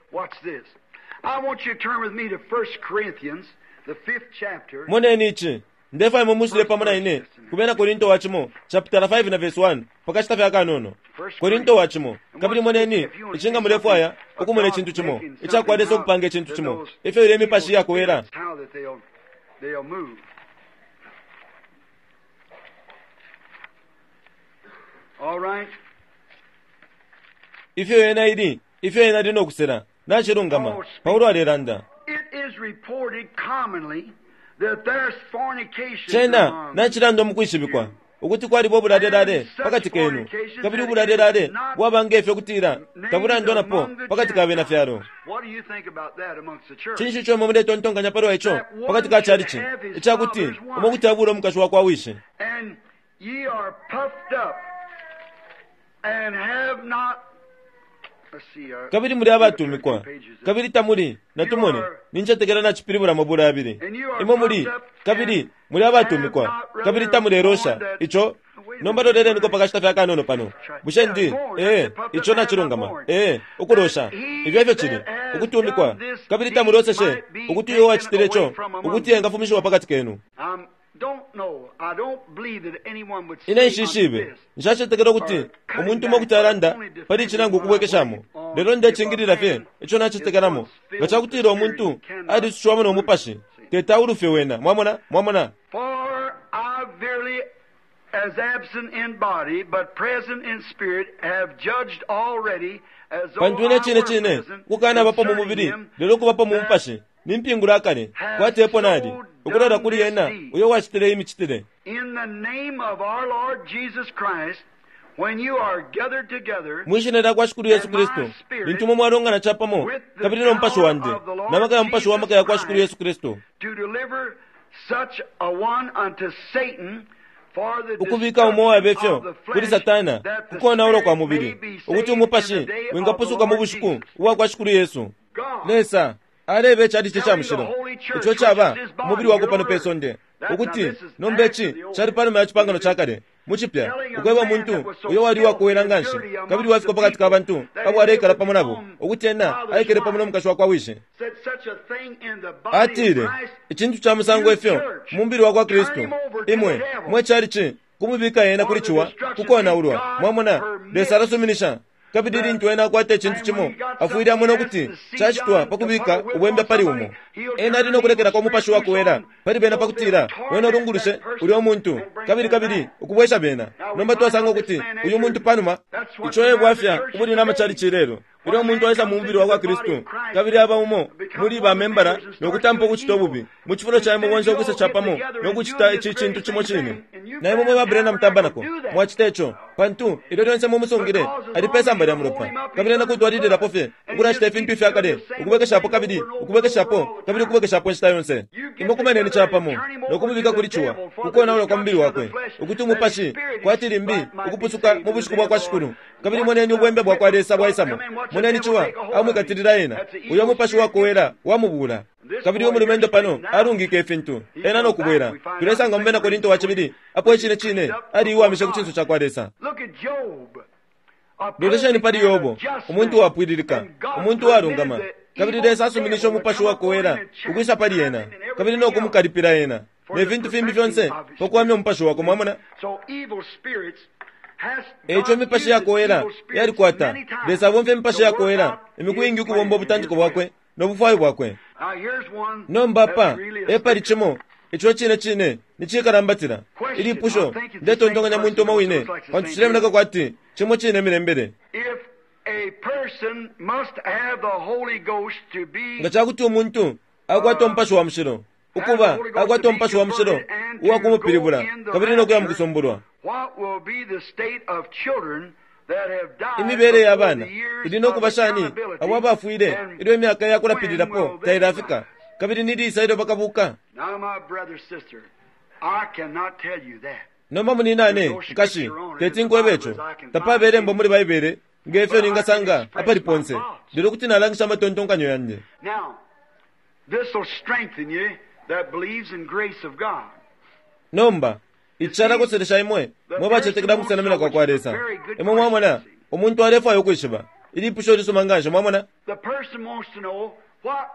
[SPEAKER 2] Moneni ici. Ndefwaya imwe mwisule pamo na ine ku Bena Korinto wa Cimo chaputala 5 na vesi 1 pa kashita fye akanono. Korinto wa Cimo. Kabili moneni ici nga mulefwaya ukumona icintu cimo icakwa Lesa ukupanga icintu cimo, ifyo ilya imipashi iyakowela. Ifyo yena ili, ifyo yena ali no kusela. Nacilungama. Paulo alelanda.
[SPEAKER 1] It is reported commonly that there's fornications
[SPEAKER 2] Cena
[SPEAKER 1] among
[SPEAKER 2] nacilanda mukwishibikwa ukuti kwaliba ubulalelale pakati kenu, kabili ubulalelale bwaba ngefyo kutila tabulandwa napo pakati ka bena fyalo.
[SPEAKER 1] What do you think about that amongst the church?
[SPEAKER 2] Cinshi ico imwe muletontonkanya palwa ico pakati ka chalichi, icakuti umo kuti abula umukashi wakwa wishi?
[SPEAKER 1] And ye are puffed up and have not. Let's see.
[SPEAKER 2] Kabili muli abatumikwa, kabili tamuli natumone nincetekela nacipilibula mabula yabili. Imwe muli, kabili muli abatumikwa, kabili tamulelosha ico. Nomba loleleniko pakashita fye akanono pano. Bushe ndi ee ico nacilungama? Ee, ukulosha ifyo efyo cili ukutumikwa, kabili tamuloseshe ukuti uyo wacitile ico ukuti engafumishiwa pakati kenu.
[SPEAKER 1] Don't know. I don't believe that anyone would say
[SPEAKER 2] Ine nshishibe,
[SPEAKER 1] unto this,
[SPEAKER 2] nshacetekela ukuti umuntu umo kuti alanda pali ici nangu ukubwekeshamo, lelo ndecingilila fye ico nacetekelamo. Nga cakutila umuntu alisushiwamo no mupashi, teti aulufye wena. Mwamona? Mwamona?
[SPEAKER 1] For I verily, as absent in body, but present in spirit, have judged already, as though
[SPEAKER 2] Pantu ine
[SPEAKER 1] I
[SPEAKER 2] cine
[SPEAKER 1] were
[SPEAKER 2] cine
[SPEAKER 1] present,
[SPEAKER 2] ukukanabapo mu
[SPEAKER 1] concerning
[SPEAKER 2] mubili,
[SPEAKER 1] him
[SPEAKER 2] lelo ukubapo mu
[SPEAKER 1] that
[SPEAKER 2] mupashi, nimpingula akale, kwati epo nali, ukulola kuli ena uyo wacitile imicitile.
[SPEAKER 1] In the name of our Lord Jesus Christ, when you are gathered together,
[SPEAKER 2] Mwishina lya kwa Shikulu Yesu Kristu, lintu imwe mwalongana capamo, kabili no mupashi wandi, na maka ya mupashi wa maka ya kwa Shikulu Yesu Kristu,
[SPEAKER 1] to deliver such a one unto Satan for the
[SPEAKER 2] ukubika umo wabe
[SPEAKER 1] destruction
[SPEAKER 2] fyo
[SPEAKER 1] of the
[SPEAKER 2] kuli
[SPEAKER 1] flesh,
[SPEAKER 2] Satana
[SPEAKER 1] that the
[SPEAKER 2] kukonaula kwa
[SPEAKER 1] spirit
[SPEAKER 2] mubili,
[SPEAKER 1] may be
[SPEAKER 2] ukuti
[SPEAKER 1] saved
[SPEAKER 2] umupashi
[SPEAKER 1] in the day of the
[SPEAKER 2] wingapusuka mu
[SPEAKER 1] Lord
[SPEAKER 2] bushiku
[SPEAKER 1] Jesus.
[SPEAKER 2] ubwa kwa Shikulu Yesu.
[SPEAKER 1] God,
[SPEAKER 2] Lesa aleba icalici ca mushilo, ico caba umubili wakwe pano pe sonde, ukuti nomba ici cali panuma ya cipangano ca kale mu cipya, ukweba umuntu uyo wali uwakowela nganshi kabili wafika pakati ka bantu abo aleikala pamo nabo, ukuti ena aikele pamo no mukashi wakwa wishi.
[SPEAKER 1] said such a thing in the body
[SPEAKER 2] Atile
[SPEAKER 1] of Christ,
[SPEAKER 2] icintu ca musango ifyo mu mubili wakwa Kristu, imwe mwe calici kumubika ena kuli ciwa kukonaulwa. Mwamona, Lesa alasuminisha. Kabili lintu ena akwata icintu cimo, afwile amona ukuti cacitwa pakubika ubwembe pali umo. Ena ali nokulekelako umupashi wakowela pali bena pakutila wena ulungulushe ulya umuntu, kabili kabili ukubwesha bena. Nomba twasanga ukuti uyu muntu panuma, ico e bwafya ubuli namacalici ilelo. Ilyo umuntu aisa mu mubili wakwa Kristu, kabili aba umo muli ba membala nokutampa ukucita ububi, mu cifulo ca imwe bonse ukwisa capamo nokucita ici cintu cimo cine. Na imwe mwe ba Branham Tabernacle mwacita ico, pantu ilyo lyonse mumusungile ali pe samba lya mulopa, kabili ena kutwalililapo fye ukulacita ifintu ifya kale, ukubwekeshapo kabili ukubwekeshapo kabili ukubwekeshapo inshita yonse. Imwe kumaneni capamo nokumubika kuli ciwa kukonaula kwa mubili wakwe, ukuti umupashi kwati limbi ukupusuka mu bushiku bwa kwa Shikulu. Kabili moneni ubwembe bwa kwa Lesa bwaisamo, moneni ciwa amwikatilila ena, uyo mupashi wakowela wamubula. Kabili umulumendo pano alungike ifintu ena nokubwela. Tulesanga mu Bena Korinto wa cibili apo icine cine aliiwamishe ku cinso ca kwa Lesa.
[SPEAKER 1] Look at Job. A
[SPEAKER 2] Lolesheni pali
[SPEAKER 1] perfect man,
[SPEAKER 2] Yobo,
[SPEAKER 1] a just
[SPEAKER 2] umuntu
[SPEAKER 1] man.
[SPEAKER 2] wapwililika,
[SPEAKER 1] And God
[SPEAKER 2] umuntu walungama,
[SPEAKER 1] permitted the
[SPEAKER 2] kabili
[SPEAKER 1] evil
[SPEAKER 2] Lesa asuminishe
[SPEAKER 1] devil
[SPEAKER 2] umupashi
[SPEAKER 1] to come
[SPEAKER 2] wakowela
[SPEAKER 1] upon him and
[SPEAKER 2] ukwisa pali
[SPEAKER 1] chastise
[SPEAKER 2] ena,
[SPEAKER 1] him and
[SPEAKER 2] kabili
[SPEAKER 1] everything
[SPEAKER 2] nokumukalipila ena
[SPEAKER 1] for
[SPEAKER 2] ne
[SPEAKER 1] the
[SPEAKER 2] fintu fimbi
[SPEAKER 1] perfecting
[SPEAKER 2] fyonse
[SPEAKER 1] of his
[SPEAKER 2] pakuwamya umupashi wakwe. Mwamona?
[SPEAKER 1] So evil spirits has
[SPEAKER 2] Eico
[SPEAKER 1] God
[SPEAKER 2] imipashi
[SPEAKER 1] uses
[SPEAKER 2] yakowela
[SPEAKER 1] evil spirits
[SPEAKER 2] yalikwata.
[SPEAKER 1] many times
[SPEAKER 2] Lesa abomfya imipashi
[SPEAKER 1] to work
[SPEAKER 2] yakowela
[SPEAKER 1] out
[SPEAKER 2] imiku
[SPEAKER 1] his
[SPEAKER 2] iingi
[SPEAKER 1] plan
[SPEAKER 2] ukubomba
[SPEAKER 1] and
[SPEAKER 2] ubutantiko
[SPEAKER 1] his will.
[SPEAKER 2] bwakwe no bufwayo bwakwe.
[SPEAKER 1] Now here's one
[SPEAKER 2] Nomba
[SPEAKER 1] that's
[SPEAKER 2] pa
[SPEAKER 1] really a
[SPEAKER 2] epali
[SPEAKER 1] sticker.
[SPEAKER 2] cimo ico cine cine nicikalambатila ilipusho ndetontonkanya muntu umo wine, pantu cilemoneka kwati cimo cine milembele.
[SPEAKER 1] If a person must have the Holy Ghost to be
[SPEAKER 2] Nga cakuti umuntu akwata umupashi wa mushilo, ukuba akwata umupashi wa mushilo uwakumupilibula kabili nokuya mukusumbulwa,
[SPEAKER 1] what will be the state of children that have died
[SPEAKER 2] imibele ya
[SPEAKER 1] before
[SPEAKER 2] bana
[SPEAKER 1] the years
[SPEAKER 2] ili nokuba
[SPEAKER 1] of
[SPEAKER 2] shani
[SPEAKER 1] accountability,
[SPEAKER 2] abo abafwile
[SPEAKER 1] and
[SPEAKER 2] ilyo imyaka
[SPEAKER 1] when
[SPEAKER 2] yakulapililapo
[SPEAKER 1] will they
[SPEAKER 2] tailafika,
[SPEAKER 1] rise?
[SPEAKER 2] kabili nilisa ilyo bakabuka?
[SPEAKER 1] Now, my brother, sister, I cannot tell you that.
[SPEAKER 2] Nomba muninane nkashi, teti nkwebe ico, tapaba ilembo muli Baibele ngefyo ningasanga apali ponse, lelo kuti nalangisha amatontonkanyo yandi.
[SPEAKER 1] Now, this will strengthen you that believes in grace of God.
[SPEAKER 2] Nomba ici calakoselesha imwe mwe bacetekela mukusenamina kwa kwa Lesa. Imwe mwamona, umuntu alefwaya ukwishiba ilipusho lisuma nganshi. Mwamona,
[SPEAKER 1] The person wants to know what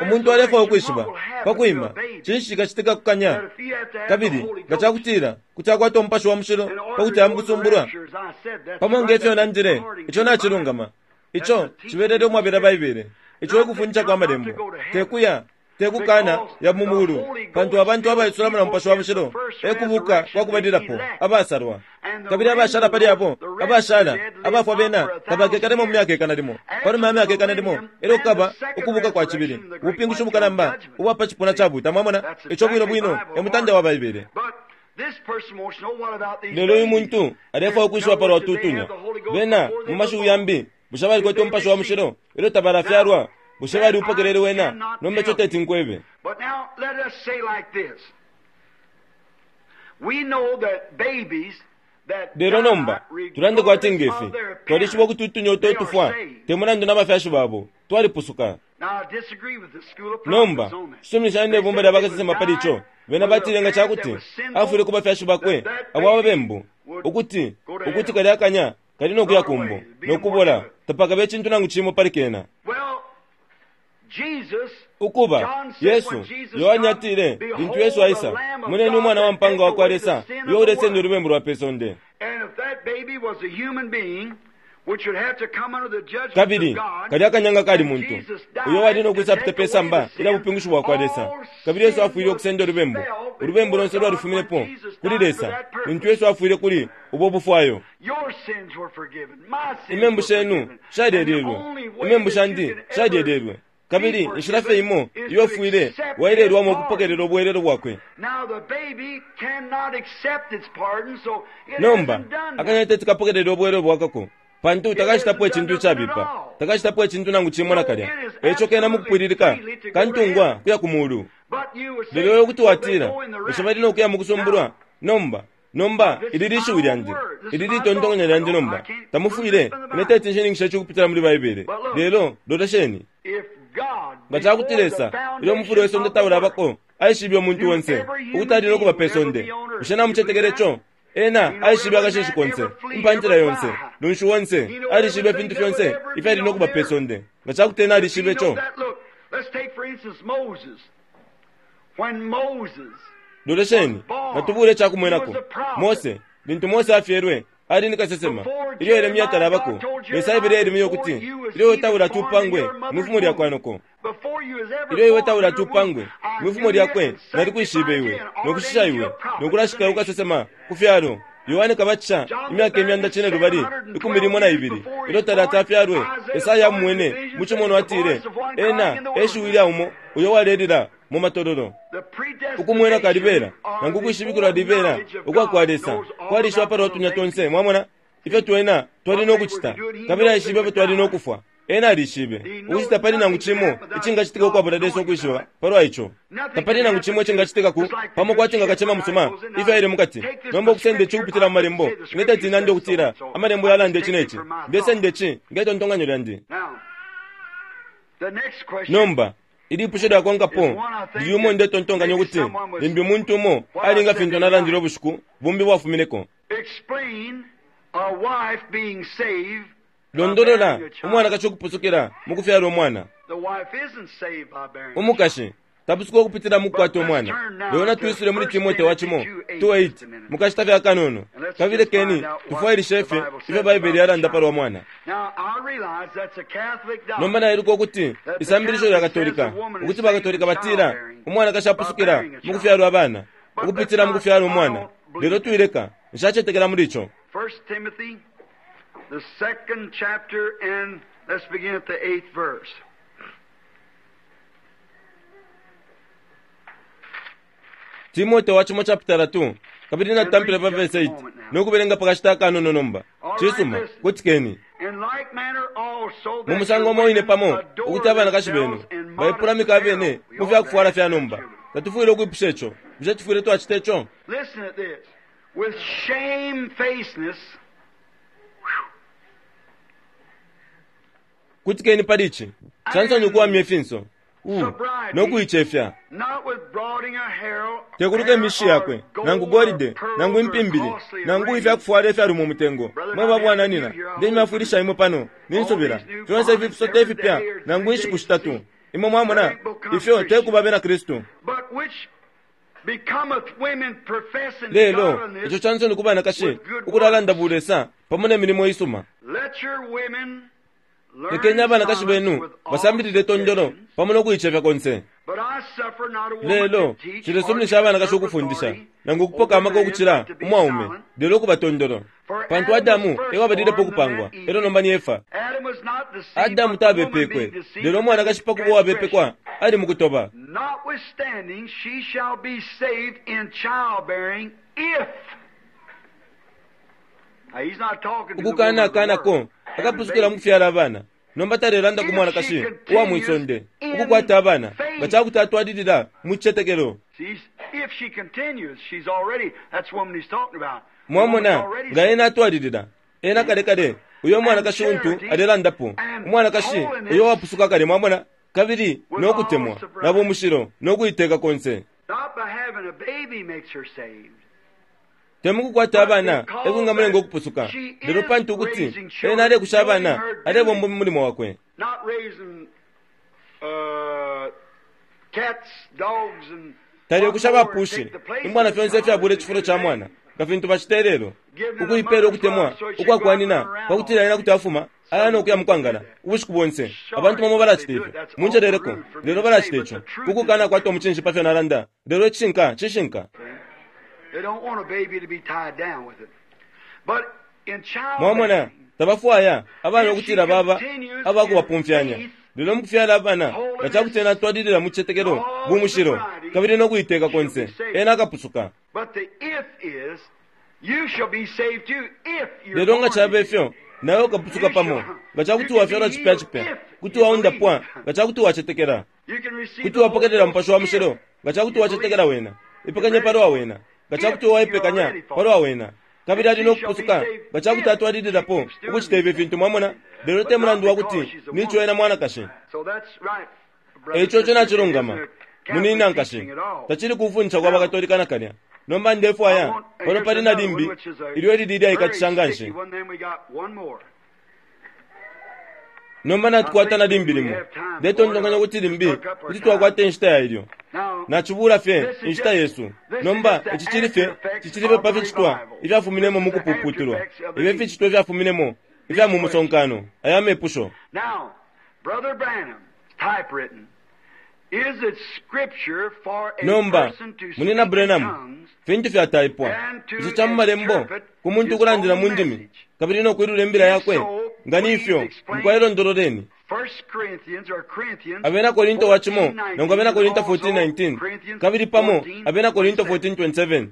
[SPEAKER 2] umuntu alefwaya
[SPEAKER 1] resurrection,
[SPEAKER 2] ukwishiba
[SPEAKER 1] what will happen to
[SPEAKER 2] pakwima
[SPEAKER 1] a baby
[SPEAKER 2] cinshi cikacitika kukanya,
[SPEAKER 1] that if he had to have the
[SPEAKER 2] kabili
[SPEAKER 1] Holy
[SPEAKER 2] nga
[SPEAKER 1] Ghost
[SPEAKER 2] cakutila kuti akwata umupashi wa mushilo
[SPEAKER 1] in order
[SPEAKER 2] pakuti
[SPEAKER 1] to go to the
[SPEAKER 2] amukusumbulwa.
[SPEAKER 1] rapture, as I said, that's
[SPEAKER 2] Pamo
[SPEAKER 1] right,
[SPEAKER 2] ngefyo
[SPEAKER 1] that's
[SPEAKER 2] nandile,
[SPEAKER 1] according
[SPEAKER 2] ico
[SPEAKER 1] to the
[SPEAKER 2] nacilungama, ico cibelele umwabela Baibele, ico ekufundisha kwa malembo, tekuya Te kukana ya mu mulu, pantu abantu abaisulamo na Mupashi wa Mushilo e kubuka kwa kubalilapo, abasalwa. Kabili abashala pali abo, abashala, abafwa bena tabakekalemo mu myaka ikana limo. Panuma ya myaka ikana limo, elyo kukaba ukubuka kwa cibili, ubupingushi bukalamba ubwa pa cipuna ca buta. Mwamona? Ico bwino bwino e mutande wa Baibele. Lelo uyu muntu alefwaya ukwishiba palwa tutunya. Bena, mu mashiwi yambi, bushe balikwete Umupashi wa Mushilo ilyo tabalafyalwa? Bushe baliupokelele wena? Nomba ico teti nkwebe. Lelo nomba, tulande kwati nge fi, twalishiba ukuti utunya uto utufwa, te mulandu na bafyashi babo, twalipusuka. Nomba, nshisuminishanya ne bumba lya bakasesema pali co. Bena batile nga ca kuti afwile ku bafyashi bakwe abo ababembu, ukuti, ukuti kalya kanya kali no kuya kumbo, no kubola, tapakabe icintu nangu cimo pali kena. Ukuba, Yesu, Yohane atile, lintu Yesu aisa, Moneni Umwana wa mpanga wa kwa Lesa, uyo ulesenda ulubembu lwa pe sonde. Kabili kalya kanyanga kali muntu uyo wali no kwisapita pe samba ilya bupingushi bwa kwa Lesa. Kabili Yesu afwile ukusenda ulubembu. Ulubembu lonse lwalifuminepo kuli Lesa lintu Yesu afwile kuli ubo bufwayo. Imembu shenu shalyelelwe. Imembu shandi shalyelelwe. Kabili inshila fye imo iyo ufwile waelelwamo kupokelela ubwelelo bwakwe. Nomba, akanya teti kapokelele ubwelelo bwakako, pantu takacitapo icintu icabipa, takacitapo icintu nangu cimo nakalya. Eico kena mukupwililika kantungwa kuya ku mulu. Lelo iwe kuti watila, Bushe bali no kuya mukusumbulwa? Nomba, nomba, ili lishiwi lyandi. Ili litontonkanyo lyandi nomba. Tamufwile, ine teti nshininkishe ici ukupitila muli Baibele. Lelo, lolesheni. Nga ca kuti Lesa, ilyo umufula we sonde taulabako, aishibe umuntu onse, ukuti ali no kuba pe sonde, bushe namucetekele co? Ena aishibe akashishi konse, impantila yonse, lunshi onse, alishibe ifintu fyonse ifyali no kuba pe sonde. Nga ca kuti ena alishibe co? Lolesheni, natubule ica kumwenako. Mose, lintu Mose afyelwe, Ali ni kasesema. Ilyo Yeremia talabako, Lesa aebele Yeremia ukuti, Ilyo iwe taulati upangwe mwi fumo lya kwa noko, ilyo iwe taulati upangwe mwi fumo lyakwe, nalikwishibe iwe, no kushisha iwe, no kulashika iwe kasesema ku fyalo. Yohane Kabatisha, imyaka imyanda cinelubali 12 ilyo talati afyalwe, Esaya amumwene mu cimonwa atile, Ena e shiwi lya umo uyo walelila mu matololo. Ukumwena kalibela, nangu ukwishibikilwa libela ukwa kwa Lesa, kwalishiba palwa tunya tonse, mwamona, ifyo twena twali no kucita, kabili aishibe ifyo twali no kufwa. Ena alishibe ukuti tapali nangu cimo icingacitika ukwabula Lesa ukwishiba palwa ico. Tapali nangu cimo icingacitika ku, pamo kwati nga kacema musuma, ifyo aile mukati. Nomba ukusenda ici ukupitila mu Malembo, ine teti nande ukutila Amalembo yalanda ici ne ci. Ndesenda ici nge tontonkanyo lyandi. Nomba, Ilipusho lyakonkapo lili umo ndetontonkanya ukuti limbi umuntu umo ali nga fintu nalandile ubushiku bumbi bwafumineko. Londolola umwanakashi ukupusukila mu kufyala umwana. Umukashi tapusuka ukupitila mu kukwata umwana. Lelo natwisule muli Timote wa cimo 2:8 mu kashita fye akanono, kabili lekeni tufwailishe fye ifyo Baibele yalanda pa lwa mwana. Nomba nailuka ukuti isambilisho lya Katolika, ukuti ba Katolika batila umwanakashi apusukila mu kufyalwa abana, ukupitila mu kufyala umwana. Lelo twileka, nshacetekela muli ico. Timote wa cimo chapitala 2 kabili natutampila pa verse 8 no kubelenga pa kashita akanono nomba. Cisuma, kutikeni. Mu musango umo wine pamo, ukuti abanakashi benu baipulamika abene mu fya kufwala fya nomba. Tatufwile ukwipusha ico. Bushe tufwile twacita ico? Kutikeni pali ici. Cansoni ukuwamya ifinso. U, no kuicefya. Tekuluka imishi yakwe, nangu golide, nangu impimbili, nangu ifya kufwala ifyalumo mutengo. Mwe babwananina, ndemyafwilisha imwe pano, ninsubila, fyonse ifi fisote ifipya, nangu inshiku shitatu. Imwe mwamona, ifyo tekuba bena Kristu. Lelo, ico cansoni ku banakashi ukulalanda bulesa pamo ne milimo isuma. Lekeni abanakashi benu basambilile tondolo pamo no kuicefya konse. Lelo, nshilesuminisha abanakashi ukufundisha, nangu ukupoka amaka ukucila umwaume, lelo ukuba tondolo. Pantu Adamu e wabalilepo ukupangwa, e lyo nomba ni Efa. Adamu tabepekwe, lelo umwanakashi pa kuba uwabepekwa, ali mu kutoba. Ukukanakana akapusukila mu kufyala abana. Nomba talelanda ku mwanakashi uwa mwi sonde ukukwata abana nga ca kuti atwalilila mu citetekelo. Mwamona, nga ena atwalilila, ena kale kale uyo mwanakashi untu alelandapo, umwanakashi uyo wapusuka kale, mwamona, kabili no kutemwa na bumushilo no kuiteka konse. Te mukukwata abana e kwingamulenga ukupusuka, lelo pantu ukuti ena alekusha abana, alebomba umulimo wakwe. Talekusha bapushi, imbwa na fyonse ifyabula icifulo ca mwana, nga fintu bacita ilelo, ukuipeela ukutemwa ukwa kwa nyina pa kutila ena kuti afuma aya no kuya mu kwangala ubushiku bonse. Abantu bamo balacita ifyo. Munjeleleko, lelo balacita ico ku kukanakwata umucinshi pa fyo nalanda, lelo icishinka cishinka. Mwamona, tabafwaya abana ukutila baba aba kubapumfyanya. Lelo mukufyala abana, nga ca kuti ena atwalilila mu citetekelo, bumushilo, kabili no kuiteka konse, ena akapusuka. Lelo nga cabe fyo, nawe ukapusuka pamo, nga ca kuti wafyalwa cipya cipya, kuti waundapwa nga ca kuti wacetekela. Kuti wapokelela Mupashi wa Mushilo nga ca kuti wacetekela Wena. Ipekanye palwa Wena nga ca kuti waipekanya palwa Wena. Kabili ali no kupusuka nga ca kuti atwalililapo ukucita ifi fintu, mwamona, lelo te mulandu wa kuti ni co ena mwanakashi. E ico ico nacilungama, munina nkashi. Tacili kufundisha kwa baKatolika nakalya. Nomba ndefwaya, pano pali na limbi ilyo ilili ilyaikatisha nganshi. Nomba natukwata na limbi limo. Ndetontonkanya ukuti limbi kuti twakwata inshita ya ilyo. Nacibuula fye inshita yesu. Nomba ici cili fye, cicili fye pa ficitwa ifyafuminemo mu kupuputulwa. Ifyo ificitwa ifyafuminemo ifya mu musonkano, aya mepusho. Nomba, Munyina Branham, fintu fyataipwa, ico ca mu Malembo ku muntu ukulandila mu ndimi kabili no kwilula imbila yakwe? Nga ni fyo, mukwai londololeni. Abena Korinto wa cimo nangu Abena Korinto 14:19 kabili pamo Abena Korinto 14:27.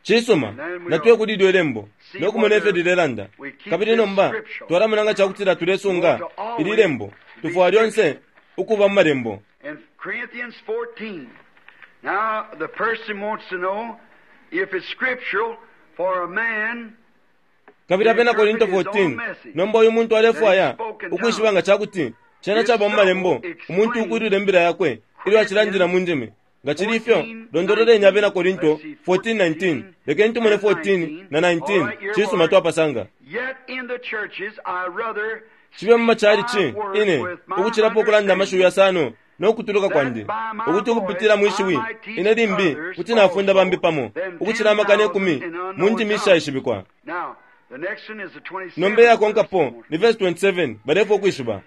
[SPEAKER 2] Cisuma, natuye kuli ilyo ilembo no kumona ifyo lilelanda. Kabili nomba twalamona nga ca kutila tulesunga ili lembo. Tufwaya lyonse ukuba mu Malembo. Kabili Abena Korinto 14, nomba uyu muntu alefwaya ukwishiba nga ca kuti cena caba mu Malembo umuntu ukwilula imbila yakwe ilyo acilandila mu ndimi. Nga cili ifyo, londololeni Abena Korinto 14:19. Lekeni tumone 14 na 19. Cisuma, twapasanga. Cibe mu macalici, ine, ukucilapo ukulanda amashiwi yasano no kutuluka kwandi, ukuti ukupitila mwi shiwi, ine limbi kuti nafunda bambi pamo, ukucila amakana ikumi mu ndimi ishaishibikwa. Nomba iyakonkapo ni verse 27, balefwaya ukwishiba.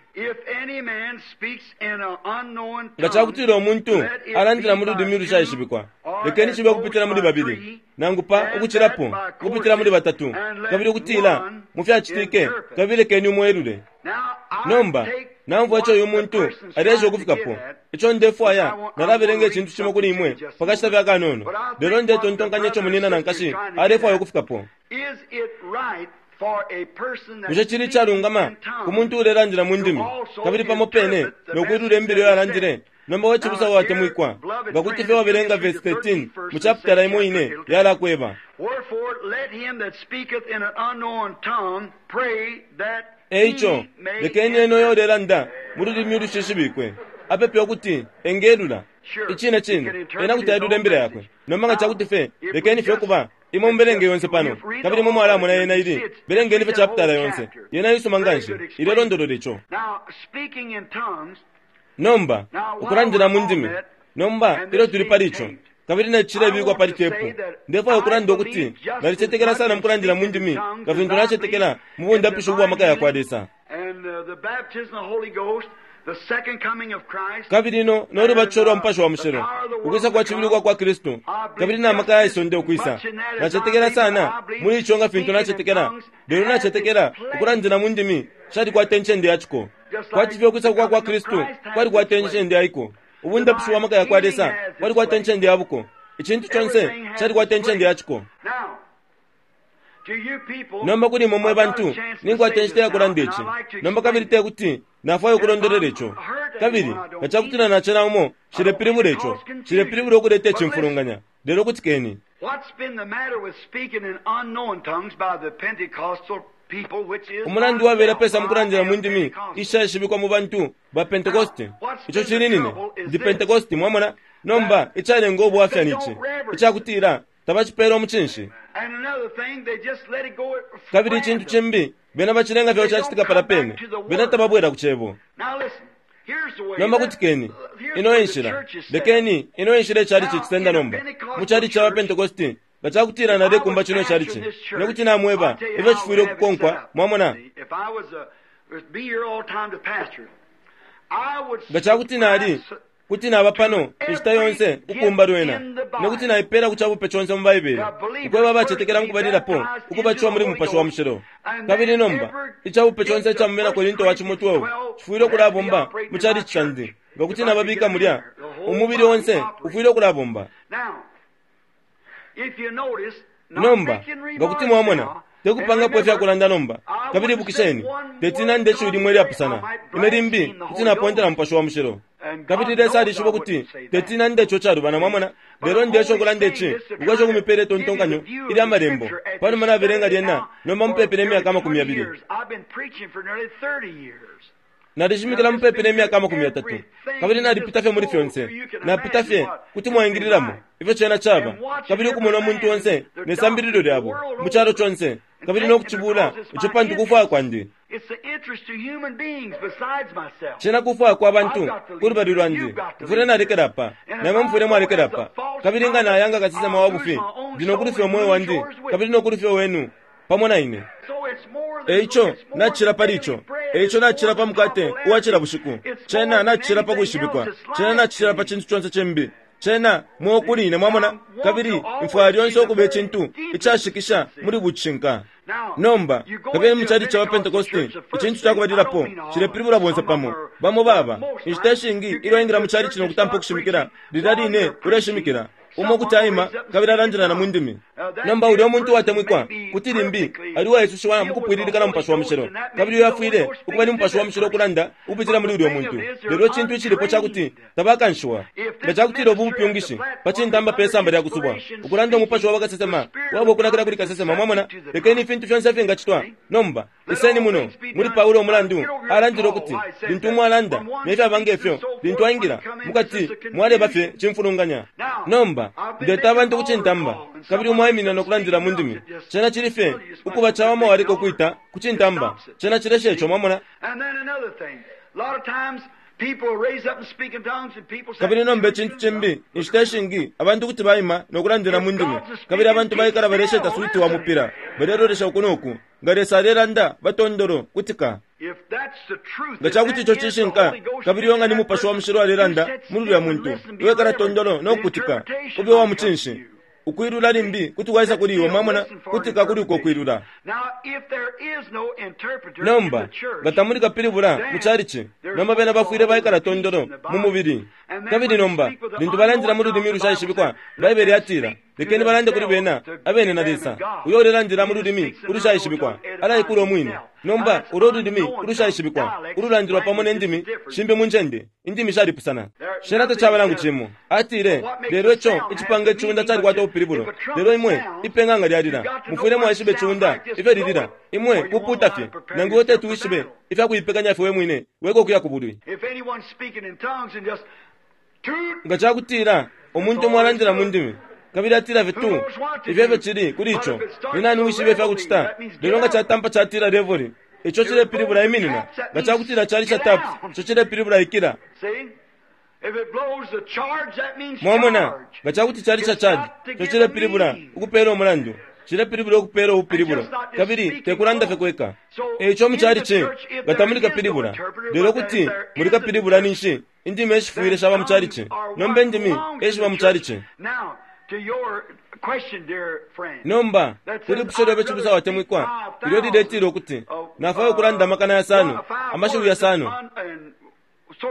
[SPEAKER 2] Nga ca kutila umuntu alandila mu lulimi ulushaishibikwa, lekeni cibe ukupitila muli babili, nangu pa ukucilapo, ukupitila muli batatu, kabili ukutila mu fyacitike, kabili lekeni umo elule. Nomba, naumfwa ico uyu muntu aleesha ukufikapo. Ico ndefwaya, nalabelenga icintu cimo kuli imwe pa kashita fye akanono, lelo ndetontonkanya ico munyina na nkashi alefwaya ukufikapo. Bushe cili icalungama ku muntu uulelandila mu ndimi kabili pamo pene no kwilula imbila iyo alandile? Nomba we cibusa watemwikwa, nga kuti fye wabelenga vesi 13 mu chapitala imo ine, yalakweba. E ico, lekeni ena uyo ulelanda mu lulimi ulushishibikwe apepe ukuti engelula. Icine cine, ena kuti ailula imbila yakwe. Nomba nga ca kuti fye, lekeni fye ukuba Imwe mubelenge yonse pano, kabili imwe mwalamona yena ili. Belengeni fye chapitala yonse. Yena isuma nganshi. Ilelondolola ico. Nomba, ukulandila mu ndimi. Nomba, ilyo tuli pali ico, Kabili ne cilebikwa pali tepu. Ndefwaya ukulanda ukuti nalicetekela sana mukulandila mu ndimi nga fintu nacetekela mu bundapishi ubwa maka yakwa Lesa. Kabili no lubatisho lwa Mupashi wa Mushilo, ukwisa kwa cibili ukwa kwa Kristu, kabili na maka ya isonde ukwisa. Nacetekela sana muli ico nga fintu nacetekela, lelo nacetekela ukulandila mu ndimi shalikwata incende ya ciko. Kwati fye ukwisa kwa kwa Kristu kwalikwata incende ya iko. Ubundapishi bwa maka yakwa Lesa bwalikwata incende ya buko. Icintu conse calikwata incende ya ciko. Nomba kuli imwe mwe bantu, ninkwata inshita ya kulanda ici. Nomba kabili te kuti nafwaya ukulondolola ico. Kabili nga ca kutila nacena umo, nshilepilibula ico. Nshilepilibula ukuleta icimfulunganya. Lelo kutikeni. Umulandu wabela pesa mukulandila mu ndimi ishaishibikwa mu bantu ba Pentekoste. Ico cili nine. Ndi Pentekoste, mwamona? Nomba, icalenga ubwafya ni ci, icakutila tabacipela umucinshi. Kabili icintu cimbi, bena bacilenga fye cacitika pala pene. Bena tababwela ku Cebo. Nomba kutikeni. Ino e nshila. Lekeni, ino e nshila icalici cisenda nomba. Mu calici ca ba Pentekoste, nga cakutila nalekumba cino icalici, ine kuti namweba ifyo cifwile ukukonkwa, mwamona. Nga cakuti nali, kuti naba pano inshita yonse ukukumba lwena, ine kuti naipela ku cabupe conse mu Baibele, ukweba abacetekela mukubalilapo ukubatishiwa muli Mupashi wa Mushilo. Kabili nomba, icabupe conse ica mu Bena Korinto wa cimo 12 cifwile ukulabomba mu calici candi. Nga kuti nababika mulya, umubili onse ufwile ukulabomba. Nomba, nga kuti mwamona, tekupangapo ifyakulanda nomba. Kabili ibukisheni, teti nande ishiwi limo ilyapusana. Ine limbi kuti napontela Mupashi wa Mushilo. Kabili Lesa alishiba ukuti teti nande ico calubana, mwamona. Lelo ndeesha ukulanda ici, ukwesha ukumipela itontonkanyo ilya Malembo. Panuma nabelenga lyena, nomba mupepi ne myaka 20. Nalishimikila mupepi ne myaka 30, kabili nalipita fye muli fyonse. Napita fye, kuti mwaingililamo ifyo cena caba, kabili ukumona umuntu onse ne sambililo lyabo mu calo conse, kabili no kucibula ico pantu kufwaya kwandi. Cena kufwaya kwa bantu ku lubali lwandi. Mfwile nalekela apa, na imwe mufwile mwalekela apa. Kabili nga naya nga kasesema wa bufi, ndi no kulufya umweo wandi, kabili no kulufya wenu pamo na ine. Eico nacila pali ico. Eico nacila pa mukate uwa cila bushiku. Cena nacila pa kwishibikwa. Cena nacila pa cintu conse cimbi. Cena mweo kuli ine, mwamona. Kabili mfwaya lyonse ukuba icintu icashikisha muli bucishinka. Nomba, kabili mu chalichi ca Pentecosti, icintu ca kubalilapo cilepilibula bonse pamo. Bamo baba, inshita ishingi ilyo aingila mu chalichi no kutampa ukushimikila, lilya line uleshimikila, umo kuti aima kabili alandila na mu ndimi. Nomba ulya umuntu uwatemwikwa kuti limbi ali uwaisushiwa mukupwililika na Mupashi wa Mushilo, kabili uyo afwile ukuba ni Mupashi wa Mushilo ukulanda ukupitila muli ulya muntu. Lelo icintu icilipo ca kuti tabakanshiwa. Nga ca kutila ubu bupyungishi pa cintamba pe samba lya kusubwa, ukulanda umupashi wa bakasesema waba ukunakila kuli kasesema, mwamona, lekeni ifintu fyonse ifingacitwa. Nomba iseni muno muli Paulo umulandu alandile ukuti lintu umo alanda ne fyaba nge fyo, lintu aingila mukati mwaleba fye cimfulunganya. Nomba ndeta abantu ku cintamba, kabili umo aiminina no kulandila mu ndimi. Cena cili fye ukuba cawama waleka ukwita ku cintamba. Cena cilesha ico, mwamona. Kabili nomba icintu cimbi, inshita ishingi abantu kuti baima no kulandila mu ndimi, kabili abantu baikala balesheta switi wa mupila, balelolesha uku no ku. Nga Lesa alelanda, batondolo, kutika. Nga ca kuti ico cishinka, kabili uyo nga ni Mupashi wa Mushilo alelanda muli ulya muntu, iwe kala tondolo no kukutika, ube uwa mucinshi. Ukwilula limbi kuti kwaisa kuli iwe, mwamona, kutika kuli uko kwilula. Nomba, nga tamuli kapilibula mu chalichi, nomba bena bafwile baikala tondolo mu mubili. Kabili nomba, lintu balandila mu lulimi ulushaishibikwa, Baibele yatila, lekeni balande kuli bena abene na Lesa. Uyo ulelandila mu lulimi ulushaishibikwa alaikula umwine. Nomba ulo lulimi ulushaishibikwa ululandilwa pamo ne ndimi shimbi mu ncende, indimi shalipusana. Shena tacaba nangu cimo. Atile, lelo ico icipanga iciunda calikwata ubupilibulo. Lelo imwe, ipenga nga lyalila, mufwile mwaishiba iciunda ifyo lilila. Imwe kupuuta fye, nangu iwe teti wishibe ifya kuipekanya fye we mwine weka ukuya ku bulwi. Nga ca kutila umuntu umo alandila mu ndimi, kabili atila fye tu, ifyo efyo cili kuli ico. Ni nani uwishibe ifya kucita? Lelo nga catampa catila levoli, ico cilepilibula iminina. Nga ca kutila calisha taps, ico cilepilibula ikila. Mwamona, nga ca kuti cali ca charge, ico cilepilibula ukupeela umulandu, cilepilibula ukupeela ubupilibulo, kabili te kulanda fye kweka. E ico mu calici, nga tamuli kapilibula, lelo kuti muli kapilibula ninshi indimi eshifwile shaba mu calici. Nomba indimi eshiba mu calici. Nomba, kuli lipusho lyobe cibusa watemwikwa, ilyo liletila ukuti, Nafwaya ukulanda amakana yasano, amashiwi yasano.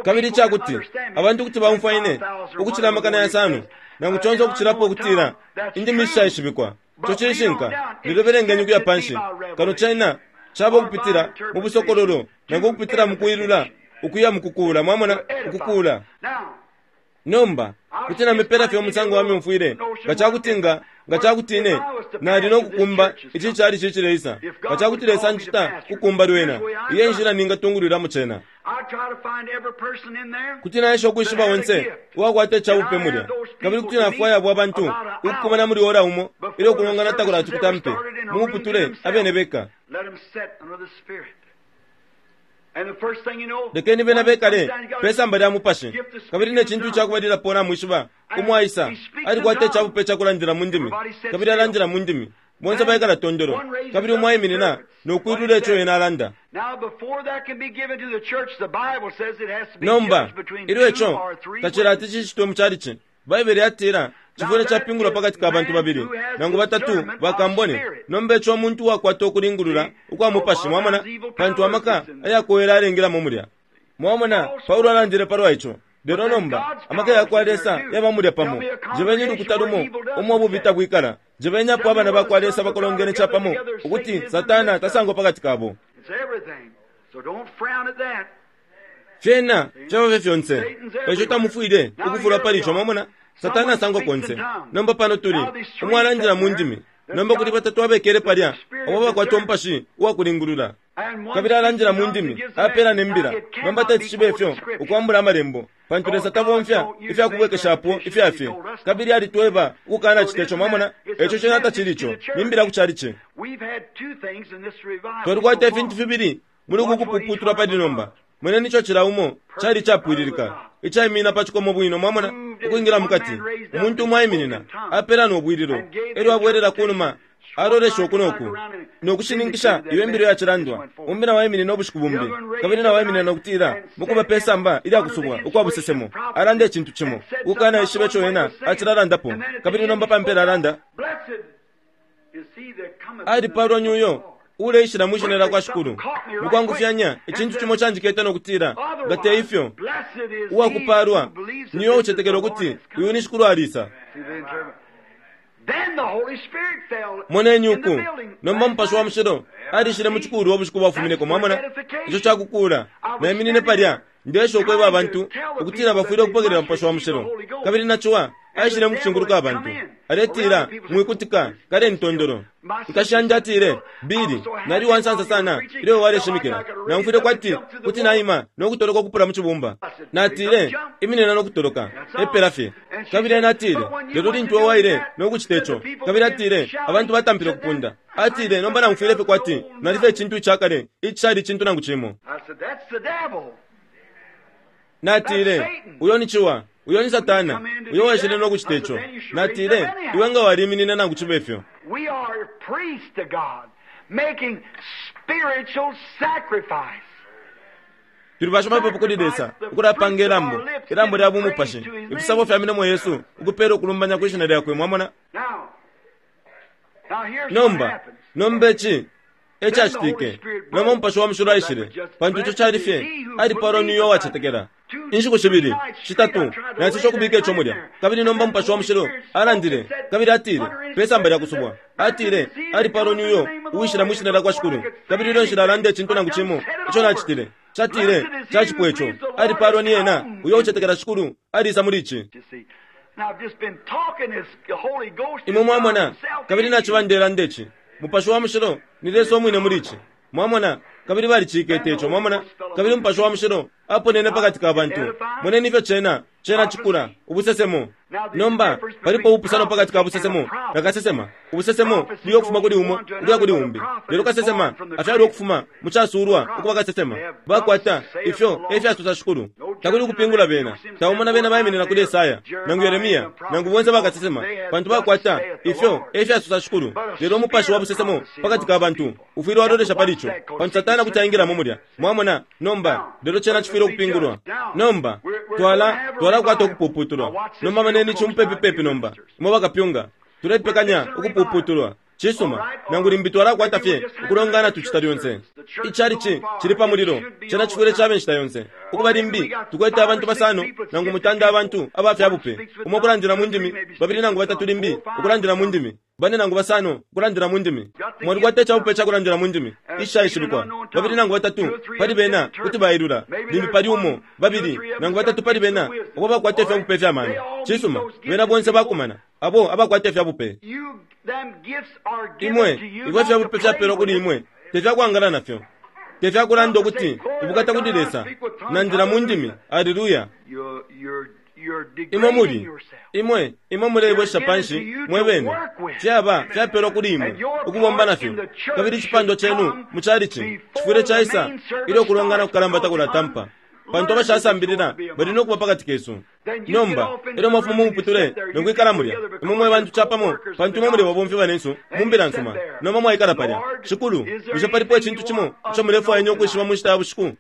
[SPEAKER 2] Kabili ica kuti abantu kuti baumfwa ine ukucila amakana yasano, nangu conse ukucilapo ukutila indimi ishishaishibikwa. Ico cishinka, lelo belengeni ukuya panshi. Kano cena caba ukupitila mu busokololo nangu ukupitila mu kwilula ukuya mu kukuula, mwamona, ukukuula. Nomba, kuti namipela fye umusango wa myumfwile nga ca kuti nga nga ca kuti ine nali no kukumba ici calici icileisa, nga ca kuti Lesa anjita kukumba lwena, iyi e nshila ningatungulwilamo cena. Kuti naesha ukwishiba onse uwakwata ica bupe mulya, kabili kuti nafwaya abo abantu ukukumana muli ora umo ilyo ukulongana takulati kutampe, mu muputule abene beka. Lekeni bena bekale pe samba lya Mupashi. Kabili ne cintu icakubalilapo namwishiba, umo aisa, alikwata icabupe cakulandila mu ndimi, kabili alandila mu ndimi. Bonse baikala tondolo, kabili umo aiminina no kwilula ico ena alanda. Nomba, ilyo ico tacilati cicitwe mu chalichi, Baibele yatila, Cifwile capingulwa pakati ka bantu babili nangu batatu bakambone. Nomba ico muntu uwakwata ukulingulula ukwa mupashi, mwamona, pantu amaka ayakowela alengilamo mulya. Mwamona, Paulo alandile palwa ico. Lelo nomba, amaka yakwa Lesa yaba mulya pamo. Jebeni ulukuta lumo umo ububi tabwikala. Jebeni apo abana bakwa Lesa bakolongene capamo, ukuti Satana tasangwa pakati kabo. Fyena fyaba fye fyonse. Eico tamufwile ukufulwa pali ico, mwamona. Satana asangwa konse. Nomba pano tuli, umo alandila mu ndimi. Nomba kuli batatu abekele palya abo abakwata umupashi uwakulingulula. Kabili alandila mu ndimi, apela ne mbila. Nomba teti cibe ifyo ukwambula Amalembo, pantu Lesa tabomfya ifya kubwekeshapo ifya fye. Kabili alitweba ukukanacita ico, mwamona. Eico cena tacili ico, ni mbila ku chalichi. Twalikwata ifintu fibili muli uku kupuputulwa pali nomba. Moneni ico cila umo cali icapwililika, icaiminina pa cikomo bwino, mwamona, ukwingila mukati. Umuntu umo aiminina, apela no bwililo, elyo abwelela kunuma, alolesha uku no ku, no kushininkisha iyo imbilo yacilandwa. Umbi nao aiminina ubushiku bumbi, kabili nao aiminina no kutila, mukuba pe samba ilya kusubwa ukwa busesemo, alanda icintu cimo, ukukana ishiba ico ena acilalandapo, kabili nomba pa mpela alanda, Alipalwa ni uyo uuleishila mwi Shina lyakwa Shikulu. Mukwangufyanya, icintu cimo canjikete no kutila, Nga te ifyo, uwakupaalwa ni uyo ucetekela ukuti uyu ni Shikulu alisa. Moneni uku, nomba Mupashi wa Mushilo alishile mu cikulwa ubushiku bwafumineko. Mwamona? Ico cakukuula. Naiminine palya, ndeesha ukweba abantu ukutila bafwile ukupokelela Mupashi wa Mushilo. Kabili na ciwa aishile mu kushinguluka abantu, aletila, Mwikutika, kaleni tondolo. Nkashi yandi atile, Billy, nali uwansansa sana ilyo iwe waleshimikila. Naumfwile kwati kuti naima no kutoloka ukupula mu cibumba. Natile, Iminina no kutoloka. Epela fye. Kabili ena atile, Lelo lintu iwe waile no kucita ico, kabili atile, abantu batampile ukupunda. Atile, Nomba naumfwile fye kwati nali fye icintu icakale icishali icintu nangu cimo. Natile, Uyo ni ciwa. Uyo ni Satana, uyo waishile no kucita ico. Natile, Iwe nga waliminina nangu cibe fyo.
[SPEAKER 1] We are priests to God, making spiritual sacrifice.
[SPEAKER 2] Tuli bashimapepo kuli Lesa, ukulapanga ilambo, ilambo lya bumupashi, ifisabo fya milomo yesu, ukupela ukulumbanya kwi Shina Lyakwe. Mwamona?
[SPEAKER 1] Now, now here's what
[SPEAKER 2] Nomba,
[SPEAKER 1] happens.
[SPEAKER 2] nomba ici e cacitike. Nomba Umupashi wa Mushilo aishile, pantu ico cali fye, alipalwa ni uyo uwacetekela. Inshiku shibili, shitatu, naeseshe ukubika ico mulya. Kabili nomba Mupashi wa Mushilo alandile, kabili atile, pe samba lya kusubwa, atile, Alipalwa ni uyo uwishila mwi Shina lyakwa Shikulu. Kabili ilyo nshilalanda icintu nangu cimo ico nacitile, catile, Cacipwa ico. Alipalwa ni ena uyo ucetekela Shikulu alisa muli ici.
[SPEAKER 1] You see. Now, I've just been talking this the Holy Ghost
[SPEAKER 2] Imwe
[SPEAKER 1] is God
[SPEAKER 2] mwamona,
[SPEAKER 1] himself
[SPEAKER 2] kabili
[SPEAKER 1] in you.
[SPEAKER 2] naciba ndelanda ici. Mupashi wa Mushilo ni Lesa umwine muli ici. Mwamona, kabili balicikete ico, mwamona, kabili Umupashi wa Mushilo aponene pakati ka bantu. Moneni ifyo cena, cena cikula, ubusesemo. Nomba palipo ubupusano pakati ka busesemo na kasesema. Ubusesemo buya ukufuma kuli umo ukuya kuli umbi, lelo kasesema afyalwa ukufuma mu casulwa ukuba kasesema. Bakwata ifyo e fyasosa shikulu. Takuli ukupingula bena. Taumona bena baiminina kuli Esaya nangu Yeremia nangu bonse bakasesema, pantu bakwata ifyo e fyasosa shikulu. Lelo umupashi wa busesemo pakati ka bantu ufwile walolesha pali ico, pantu Satana kuti aingilamo mulya. Mwamona? Nomba lelo cena cifwile ukupingulwa. Nomba twala twalakwata ukupuputulwa. Nomba maneni ici mupepi nomba, imwe bakapyunga, tulepekanya ukupuputulwa. Cisuma, nangu limbi twalakwata fye ukulongana tucita lyonse. Icalici cili pa mulilo, cena cifwile cabe nshita yonse. Ukuba limbi tukwete abantu basano nangu mutanda abantu aba fya bupe, umo ukulandila mu ndimi, babili nangu batatu limbi ukulandila mu ndimi, bane nangu basano ukulandila mu ndimi. Mwalikwata icabupe ca kulandila mu ndimi icishaishibikwa, babili nangu batatu pali bena kuti bailula, limbi pali umo, babili nangu batatu pali bena abo bakwata ifyabupe fya mano. Cisuma, bena bonse bakumana abo abakwata ifyabupe. Imwe ifyo ifyabupe fyapelwa kuli imwe tefyakwangala nafyo, tefyakulanda ukuti ubukata kuli Lesa, nandila mu ndimi, aleluya. Imwe muli imwe imwe mulebwesha panshi mwe bene. Fyaba fyapelwa kuli imwe ukubomba nafyo, kabili icipandwa cenu mu calici cifwile caisa ilyo kulongana kukalamba takulatampa, pantu abashasambilila bali no kuba pakati kesu. Nomba elyo mwafuma mu muputule no kwikala mulya, imwe mwe bantu capamo, pantu imwe muli babomfi banensu mu mbila nsuma. Nomba mwaikala palya, Shikulu, bushe palipo icintu cimo ico mulefwaya ukwishiba mu nshita ya bushiku?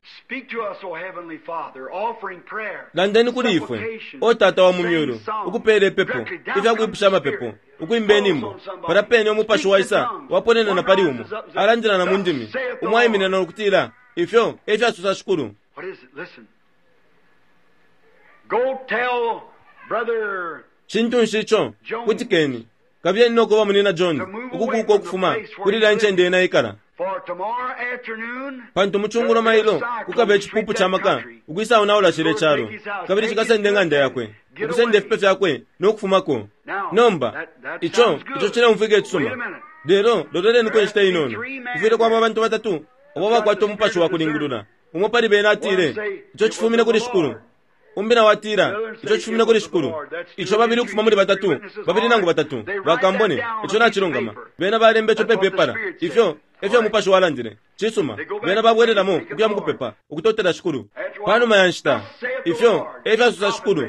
[SPEAKER 2] Landeni kuli ifwe, o Tata wa mu myulu, ukupeela ipepo, ifya kwipusha amapepo, ukwimba inyimbo. Palya pene umupashi waisa waponena na pali umo, alandila na mu ndimi, umo aiminina no kutila, ifyo e fyasosa Shikulu.
[SPEAKER 1] What is it? Listen. Go tell brother
[SPEAKER 2] Cintu nshi ico? Kutikeni. Kabiyeni no kuba munina John ukukuka ukufuma kuli ilya ncende ena ikala.
[SPEAKER 1] for tomorrow afternoon.
[SPEAKER 2] Pantu mucungulo mailo kukaba icipupu ca maka ukwisaonaula cile calo, kabili cikasenda ing'anda yakwe, ukusenda ifipe fyakwe no kufumako. Nomba ico ico cileumfwika icisuma, lelo loleleniko inshita inono. Kufwile kwaba abantu batatu abo bakwata umupashi wa kulingulula. Umo pali bena atile, ico cifumine kuli Shikulu. Umbi nao atila, ico cifumine kuli Shikulu. Ico babili ukufuma muli batatu, babili nangu batatu bakambone, ico nacilungama. Bena balemba ico pe pepala. Ifyo efyo umupashi walandile. Cisuma, bena babwelelamo ukuya mukupepa, ukutotela Shikulu. Panuma ya nshita, ifyo efyasosa Shikulu,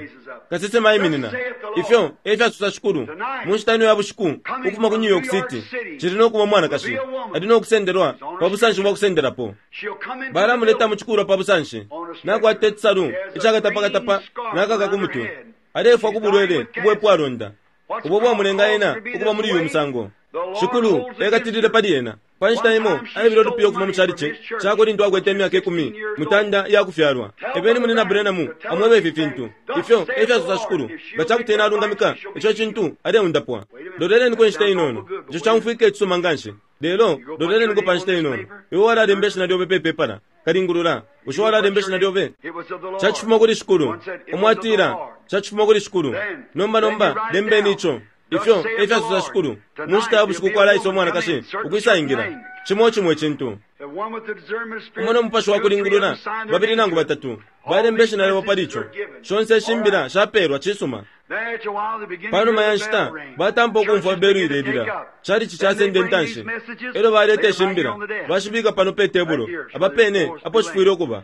[SPEAKER 2] kasesema aiminina. Ifyo efyasosa Shikulu, mu nshita ino ya bushiku, ukufuma ku New York City, cili no kuba umwanakashi ali no kusendelwa pa busanshi bwa kusendelapo.
[SPEAKER 1] She'll come into
[SPEAKER 2] Balamuleta mu cikulwa pa busanshi, nakwata icisalu icakatapakatapa nakaka ku mutwe, alefwa ku bulwele ubwepwalonda ubo bwamulenga ena ukuba muli uyu musango. Shikulu ekatilile pali ena. Pa nshita imo aebele ulupiya ukufuma mu calici cakwe lintu akwete imyaka 13 iya kufyalwa. Ebeni munina Branham amwebe ifi fintu. Ifyo e fyasosa Shikulu, nga ca kuti ena alungamika ico cintu, aleundapwa. Loleleniko inshita inono. Ico caumfwika icisuma nganshi, lelo loleleniko pa nshita inono. Iwe walalemba ishina lyobe pe pepala. Kalingulula, bushe walalemba ishina lyobe?
[SPEAKER 1] It was of the Lord.
[SPEAKER 2] Cacifuma kuli Shikulu. Umo atila, cacifuma kuli Shikulu. Nomba nomba lembeni ico. Ifyo e fyasosa Shikulu, mu nshita ya bushiku kwalaisa umwanakashi ukwisaingila cimo cimo icintu.
[SPEAKER 1] The one with the discernment of spirit,
[SPEAKER 2] Umo no mupashi wa
[SPEAKER 1] two or three of
[SPEAKER 2] kulingulula,
[SPEAKER 1] them sign their
[SPEAKER 2] babili
[SPEAKER 1] name
[SPEAKER 2] nangu
[SPEAKER 1] to it.
[SPEAKER 2] batatu balemba ishina lyabo pali ico. Shonse ishimbila shapeelwa. Cisuma.
[SPEAKER 1] Then after a while, they begin to
[SPEAKER 2] Panuma
[SPEAKER 1] hear
[SPEAKER 2] ya
[SPEAKER 1] the
[SPEAKER 2] nshita
[SPEAKER 1] bell ring.
[SPEAKER 2] batampa ukumfwa
[SPEAKER 1] Churches
[SPEAKER 2] belu
[SPEAKER 1] begin to take
[SPEAKER 2] ilelila,
[SPEAKER 1] up.
[SPEAKER 2] calici
[SPEAKER 1] Then they
[SPEAKER 2] casenda
[SPEAKER 1] bring these
[SPEAKER 2] intanshi.
[SPEAKER 1] messages,
[SPEAKER 2] Elyo baleta
[SPEAKER 1] lay them right here
[SPEAKER 2] ishimbila
[SPEAKER 1] on the desk.
[SPEAKER 2] bashibika pano pe tebulo, apa pene apo shifwile ukuba.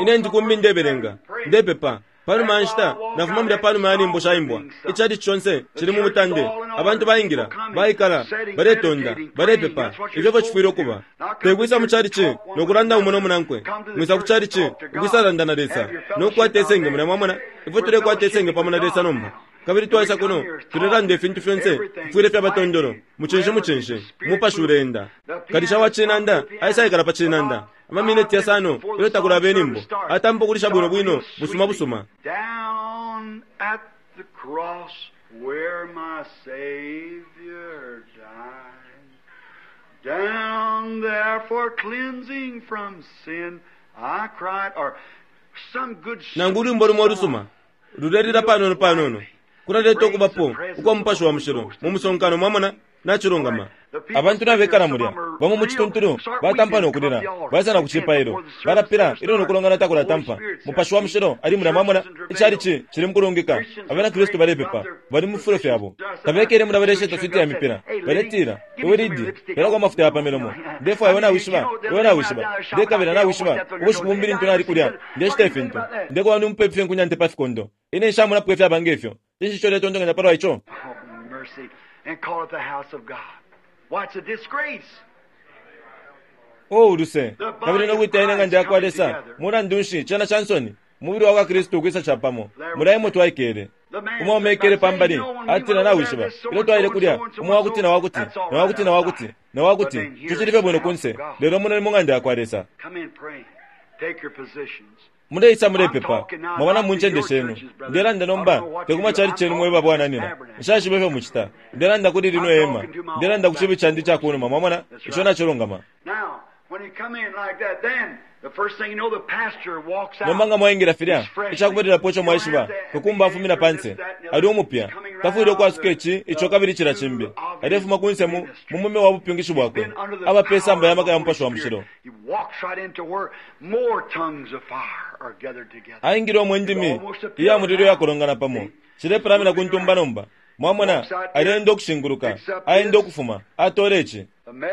[SPEAKER 2] Ine ndi kumbi ndebelenga, ndepepa. Panuma ya nshita nafuma mulya panuma ya nyimbo shaimbwa, icalici conse cili mu mutande, abantu baingila, baikala, baletonda, balepepa. Ifyo efyo cifwile ukuba. Tekwisa mu calici no kulanda umo no munankwe. Mwisa ku calici ukwisalanda na Lesa no kukwata isenge mulya. Mwamona ifwe tulekwata isenge pamo na Lesa nomba, kabili twaisa kuno tulelanda ifintu fyonse fifwile fyaba tondolo, mucinshi mucinshi. Umupashi uleenda. Kalisha wa cinanda aisaikala pa cinanda amamineti yasano ilyo takulaba inyimbo, atampa ukulisha bwino bwino busuma busuma.
[SPEAKER 1] Down at the cross where my Savior died, down there for cleansing from sin I cried, or some good
[SPEAKER 2] Nangu ulwimbo lumo lusuma lulelila panono panono, kulaleta ukubapo ukwa mupashi wa mushilo mu musonkano. Mwamona, Nacilungama. Abantu nabekala mulya, bamo mu cituntulu batampa no kulila, baisa na ku cipailo, balapila ilyo no kulongana takulatampa. Mupashi wa Mushilo ali mulya, mwamona, icalici cili mukulungika. Abena Kristu balepepa, bali mu fifulo fyabo. Tabekele mulya balesheta switi ya mipila, baletila, Iwe Lidi, pelako amafuta ya pa milomo. Ndefwaya iwe nawishiba, iwe nawishiba. Ndekabila nawishiba, ubushiku bumbi lintu nali kulya, ndeshita ifintu. Ndekuba ndi mupepi fye nkunyante pa fikondo. Ine nshamonapo ifyaba nge fyo. Cinshi ico uletontonkanya palwa ico?
[SPEAKER 1] Oh, mercy. And call it the house of God. Why, it's a disgrace.
[SPEAKER 2] O uluse, kabili no kwita ine ng'anda yakwa Lesa, mulandu nshi, cena ca nsoni, umubili wakwa Kristu ukwisa capamo. Mulya emo twaikele. Umwaume aikele pa mbali, atila, Nawishiba, ilyo twaile kulya, umo wakuti na wakuti, na wakuti na wakuti, na wakuti, ico cili fye bwino kunse, lelo muno ni mu ng'anda yakwa Lesa.
[SPEAKER 1] Come in praying. Take your positions.
[SPEAKER 2] Muleisa mulepepa, mwaba mu ncende shenu. Ndelanda nomba te ku macalici yenu mwe babwananyina. Nshaishiba ifyo mucita. Ndelanda kuli lino ihema. Ndelanda ku cibi candi ica ku numa. Mwamona? Ico nacilungama.
[SPEAKER 1] Now, when you come in like that, then the first thing you know, the pastor walks out.
[SPEAKER 2] Nomba nga mwaingila filya, icakubalilapo ico mwaishiba, kakumba afumina panse. Ali umupya. Tafwile ukwasuka ici, ico kabili cila cimbi. Alefuma kunse mu, mu mume wa bupyungishi bwakwe. Aba pe samba ya maka ya Mupashi wa Mushilo.
[SPEAKER 1] He walks right into where more tongues of fire are gathered together.
[SPEAKER 2] Aingile umwe indimi iya mulilo iyakolongana pamo. Cilepalamina ku ntumba nomba. Mwamona, aleenda ukushinguluka, aenda ukufuma, atola ici.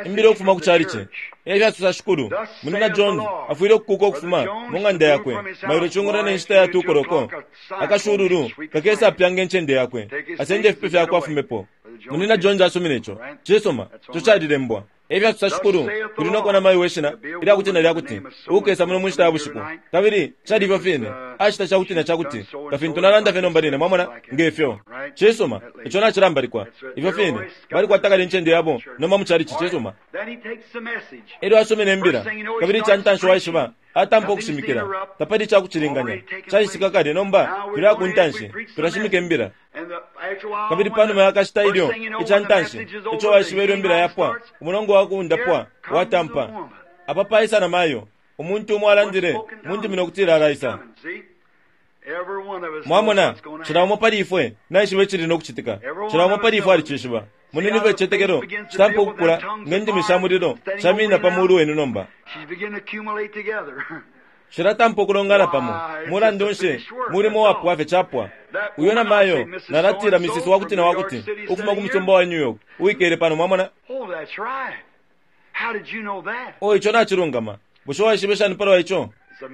[SPEAKER 2] Imbila ukufuma ku calici. E fyasosa Shikulu, Munyina Jones afwile ukukuka ukufuma mu ng'anda yakwe mailo cungulo ne nshita ya 2 koloko. Akashululu kakesapyanga incende yakwe, asende ifipe fyakwe afumepo. Munyina Jones asumine ico. Cisuma, ico calilembwa. E fyasosa Shikulu, kuli no kuba na mayo we shina ilya kuti na lya kuti, uukesa muno mu nshita ya bushiku. Kabili cali ifyo fine. Acita ca kuti na ca kuti, nga fintu nalanda fye nomba line, mwamona, nge fyo. Cisuma, ico nacilambalikwa. Ifyo fine. Balikwata kale incende yabo nomba mu calici. Cisuma.
[SPEAKER 1] Then he takes the message.
[SPEAKER 2] Elyo asomene imbila, kabili ica ntanshi waishiba, atampa ukushimikila. Tapali ica kucilinganya. Cacitika kale, nomba tulaya ku ntanshi, tulashimika imbila.
[SPEAKER 1] And the, after a while,
[SPEAKER 2] Kabili
[SPEAKER 1] when
[SPEAKER 2] pa numa
[SPEAKER 1] the
[SPEAKER 2] ya kashita
[SPEAKER 1] first
[SPEAKER 2] ilyo
[SPEAKER 1] thing you know,
[SPEAKER 2] ica
[SPEAKER 1] when the
[SPEAKER 2] ntanshi
[SPEAKER 1] message is
[SPEAKER 2] ico
[SPEAKER 1] over,
[SPEAKER 2] waishiba
[SPEAKER 1] the
[SPEAKER 2] ilyo imbila
[SPEAKER 1] healing
[SPEAKER 2] yapwa,
[SPEAKER 1] starts.
[SPEAKER 2] umulongo wa kundapwa
[SPEAKER 1] Here comes
[SPEAKER 2] watampa.
[SPEAKER 1] the woman.
[SPEAKER 2] Apa paisa na mayo, umuntu umo alandile mu ndimi no kutila alaisa.
[SPEAKER 1] See? Every one of us knows
[SPEAKER 2] Mwamona,
[SPEAKER 1] what's gonna
[SPEAKER 2] cila
[SPEAKER 1] happen.
[SPEAKER 2] umo pali ifwe naishiba icili no kucitika. Cila umo pali ifwe alicishiba. Moneni ifyo icitetekelo citampa ukukula nge ndimi sha mulilo shaminina pa mulu wenu nomba.
[SPEAKER 1] She's beginning to accumulate together.
[SPEAKER 2] Shilatampa ukulongana pamo. Mulandu nshi, mulimo wapwa fye capwa. Uyo na mayo nalatila Mrs. Wakuti na wakuti ukufuma ku musumba wa New York, uwikele pano, mwamona.
[SPEAKER 1] Oh, that's right. How did you know that?
[SPEAKER 2] O, ico nacilungama. Bushe waishibe shani palwa ico?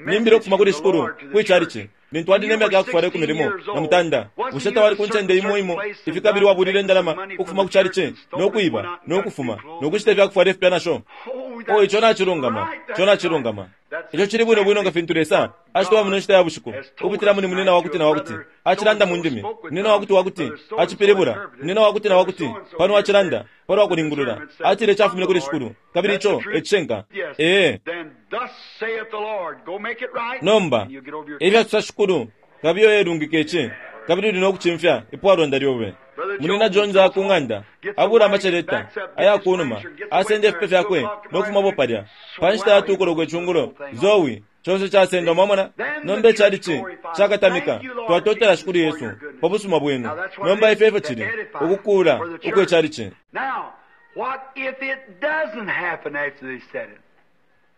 [SPEAKER 2] Nimbila ukufuma kuli Shikulu, kwi calici. Lintu wali ne myaka yakufwala ikumi limo na mutanda, bushe tawali ku ncende imo imo ifi kabili wabulile indalama ukufuma ku calici, no kwiba, no kufuma, no kushita ifyakufwala ifipya nasho?
[SPEAKER 1] Oh,
[SPEAKER 2] O, ico nacilungama. Ico nacilungama. Ico cili bwino bwino nga fintu Lesa acitoba muno nshita ya bushiku, ukupitila muli munina wakuti na wakuti, acilanda mu ndimi, munina wakuti wakuti, acipilibula, munina wakuti na wakuti, pano acilanda, palwa kulingulula, atile cafumine kuli Shikulu, kabili ico e cishinka. Ee.
[SPEAKER 1] Then thus saith the Lord, go make it right.
[SPEAKER 2] Nomba,
[SPEAKER 1] and you'll get over your
[SPEAKER 2] e fyasosa Shikulu, kabiye uyelungika ici, kabili uli no kucimfya ipwalonda lyobe. Munina Jones aya ku ng'anda, abula amaceleta aya ku numa, asenda ifipe fyakwe no kufumapo palya. Pa nshita ya 2 koloko icungulo, Zoe, conse casendwa, mwamona. Nomba icalici cakatamika, twatotela Shikulu Yesu pa busuma bwenu. Nomba ifyo efyo cili, ukukuula ukwe calici.
[SPEAKER 1] Now, what if it doesn't happen after they said it?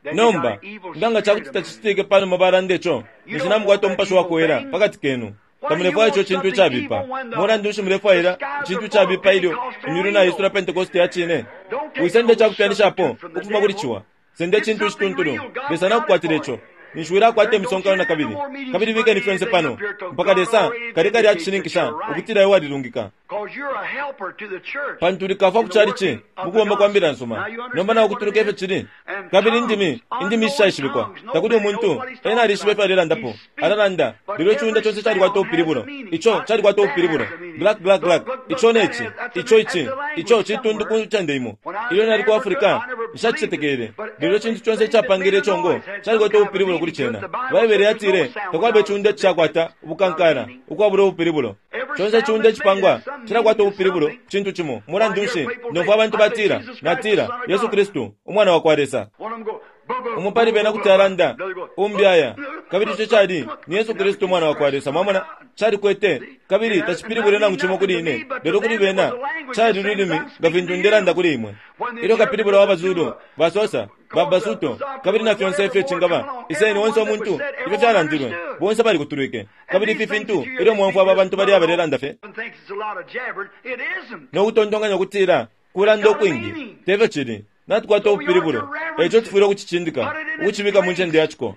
[SPEAKER 1] Then you
[SPEAKER 2] Nomba,
[SPEAKER 1] got an evil
[SPEAKER 2] nga nga
[SPEAKER 1] spirit
[SPEAKER 2] cakuti
[SPEAKER 1] among you.
[SPEAKER 2] tacicitike pa numa balanda ico, ninshi namukwata umupashi wa kuwela pakati kenu. Tamulefwaya ico cintu icabipa. Mulandu nshi mulefwaila icintu icabipa ilyo imyulu naisula Pentekoste ya cine? Wisenda icakupyanishapo ukufuma kuli ciwa. Senda icintu icituntulu. Lesa nakukwatila ico. Ninshi wilakwata imisonkano na kabili. Kabili bikeni fyonse pano. Mpaka Lesa kali kali acishininkisha ukutila iwe walilungika.
[SPEAKER 1] Because you're a helper to the church.
[SPEAKER 2] Pantu likafwa ku calici mu kubomba kwa mbila nsuma. Nomba naukutuluka ifyo cili. Kabili indimi, indimi ishishaishibikwa. Takuli umuntu, ena alishiba ifyo alelandapo. Alalanda, lelo iciunda conse calikwata ubupilibulo. Ico calikwata ubupilibulo. Black, black, black. Ico ne ci. Ico ici. Ico citundu ku ncende imo. Ilyo nali ku Africa, nshacicetekele. Lelo icintu conse icapangile icongo calikwata ubupilibulo kuli cena. Baibele yatile, takwaba iciunda icishakwata ubukankala, ukwabula ubupilibulo. Conse iciunda icipangwa cilakwata ubupilibulo ku cintu cimo. Mulandu nshi, nomfwa abantu batila, natila, Yesu Kristu, Umwana wa kwa Lesa.
[SPEAKER 1] One of them go,
[SPEAKER 2] Umo pali bena kuti alanda, umbi aya. Kabili ico cali ni Yesu Kristu Umwana wakwa Lesa. Mwamona? Calikwete, kabili tacipilibwile nangu cimo kuli ine, lelo kuli bena cali lulimi nga fintu ndelanda kuli imwe. Ilyo kapilibula wa baZulu, baXhosa, ba Basuto, kabili na fyonse ifyo cingaba, iseni onse umuntu, ifyo fyalandilwe, bonse balikutulwike. Kabili ifi fintu, ilyo mwaumfwa aba bantu balya balelanda fye, no kutontonkanya ukutila kulanda ukwingi, te fyo cili. Natukwata ubupilibulo, e ico tufwile ukucicindika, ukucibika mu ncende ya ciko.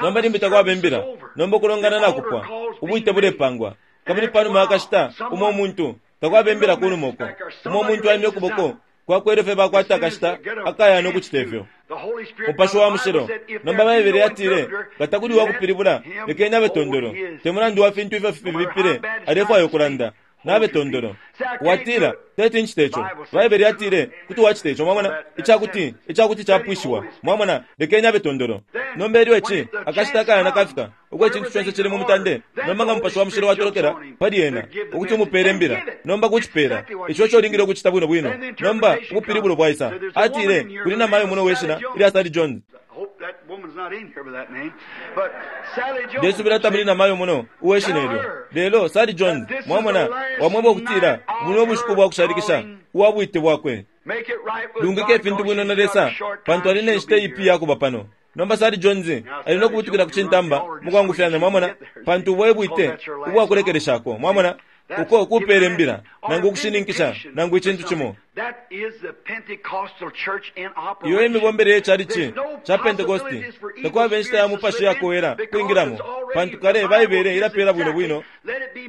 [SPEAKER 2] Nomba limbi takwaba imbila, nomba ukulongana nakupwa, ubwite bulepangwa. Kabili panuma ya kashita, umo umuntu, takwaba imbila kunuma uko, umo umuntu aimya ukuboko kwakwe ilyo fye bakwata akashita akayana ukucita ifyo. Mupashi wa Mushilo. Nomba Baibele yatile, Nga takuli uwakupilibula, lekeni abe tondolo. Te mulandu wa fintu ifyo fibipile, alefwaya ukulanda. Nabe tondolo. Watila, Teti ncite ico. Baibele yatile, Kuti wacita ico. Mwamona? Icakuti, icakuti capwishiwa. Mwamona? Lekeni abe tondolo. Nomba ilyo ici, akashita akayana kafika, uko icintu conse cili mu mutande, nomba nga Mupashi wa Mushilo watolokela pali ena, ukuti umupele imbila, nomba kucipela. Ico eco ulingile ukucita bwino bwino. Nomba ubupilibulo bwaisa. Atile, Kuli namayo muno uwe shina ilya Sally Jones. Ndesubila tamuli namayo muno uwe shina ilyo. Lelo, Sally Jones, mwamona, wamweba ukutila buno bushiku bwa kushalikisha uwa bwite bwakwe. Lungika ifintu bwino na Lesa, pantu ali ne nshita iipi iya kuba pano. Nomba Sally Jones ali no kubutukila ku cintamba mukwangufyanya, mwamona, pantu ubo e bwite ubwa kulekeleshako. Mwamona? Uko kupele mbila, nangu ukushininkisha, nangu icintu cimo. Iyo e mibombele ye chalichi ca Pentekosti. Takwaba inshita ya mupashi yakowela kwingilamo, pantu kale Baibele ilapela bwino bwino.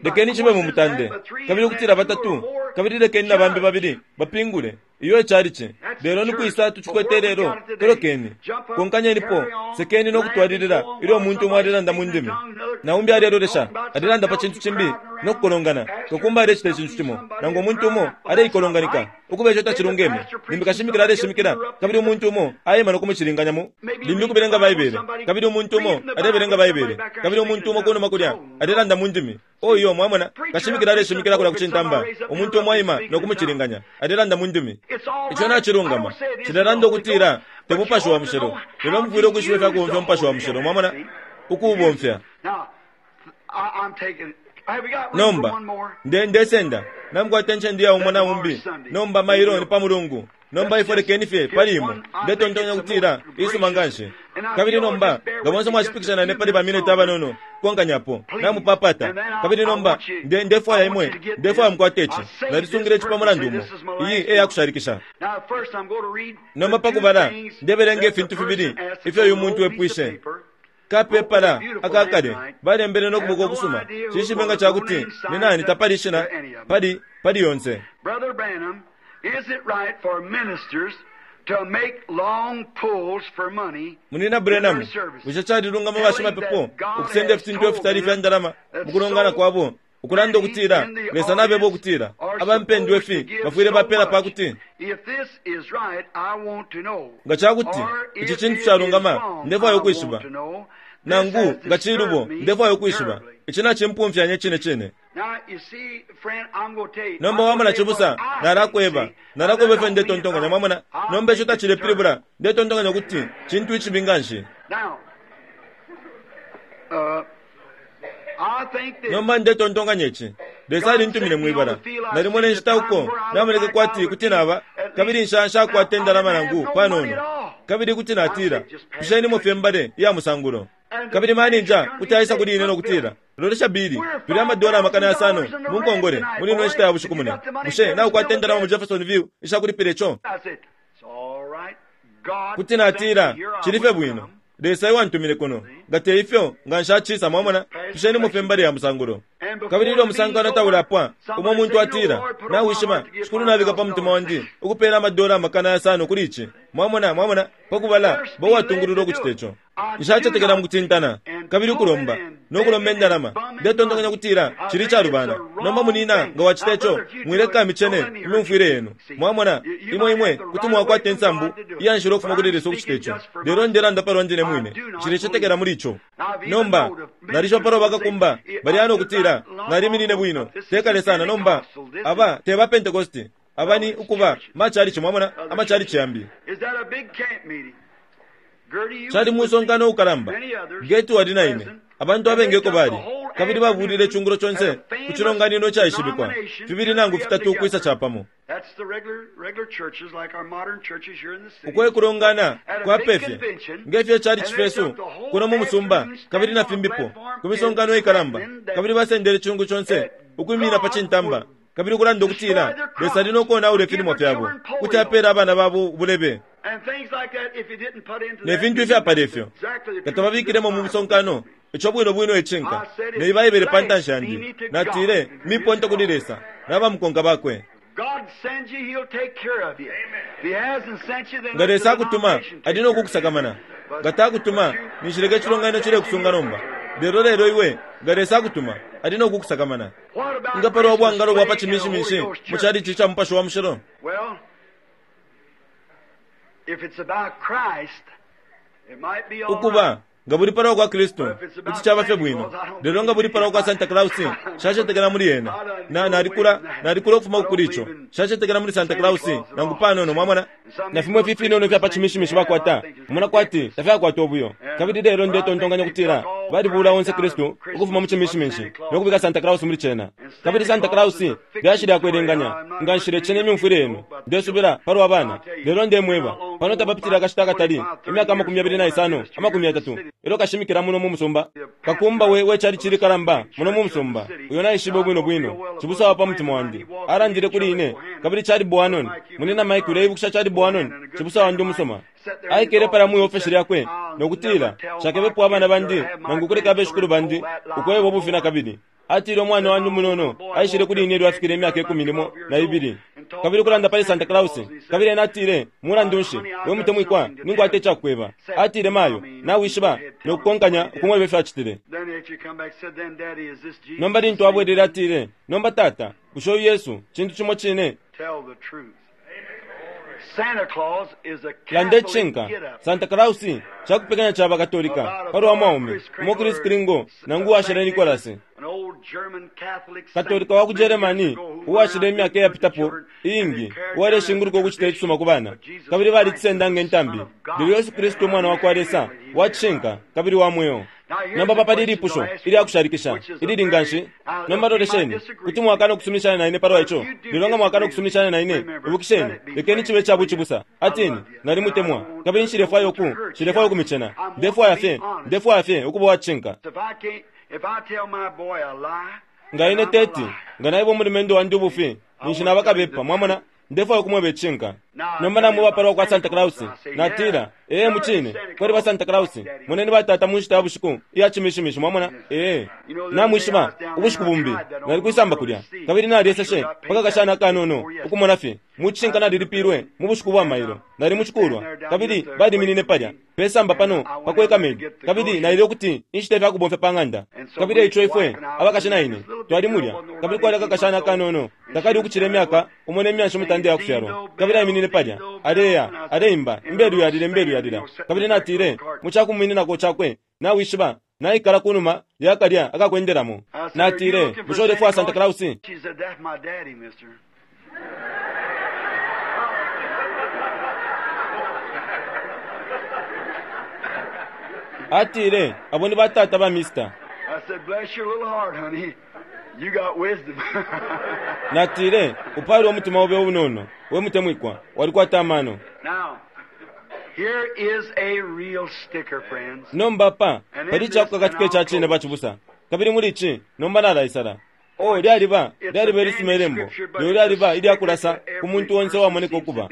[SPEAKER 2] Lekeni cibe mu mutande, kabili ukutila batatu, kabili lekeni na bambi babili bapingule. Iyo e chalichi. Lelo ni kwisa tucikwete ilelo? Tolokeni, konkanyenipo, sekeni no kutwalilila ilyo umuntu umo alelanda mu ndimi, na umbi alelolesha, alelanda pa cintu cimbi, no kukolongana. Kakumba alecita icintu cimo, nangu umuntu umo aleikolonganika, ukuba ico tacilungeme. Limbi kashimikila aleshimikila, kabili umuntu umo aima no kumucilinganya mu. Limbi kubelenga Baibele, kabili umuntu umo alebelenga Baibele, kabili umuntu umo kunuma kulya alelanda mu ndimi. Oh, iyo, mwamona, kashimikila aleshimikila kulya ku cintamba, umuntu umo aima no kumucilinganya, alelanda mu ndimi. Ico nacilungama. Nshilelanda ukutila te Mupashi wa Mushilo, lelo mufwile ukwishiba ifya kubomfya Umupashi wa Mushilo, mwamona, ukuubomfya. Nomba, nde, ndesenda. Namukwata incende iya umo na umbi. Nomba, mailo ni pa Mulungu. Nomba ifwe lekeni fye pali imwe. Ndetontonya ukutila isuma nganshi. Kabili nomba, nga bonse mwashipikisha na ine pali ba mineti abanono, kukonkanyapo, namupapata. Kabili nomba, nde, ndefwaya imwe, ndefwaya mukwate ici. Nalisungile ici pa mulandu umo. Iyi e yakushalikisha. Nomba pakubala, ndebelenga ifintu fibili ifyo uyu muntu epwishe. Kapepala aka kale balembele no kuboko kusuma. Nshishibe nga ca kuti ni nani tapali ishina pali, pali yonse.
[SPEAKER 1] Brother Branham, is it right for ministers to make long pulls for money
[SPEAKER 2] Munina
[SPEAKER 1] in their
[SPEAKER 2] Branham,
[SPEAKER 1] services,
[SPEAKER 2] bushe calilungama
[SPEAKER 1] telling
[SPEAKER 2] bashimapepo
[SPEAKER 1] that God
[SPEAKER 2] ukusenda
[SPEAKER 1] has
[SPEAKER 2] ifintu
[SPEAKER 1] told
[SPEAKER 2] ifitali ifya
[SPEAKER 1] them
[SPEAKER 2] ndalama
[SPEAKER 1] that
[SPEAKER 2] mu kulongana
[SPEAKER 1] so
[SPEAKER 2] kwabo, ukulanda
[SPEAKER 1] many
[SPEAKER 2] ukutila
[SPEAKER 1] in the
[SPEAKER 2] Lesa nabeba
[SPEAKER 1] audience
[SPEAKER 2] ukutila
[SPEAKER 1] are
[SPEAKER 2] aba mpendwa
[SPEAKER 1] supposed to
[SPEAKER 2] ifi
[SPEAKER 1] give
[SPEAKER 2] bafwile
[SPEAKER 1] so
[SPEAKER 2] bapela pa
[SPEAKER 1] much?
[SPEAKER 2] kuti
[SPEAKER 1] If this is right, I want to know.
[SPEAKER 2] Nga ca kuti
[SPEAKER 1] Or
[SPEAKER 2] ici
[SPEAKER 1] if
[SPEAKER 2] cintu
[SPEAKER 1] it
[SPEAKER 2] calungama,
[SPEAKER 1] is wrong,
[SPEAKER 2] ndefwaya
[SPEAKER 1] I
[SPEAKER 2] ukwishiba.
[SPEAKER 1] want to know. This
[SPEAKER 2] Nangu
[SPEAKER 1] has
[SPEAKER 2] nga cilubo,
[SPEAKER 1] disturbed me
[SPEAKER 2] ndefwaya ukwishiba.
[SPEAKER 1] terribly.
[SPEAKER 2] Ici nacimpumfyanya icine cine.
[SPEAKER 1] Now, you see, friend, I'm gonna tell you,
[SPEAKER 2] Nomba
[SPEAKER 1] I'm
[SPEAKER 2] wamona
[SPEAKER 1] gonna tell you
[SPEAKER 2] cibusa,
[SPEAKER 1] what I think,
[SPEAKER 2] nalakweba.
[SPEAKER 1] see.
[SPEAKER 2] Nalakweba
[SPEAKER 1] That
[SPEAKER 2] ifyo
[SPEAKER 1] don't mean
[SPEAKER 2] ndetontonkanya,
[SPEAKER 1] right.
[SPEAKER 2] mwamona.
[SPEAKER 1] I
[SPEAKER 2] Nomba ico
[SPEAKER 1] think it's
[SPEAKER 2] tacilepilibula,
[SPEAKER 1] terrible.
[SPEAKER 2] ndetontonkanya ukuti cintu icibi nganshi.
[SPEAKER 1] Now, I think this.
[SPEAKER 2] Nomba ndetontonkanya ici. Lesa alintumine mwibala. Nalimona inshita uko namoneke kwati kuti naba, kabili nsha, nshakwata indalama nangu panono. Kabili kuti natila, Pishenimo fye mbale iya musangulo. Kabili maninja kuti aisa kuli ine no kutila, Lolesha Billy, tuli amadola 500,000 mu nkongole muli ino nshita ya bushiku mune. Bushe naukwata indalama mu Jeffersonville isha kulipila ico?
[SPEAKER 1] I said, It's all right. God
[SPEAKER 2] Kuti natila,
[SPEAKER 1] sent me here, I
[SPEAKER 2] Cili fye
[SPEAKER 1] wouldn't
[SPEAKER 2] bwino.
[SPEAKER 1] come.
[SPEAKER 2] Lesa ewantumine kuno. Nga te ifyo, nga nshacisa, mwamona, pishenimo fye mbale ya musangulo. Kabili ilyo umusankano taulapwa, umo muntu atila, Nawishiba, Shikulu nabika pa mutima wandi ukupela amadola 500,000 kuli ici. Mwamona, mwamona, pakubala, ba uwatungulula ukucita ico. Nshacetekela mu kutintana, kabili ukulomba, no kulomba indalama. Ndetontonkanya ukutila cili icalubana. Nomba munina, nga wacita ico, mwileka micene imyumfwile yenu. Mwamona, imwe, imwe kuti mwakwata insambu iya nshila ukufuma kuli Lesa ukucita ico. Lelo ndelanda palwa ndine mwine. Nshilecetekela muli ico. Nomba, nalishiba palwa bakakumba balya no kutila, Naliminine bwino, te kale sana. Nomba, aba te ba Pentecosti. Aba ni, ukuba, ma chalichi, mwamona, ama chalichi yambi.
[SPEAKER 1] Is that a big camp meeting? Gertie, you
[SPEAKER 2] Cali
[SPEAKER 1] was with
[SPEAKER 2] musonkano
[SPEAKER 1] me,
[SPEAKER 2] ukalamba.
[SPEAKER 1] many others
[SPEAKER 2] Gertie wali na ine.
[SPEAKER 1] present,
[SPEAKER 2] Abantu
[SPEAKER 1] and they
[SPEAKER 2] abengi eko
[SPEAKER 1] took
[SPEAKER 2] bali.
[SPEAKER 1] the whole
[SPEAKER 2] Kabili babulile
[SPEAKER 1] afternoon
[SPEAKER 2] icungulo conse
[SPEAKER 1] at a
[SPEAKER 2] ku
[SPEAKER 1] famous
[SPEAKER 2] cilonganino icaishibikwa.
[SPEAKER 1] denomination,
[SPEAKER 2] Fibili nangu
[SPEAKER 1] three up
[SPEAKER 2] fitatu ukwisa
[SPEAKER 1] together.
[SPEAKER 2] capamo.
[SPEAKER 1] That's the regular churches like our modern churches here in the city.
[SPEAKER 2] Uko ekulongana
[SPEAKER 1] At a big
[SPEAKER 2] kwapefye
[SPEAKER 1] convention,
[SPEAKER 2] ngefyo cali
[SPEAKER 1] and they
[SPEAKER 2] cifesu
[SPEAKER 1] took the whole
[SPEAKER 2] kuno mu musumba
[SPEAKER 1] afternoon
[SPEAKER 2] kabili na
[SPEAKER 1] standing on
[SPEAKER 2] fimbipo
[SPEAKER 1] platform
[SPEAKER 2] ku misonkano
[SPEAKER 1] and
[SPEAKER 2] ikalamba
[SPEAKER 1] threatening that
[SPEAKER 2] kabili basendele icungu conse
[SPEAKER 1] that
[SPEAKER 2] ukwimina pa
[SPEAKER 1] God
[SPEAKER 2] cintamba
[SPEAKER 1] would
[SPEAKER 2] kabili ukulanda ukutila
[SPEAKER 1] destroy their crops,
[SPEAKER 2] Lesa ali nokonaula
[SPEAKER 1] give
[SPEAKER 2] ifilimwa
[SPEAKER 1] their
[SPEAKER 2] fyabo
[SPEAKER 1] children polio,
[SPEAKER 2] kuti apele abana babo ubulebe
[SPEAKER 1] and things like that if you didn't put into
[SPEAKER 2] ne
[SPEAKER 1] that
[SPEAKER 2] fintu
[SPEAKER 1] meeting.
[SPEAKER 2] ifyapala ifyo
[SPEAKER 1] Exactly the
[SPEAKER 2] nga
[SPEAKER 1] truth of
[SPEAKER 2] tababikilemo
[SPEAKER 1] this
[SPEAKER 2] mu
[SPEAKER 1] Bible.
[SPEAKER 2] musonkano ico bwino bwino icinka ne Baibele pa ntanshi yandi natile miponto kuli Lesa nabamukonka bakwe
[SPEAKER 1] God sends you, He'll take care of you. If He hasn't sent you, then
[SPEAKER 2] nga
[SPEAKER 1] let the
[SPEAKER 2] Lesa akutuma
[SPEAKER 1] denomination take
[SPEAKER 2] ali
[SPEAKER 1] care of you.
[SPEAKER 2] nokukusakamana
[SPEAKER 1] But-
[SPEAKER 2] nga takutuma
[SPEAKER 1] but you-
[SPEAKER 2] ninshileka icilonganino cilekusunga nomba lelo lelo iwe nga Lesa akutuma ali nokukusakamana
[SPEAKER 1] What about
[SPEAKER 2] nga palwa
[SPEAKER 1] Christmas
[SPEAKER 2] bwangalo bwa pa
[SPEAKER 1] play in a Holy
[SPEAKER 2] chimishimishi
[SPEAKER 1] Ghost
[SPEAKER 2] mu
[SPEAKER 1] church?
[SPEAKER 2] chalichi cha Mupashi wa Mushilo
[SPEAKER 1] Well, if it's about Christ, it might be all right.
[SPEAKER 2] ukuba nga buli palwa kwa Kristu kuti caba fye bwino lelo nga buli palwa kwa Santa Claus nshacetekela muli ena na nalikula nalikula ukufuma kuli ico nshacetekela muli Santa Claus nangu panono mwamona na fimwe ifi ifinono ifya pa chimishimishi bakwata mona kwati tafyakwata ubuyo kabili lelo ndetontonkanya kutila balibula onse Kristu ukufuma mu chimishimishi nokubika Santa Claus muli cena kabili Santa Claus lyashi lyakwelenganya nga nshile cena imyumfwile yenu ndesubila palwa bana lelo ndemweba pano tapapitile akashita akatali imyaka 25 30 elo kashimikila muno mu musumba kakumba we wechali chili kalamba muno mu musumba uyo naishibe bwino bwino cibusa wa pa mutima wandi alandile kuli ine kabili chali Boanon munina Mike uleibukisha chali Boanon cibusa wandi umusoma aikele pala mwi ofesi lyakwe nokutila shakebepo abana bandi nangu kuleka abeshikulu bandi ukweba ubufi na kabili atile umwana wandi umunono aishile kuli ine ilyo afikile imyaka ikumi limo na ibili kabili kulanda pali Santa Claus kabili ena atile mulandu nshi we mutemwikwa ninkwata icakukweba atile mayo nawishiba nokukonkanya ukumweba ifyo acitile
[SPEAKER 1] Then after you come back, said, then Daddy, is this Jesus?
[SPEAKER 2] nomba lintu abwelele atile nomba tata bushe uyu Yesu cintu cimo cine
[SPEAKER 1] Tell the truth. Santa Claus is a
[SPEAKER 2] landa
[SPEAKER 1] Catholic
[SPEAKER 2] icishinka
[SPEAKER 1] get-up.
[SPEAKER 2] Santa Claus cakupekanya ca bakatolika palwa mwaume umo Chris Kringle nangu uwashile Nicholas
[SPEAKER 1] An old German Catholic saint
[SPEAKER 2] katolika wa ku
[SPEAKER 1] many years
[SPEAKER 2] Germany
[SPEAKER 1] ago who went
[SPEAKER 2] uwashile
[SPEAKER 1] out
[SPEAKER 2] imyaka
[SPEAKER 1] to
[SPEAKER 2] iyapitapo
[SPEAKER 1] children and
[SPEAKER 2] iingi
[SPEAKER 1] they carried
[SPEAKER 2] uwaleshinguluka
[SPEAKER 1] down
[SPEAKER 2] ukucita icisuma ku bana
[SPEAKER 1] Jesus
[SPEAKER 2] kabili
[SPEAKER 1] Christ,
[SPEAKER 2] balicisenda nge
[SPEAKER 1] the
[SPEAKER 2] ntambi
[SPEAKER 1] Son of God.
[SPEAKER 2] lelo Yesu Kristu umwana wa kwa Lesa wa cishinka kabili wa mweo nomba papa lili ipusho ilyakushalikisha ilili nganshi nomba lolesheni kuti mwakana ukusuminishana na ine palwa ico lelo nga mwakana ukusuminishana na ine ibukisheni lekeni cibe ca bucibusa atini nalimutemwa kabili nshilefwaya uku nshilefwaya ukumichena ndefwaya fye ndefwaya fye ukuba wa cishinka
[SPEAKER 1] If I can't, if I tell my boy a lie,
[SPEAKER 2] nga ine
[SPEAKER 1] then I'm a
[SPEAKER 2] teti
[SPEAKER 1] liar.
[SPEAKER 2] nga naiba umulumendo wandi ubufi ninshi nabakabepa mwamona ndefwaya ukumweba icishinka nomba namweba palwa kwa Santa Claus natila ee mucine kwali ba Santa Claus moneni batata mu nshita ya bushiku iya chimishimishi mwamona ee namwishiba ubushiku bumbi nali kwisamba kulya kabili nalyeseshe paka kashana akanono ukumona fye mucishinka nalilipilwe mu bushiku bwa mailo nali mucikulwa kabili baliminine palya pesamba pano pakweka medi kabili naile ukuti inshita ifyakubomfya pa ng'anda kabili eico ifwe abakashi na ine twali mulya kabili kwali akakashana akanono takali ukucila imyaka umo ne myanshi mutanda yakufyalwa kabili aiminine palya aleya aleimba imbelu yalila imbelu yalila kabili natile mucakumumininako cakwe nawishiba naikala kunuma yakalya akakwendelamo
[SPEAKER 1] I said, "Are you
[SPEAKER 2] natile
[SPEAKER 1] looking for
[SPEAKER 2] bushe ulefwaya Santa Claus
[SPEAKER 1] She said, that's my daddy, mister.
[SPEAKER 2] atile abo ni batata ba mister
[SPEAKER 1] I said, bless your little heart, honey. You got wisdom.
[SPEAKER 2] natile upali umutima obe unono we mutemwikwa walikwata amano
[SPEAKER 1] Now, here is a real sticker, friends.
[SPEAKER 2] nomba pa pali icakukakatika ica cine bacibusa kabili muli ici nomba nalaisala o lyaliba lyaliba ilisuma ilembo lelo lyaliba ilyakulasa ku muntu onse uwamoneka ukuba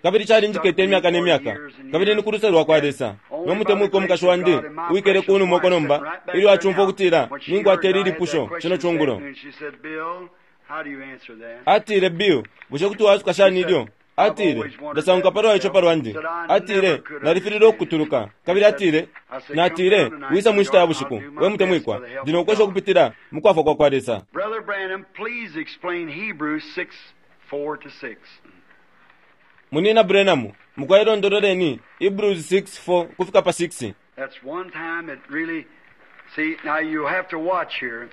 [SPEAKER 2] kabili calinjikete imyaka ne myaka kabili ni ku luse lwa kwa Lesa no mutemwikwa umukashi wandi uwikele kunuma uko nomba ilyo acumfwa ukutila ninkwata ili lipusho cino cungulo
[SPEAKER 1] She said, Bill, how do you answer that?
[SPEAKER 2] atile Bill bushe kuti wasuka shani ilyo atile ndasanguka palwa ico palwandi atile nalifilile ukukutuluka kabili atile natile wisa mu nshita ya bushiku we mutemwikwa ndi nokwesha ukupitila mu kwafwa kwa kwa Lesa
[SPEAKER 1] Brother Branham, please explain Hebrews 6, 4 to 6.
[SPEAKER 2] Munina Branham mukwalondololeni Hebrews 6:4 kufika pa 6
[SPEAKER 1] That's one time it really, see, now you have to watch here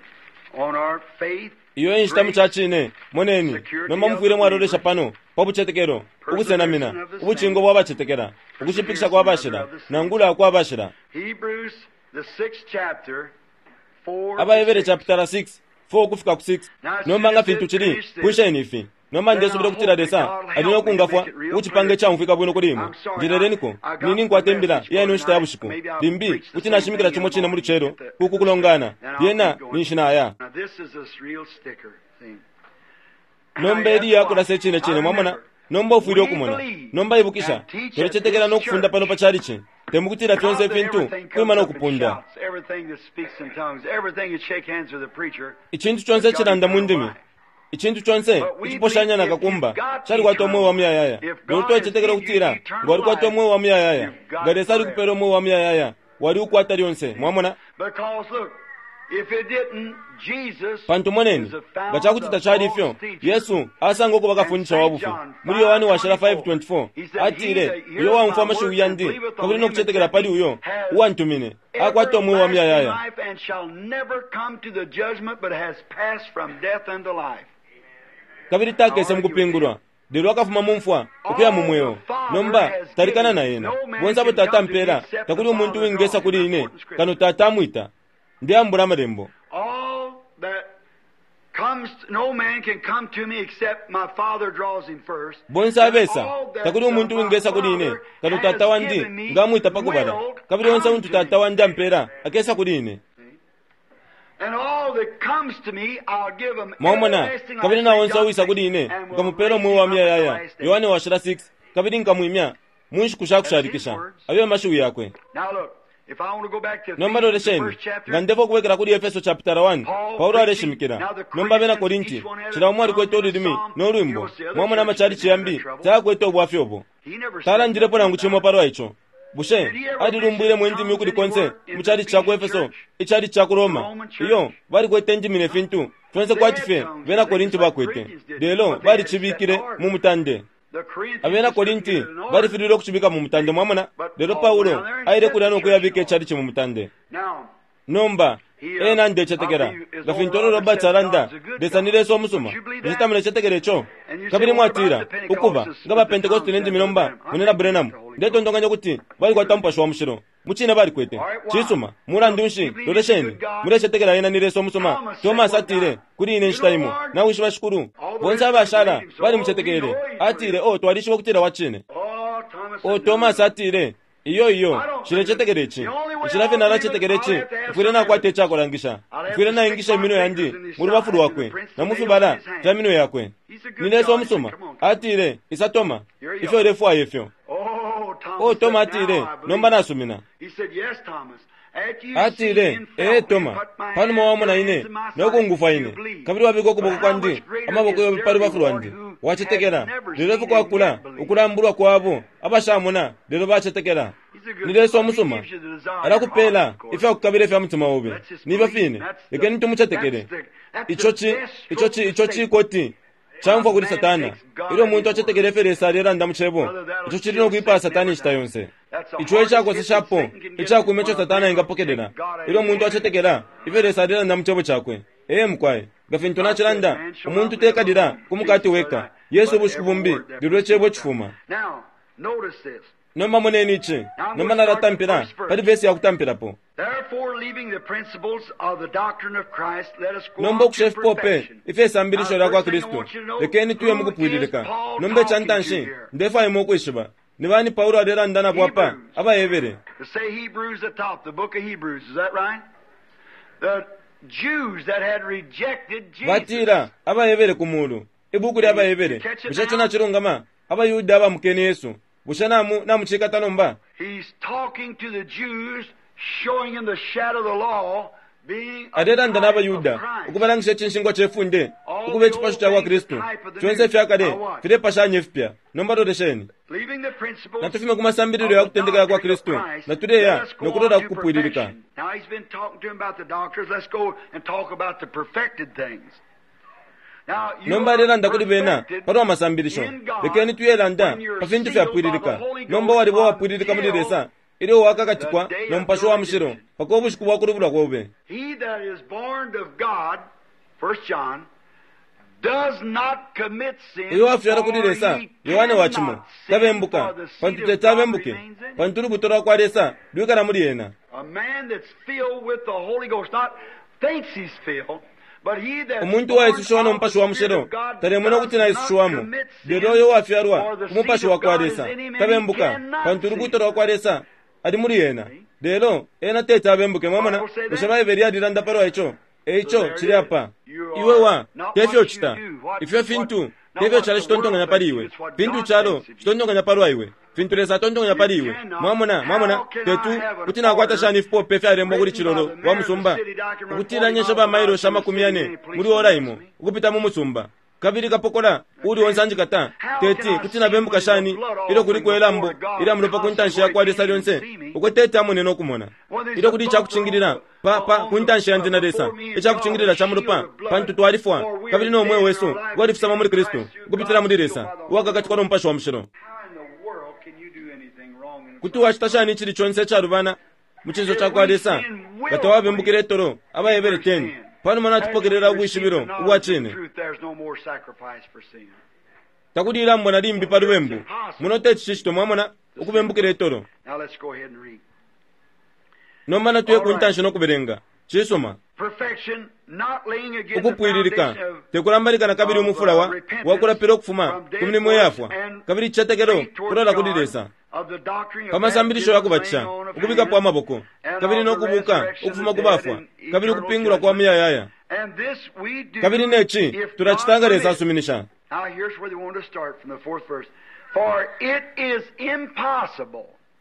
[SPEAKER 1] on our faith.
[SPEAKER 2] Iyo inshita mucacine, moneni, nomba mufwile mwalolesha pano pa bucetekelo, ukusenamina, ubucingo bwa bacetekela, ukushipikisha kwa bashila, nangula kwa bashila.
[SPEAKER 1] Hebrews, the sixth chapter, 4 to
[SPEAKER 2] AbaHebere
[SPEAKER 1] 6.
[SPEAKER 2] chapter 6, 4 kufika ku 6. Nomba nga fintu cili, pwisheni ifi. Nomba ndesubila ukutila Lesa ali no kungafwa ukucipanga icamfwika bwino kuli imwe. Njeleleniko, nini nkwata imbila iya ino nshita ya bushiku. Limbi kuti nashimikila cimo cine mu lucelo ku kulongana. Lyena ninshi naya.
[SPEAKER 1] Now this is a real sticker thing.
[SPEAKER 2] Nomba eli yakulasa icine cine, mwamona. Nomba ufwile ukumona. Nomba ibukisha, tulecetekela no kufunda pano pa chalichi. Temukutila fyonse ifintu kwima no kupunda.
[SPEAKER 1] Everything that speaks in tongues, everything that shake hands with the preacher.
[SPEAKER 2] Icintu conse icilanda mu ndimi, icintu conse iciposhanya na kakumba calikwata umweo wa muyayaya. Lelo twalicetekela ukutila nga walikwata umweo wa muyayaya, nga Lesa alikupela umweo wa muyayaya, wali ukwata lyonse. Mwamona?
[SPEAKER 1] Because look, if it didn't, Jesus
[SPEAKER 2] Pantu moneni,
[SPEAKER 1] is the
[SPEAKER 2] nga cakuti
[SPEAKER 1] fount of
[SPEAKER 2] tacali
[SPEAKER 1] all
[SPEAKER 2] ifyo,
[SPEAKER 1] teachers.
[SPEAKER 2] Yesu asanga ukuba kafundisha wa bufi. Muli Yohane washila 5:24 atile, uyo waumfwa amashiwi yandi kabili no kucetekela pali uyo uwantumine akwata umweo wa muyayaya.
[SPEAKER 1] Life and shall never come to the judgment, but has passed from death unto life.
[SPEAKER 2] Kabili takese mukupingulwa, lelo akafuma mu mfwa ukuya mu mweo. Nomba talikana na ena. Bonse abo Tata ampela, takuli umuntu wingesa kuli ine kano Tata amwita. Ndeyambula amalembo.
[SPEAKER 1] All that comes, no man can come to me except my Father draws him first.
[SPEAKER 2] Bonse abesa, takuli umuntu wingesa kuli ine kano Tata wandi nga amwita pakubala. Kabili onse untu Tata wandi ampela akesa kuli ine.
[SPEAKER 1] And all that comes to me, I'll give him
[SPEAKER 2] Mwamona,
[SPEAKER 1] everlasting
[SPEAKER 2] kabili
[SPEAKER 1] life.
[SPEAKER 2] na onse uwisa kuli ine nkamupela umweo wa muyayaya. Yohane washila 6, kabili nkamwimya mu nshiku sha kushalikisha. Ayo mashiwi yakwe.
[SPEAKER 1] Now look, if I want to go back to
[SPEAKER 2] Nomba
[SPEAKER 1] Ephesians, the
[SPEAKER 2] lolesheni,
[SPEAKER 1] first chapter,
[SPEAKER 2] nga ndefo kubwekela kuli Efeso chapter 1, Paulo aleshimikila. Nomba abena Korinti, cila umo alikwete ululimi no lwimbo. Mwamona amachalichi yambi tayakwete ubwafya ubo.
[SPEAKER 1] he never said
[SPEAKER 2] Talandilepo nangu cimo palwa ico. Bushe alilumbwile mu ndimi ukuli konse mu chalichi cha ku Efeso, ichalichi cha ku Roma? Iyo balikwete indimi ne fintu fyonse kwati fye bena Korinti bakwete, lelo balicibikile mu mutande.
[SPEAKER 1] the Corinthians
[SPEAKER 2] Abena Korinti balifililwe ukucibika mu mutande, mwamona. Lelo Paulo aile kulya no kuyabika ichalichi mu mutande.
[SPEAKER 1] Now,
[SPEAKER 2] Nomba ena ndecetekela nga fintu olo Robert alanda, Lesa ni Lesa omusuma. Bushe tamulecetekela ico? Kabili mwatila ukuba nga ba Pentecost ne ndimi nomba munena Branham, ndetontonkanya ukuti balikwata Mupashi wa Mushilo. Mucine balikwete. Cisuma, mulandu nshi, lolesheni, mulecetekela ena ni Lesa omusuma. Thomas atile kuli ine inshita imo, nawishiba Shikulu. Bonse abashala balimucetekele. Atile, oh, twalishiba ukutila wa cine.
[SPEAKER 1] oh, Thomas,
[SPEAKER 2] O Thomas atile, iyo iyo, nshilecetekela ici. Nshila fye nalacetekela ici, mfwile nakwata icakulangisha. Mfwile naingisha iminwe yandi mu lubafu lwakwe na mu fibala fya minwe yakwe. Ni Lesa omusuma. Atile, isa Toma, ifyo ulefwaya ifyo.
[SPEAKER 1] oh, Thomas,
[SPEAKER 2] O Toma
[SPEAKER 1] said,
[SPEAKER 2] atile,
[SPEAKER 1] "Now I believe."
[SPEAKER 2] nomba nasumina.
[SPEAKER 1] He said, yes, Thomas. After you
[SPEAKER 2] Atile,
[SPEAKER 1] see and
[SPEAKER 2] ee
[SPEAKER 1] felt me,
[SPEAKER 2] Toma,
[SPEAKER 1] put my
[SPEAKER 2] panuma
[SPEAKER 1] hand-
[SPEAKER 2] wamona
[SPEAKER 1] your
[SPEAKER 2] ine,
[SPEAKER 1] hands in my
[SPEAKER 2] no
[SPEAKER 1] side,
[SPEAKER 2] kungufwa
[SPEAKER 1] you
[SPEAKER 2] ine,
[SPEAKER 1] believe.
[SPEAKER 2] kabili wabika ukuboko
[SPEAKER 1] But how
[SPEAKER 2] kwandi,
[SPEAKER 1] much greater
[SPEAKER 2] amaboko
[SPEAKER 1] is
[SPEAKER 2] yobe
[SPEAKER 1] their
[SPEAKER 2] pa lubafu
[SPEAKER 1] reward
[SPEAKER 2] lwandi.
[SPEAKER 1] who
[SPEAKER 2] Wacetekela,
[SPEAKER 1] has never
[SPEAKER 2] lelo
[SPEAKER 1] seen
[SPEAKER 2] fye kwakula
[SPEAKER 1] and yet believed.
[SPEAKER 2] ukulambulwa kwabo abashamona, lelo bacetekela.
[SPEAKER 1] He's a good
[SPEAKER 2] Ni Lesa
[SPEAKER 1] God. He
[SPEAKER 2] omusuma,
[SPEAKER 1] gives you the desire of your heart,
[SPEAKER 2] alakupela
[SPEAKER 1] of course.
[SPEAKER 2] ifya kukabila ifya mutima obe.
[SPEAKER 1] Let's just
[SPEAKER 2] Nifyo
[SPEAKER 1] believe.
[SPEAKER 2] fine,
[SPEAKER 1] That's the-
[SPEAKER 2] lekeni tumucetekele.
[SPEAKER 1] that's the- that's
[SPEAKER 2] Ico
[SPEAKER 1] the
[SPEAKER 2] ci,
[SPEAKER 1] best
[SPEAKER 2] ico ci, ico
[SPEAKER 1] stroke
[SPEAKER 2] cikoti camfwa kuli Satana. Ilyo umuntu acetekele ifyo Lesa alelanda mu cebo, ico cili no kwipaya Satana inshita yonse. Ico ecakoseshapo icakuma ico Satana engapokelela. Ilyo umuntu acetekela ifyo Lesa alelanda mu cebo cakwe. Ee mukwai, nga fintu nacilanda, umuntu tekalila ku mukati weka. Yesu ubushiku bumbi, lelo icebo cifuma.
[SPEAKER 1] Now, notice this.
[SPEAKER 2] Nomba moneni ici. Nomba nalatampila pali vesi ya kutampilapo.
[SPEAKER 1] Therefore, leaving the principles of the doctrine of Christ, let us go
[SPEAKER 2] Nomba
[SPEAKER 1] on to
[SPEAKER 2] ukusha ifipope
[SPEAKER 1] perfection.
[SPEAKER 2] ifye sambilisho
[SPEAKER 1] Now,
[SPEAKER 2] lya kwa
[SPEAKER 1] first thing I
[SPEAKER 2] Kristu,
[SPEAKER 1] want you to know,
[SPEAKER 2] lekeni tuye
[SPEAKER 1] who
[SPEAKER 2] mukupwililika.
[SPEAKER 1] is Paul
[SPEAKER 2] Nomba
[SPEAKER 1] talking to
[SPEAKER 2] icantanshi,
[SPEAKER 1] here?
[SPEAKER 2] ndefwaya imwe ukwishiba ni bani Paulo alelanda nabo apa
[SPEAKER 1] Hebrews.
[SPEAKER 2] abaHebere.
[SPEAKER 1] To say Hebrews at the top, the book of Hebrews, is that right? The Jews that had rejected Jesus.
[SPEAKER 2] Batila abaHebere ku mulu, ibuku lya abaHebere. Bushe ico nacilungama? AbaYuda abamukene Yesu. Bushe namu namucikata nomba?
[SPEAKER 1] He's talking to the Jews, showing them the shadow of the law, being a
[SPEAKER 2] Alelanda
[SPEAKER 1] type
[SPEAKER 2] n'abaYuda
[SPEAKER 1] of Christ.
[SPEAKER 2] ukubalangisha icinshingwa ce funde, ukuba icipasho ca kwa Kristu. Fyonse ifya kale filepashanya ifipya. Nomba lolesheni.
[SPEAKER 1] Leaving the principles
[SPEAKER 2] Natufime ku masambililo ya kutendeka ya kwa Kristu, natuleya no kulola ku kupwililika.
[SPEAKER 1] Now he's been talking to him about the doctors. Let's go and talk about the perfected things. Now, you
[SPEAKER 2] Nomba
[SPEAKER 1] are
[SPEAKER 2] alelanda kuli bena
[SPEAKER 1] perfected
[SPEAKER 2] palwa masambilisho.
[SPEAKER 1] in God
[SPEAKER 2] Lekeni tuyelanda
[SPEAKER 1] when you're
[SPEAKER 2] pa fintu
[SPEAKER 1] sealed by the
[SPEAKER 2] fyapwililika.
[SPEAKER 1] Holy
[SPEAKER 2] Nomba
[SPEAKER 1] Ghost
[SPEAKER 2] waliba uwapwililika muli
[SPEAKER 1] until
[SPEAKER 2] Lesa ilyo wakakatikwa
[SPEAKER 1] the day
[SPEAKER 2] no
[SPEAKER 1] of
[SPEAKER 2] Mupashi
[SPEAKER 1] your
[SPEAKER 2] wa Mushilo
[SPEAKER 1] redemption.
[SPEAKER 2] paka ubushiku bwa kulubulwa kobe.
[SPEAKER 1] He that is born of God, 1 John,
[SPEAKER 2] Uyo wafyalwa kuli Lesa, Yohane wa cimo, tabembuka, pantu teti abembuke, pantu ulubuto lwa kwa Lesa lwikala muli ena. Umuntu uwaisushiwa no Mupashi wa Mushilo talemona ukuti naisushiwamo, lelo uyo uwafyalwa ku Mupashi wa kwa Lesa tabembuka, pantu ulubuto lwa kwa Lesa ali muli ena. Lelo ena teti abembuke. Mwamona? Bushe Baibele yalilanda palwa ico? Eico cili apa. Iwe wa, tefyo ucita. Ifyo fintu, tefyo icalo citontonkanya pali iwe. Fintu icalo citontonkanya palwa iwe. Fintu Lesa atontonkanya pali iwe. Mwamona, mwamona, tetu, kuti nakwata shani ifipope ifyalembwa kuli cilolo wa musumba, ukutila nyensha ba mailoshi 40 muli ora imo, ukupita mu musumba, kabili kapokola uuli onse anjikata? Teti, kuti nabembuka shani ilyo kuliko ilambo ilya mulopa ku ntanshi ya kwa Lesa lyonse, uko teti amone no kumona? Ilyo kuli icakucingilila pa, pa, ku ntanshi yandi na Lesa, icakucingilila ca mulopa, pantu twalifwa, kabili no mweo wesu walifisama muli Kristu, ukupitila muli Lesa, uwakakatikwa no Mupashi wa Mushilo. Kuti wacita shani icili conse icalubana mu cinso ca kwa Lesa nga tawabembukile itolo? AbaHebere 10. Panuma natupokelela ubwishibilo ubwa cine, takuli ilambo na limbi pa lubembu. Muno teti cicitwe, mwamona, ukubembukila itolo. Nomba natuye ku ntanshi no kubelenga. Cisuma. Ukupwililika, te kulambalika na kabili umufula wa, wa kulapila ukufuma ku milimo iyafwa, kabili icicetekelo kulola kuli Lesa, pa masambilisho ya kubatisha, ukubikapo amaboko, kabili no kubuka ukufuma ku bafwa, kabili ukupingulwa kwa muyayaya. Kabili ne ci tulacita nga Lesa asuminisha.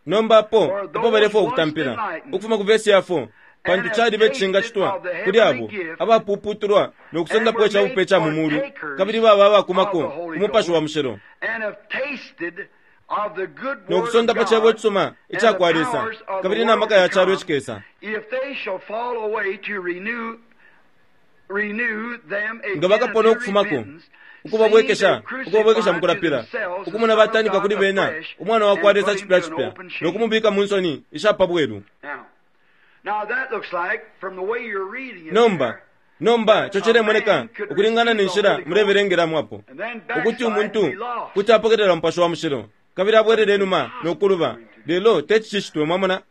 [SPEAKER 2] Nomba apo epo balefwaya ukutampila, ukufuma ku vesi ya 4, pantu caliba icishingacitwa kuli abo abapuupuutulwa no kusendapo ica bupe ca mu muulu, kabili baba abakumako ku Mupashi wa Mushilo, no kusonda pa cebo icisuma ica kwa Lesa, kabili na maka ya calo icikesa. Nga bakapona ukufumako, ukubabwekesha, ukubabwekesha mukulapila, ukumona batanikwa kuli bena Umwana wa kwa Lesa cipya cipya, no kumubika mu nsoni isha pa bwelu. Nomba, nomba, ico cilemoneka ukulingana ne nshila mulebelengelamo apo, ukuti umuntu kuti apokelela Mupashi wa Mushilo, kabili abwelele inuma no kuluba, lelo teti cicitwe, mwamona.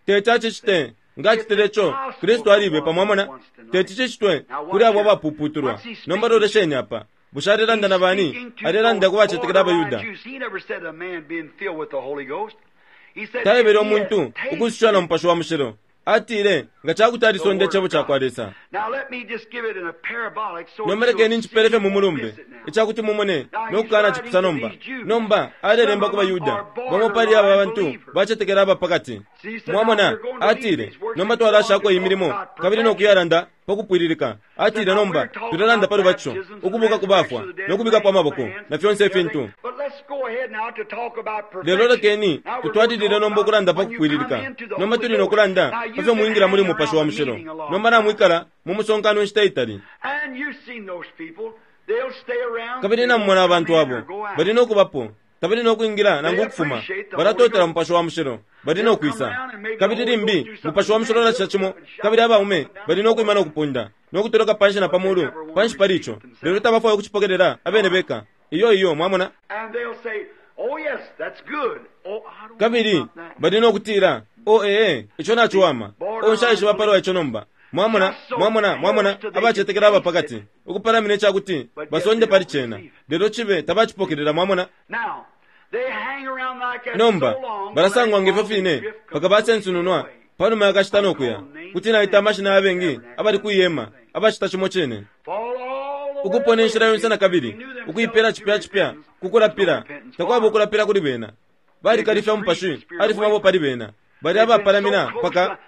[SPEAKER 2] Teti acicite. Nga acitile ico, Kristu alibepa, mwamona. Teti cicitwe kuli abo abapuputulwa. Nomba lolesheni apa. Bushe alelanda na bani? Alelanda ku bacetekela abaYuda. Taebele umuntu ukusushiwa na Mupashi wa Mushilo. Atile, nga ca kuti alisonda Icebo ca kwa Lesa. Nomba lekeni ncipele fye mu mulumbe, ica kuti mumone no kukanacipisa nomba. Nomba, alelemba ku baYuda, bamo pali aba bantu bacetekela aba pa kati. Mwamona, atile, nomba twalashako iyi milimo kabili no kuyalanda pa kupwililika. Atile, nomba tulelanda pa lubatisho, ukubuka ku bafwa, no kubikapo amaboko, na fyonse ifintu. Lelo lekeni tutwalilile nomba ukulanda pa kupwililika. Nomba tuli no kulanda pa fyo mwingila muli Mupashi wa Mushilo. Nomba namwikala mu musonkano inshita itali. Kabili namumona abantu abo bali no kubapo, tabali no kwingila nangu ukufuma, balatotela Mupashi wa Mushilo, bali no kwisa. Kabili limbi Mupashi wa Mushilo alacita cimo, kabili abaume bali no kwima no kupunda, no kutoloka panshi na pa mulu, panshi pali ico, lelo tabafwaya ukucipokelela abene beka. Iyo, iyo, mwamona? Kabili bali no kutila, O ee, ico naciwama. O, nshaishiba palwa ico nomba. Mwamona, mwamona, mwamona, abacetekela aba pakati, ukupalamina icakuti basonde pali cena, lelo cibe tabacipokelela, mwamona. Nomba, balasangwa ngefyo fine, mpaka basensununwa panuma ya kashita no kuya. Kuti naita amashina ya bengi abali kwi hema, abacita cimo cine. Ukupona inshila yonse na kabili, ukuipela cipya cipya ku kulapila, takwaba ukulapila kuli bena. Balikalifya Umupashi alifumapo pali bena. Bali abapalamina mpaka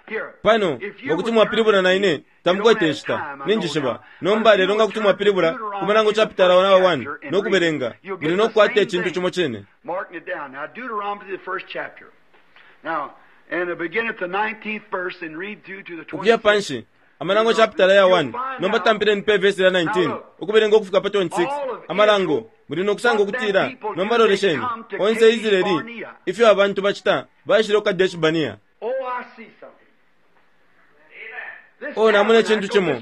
[SPEAKER 2] pano nga kuti mwapilibula na ine tamukwete inshita, ninjishiba. Nomba lelo nga kuti mwapilibula ku Malango chapitala 1 no kubelenga, muli no kukwata icintu cimo cine. Ukuya panshi, Amalango chapitala ya 1, nomba tampileni pe vesi lya 19, ukubelenga ukufika pa 26. Amalango, muli no kusanga ukutila, nomba lolesheni, onse Israeli, ifyo abantu bacita, baishile ku Kadeshi Bania. O, namona icintu cimo.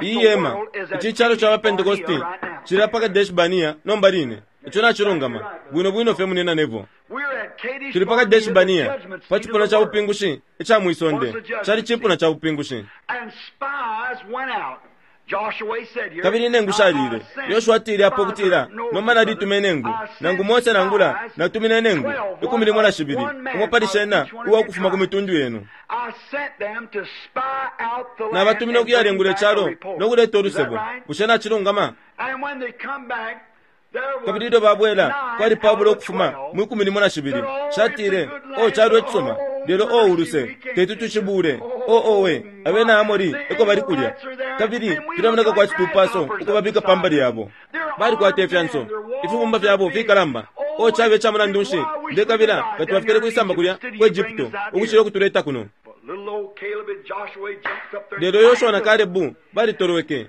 [SPEAKER 2] Iyi hema, ici calo ca ba Pentecosti, cili pa Kadesh Barnea nomba line. Ico nacilungama, bwino bwino fye, Munyina Neville. Tuli pa Kadesh Barnea, pa cipuna ca bupingushi ica mwi sonde. Cali cipuna ca bupingushi. Kabili inengu shalile. Yoshua atile apo ukutila, Nomba nalituma inengu, nangu Mose nangula natumine inengu 12, umo pali shena uwa ukufuma ku mitundu yenu. Nabatumine ukuyalengula icalo no kuleta ulusebo. Bushe nacilungama? Kabili ilyo babwela, kwali pabula ukufuma mwi 12. Shatile, O calo icisuma, lelo o uluse, teti tucibule. O owe, abena Amori eko bali kulya. Kabili filemoneka kwati tupaso ukubabika pa mbali yabo. Balikwata ifyanso, ifibumba fyabo fikalamba. O cabe ca mulandu nshi, ndekabila nga twafikile kwisamba kulya ku Egypto ukucila ukutuleta kuno. Lelo Yoshua na Kalebu balitolweke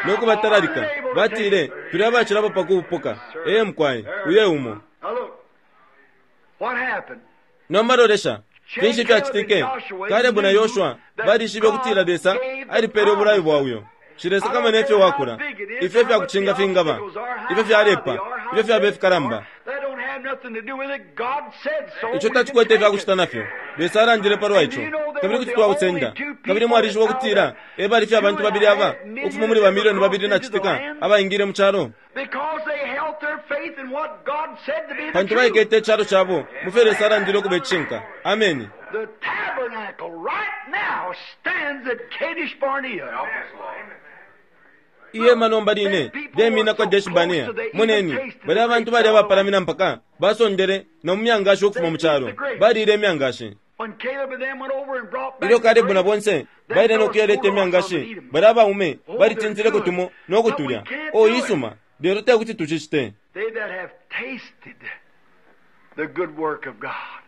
[SPEAKER 2] no kubatalalika, batile, Tuli abacilapo pa kubupoka. Ee mukwai, uyo e umo. Nomba lolesha, finshi fyacitike? Kalebu na Yoshua balishibe ukutila Lesa alipele ubulayo bwa uyo. Nshilesakamana ifyo wakula, ifyo ifyakucinga fingaba, ifyo fyalepa, ifyo fyaba ifikalamba. Ico tacikwete ifyakucita nafyo. Lesa alandile palwa ico, kabili kuti twausenda. Kabili mwalishiba ukutila e bali fye abantu babili aba ukufuma muli bamilioni babili na citika abaingile mu calo? Pantu baikete icalo cabo mu fyo Lesa alandile ukuba icishinka. Ameni.
[SPEAKER 1] The tabernacle right now stands at Kadesh Barnea.
[SPEAKER 2] Ihema nomba line lyemina ku Kadeshi Barnea. Moneni, balya abantu bali abapalamina mpaka basondele na mu myangashi ukufuma mu calo. Baliile imyangashi. Ilyo Kalebu na bonse baile no kuyaleta imyangashi, balya abaume balitintileko tumo no kutulya. Oh, isuma, lelo te kuti tucicite.
[SPEAKER 1] They that have tasted the good work of God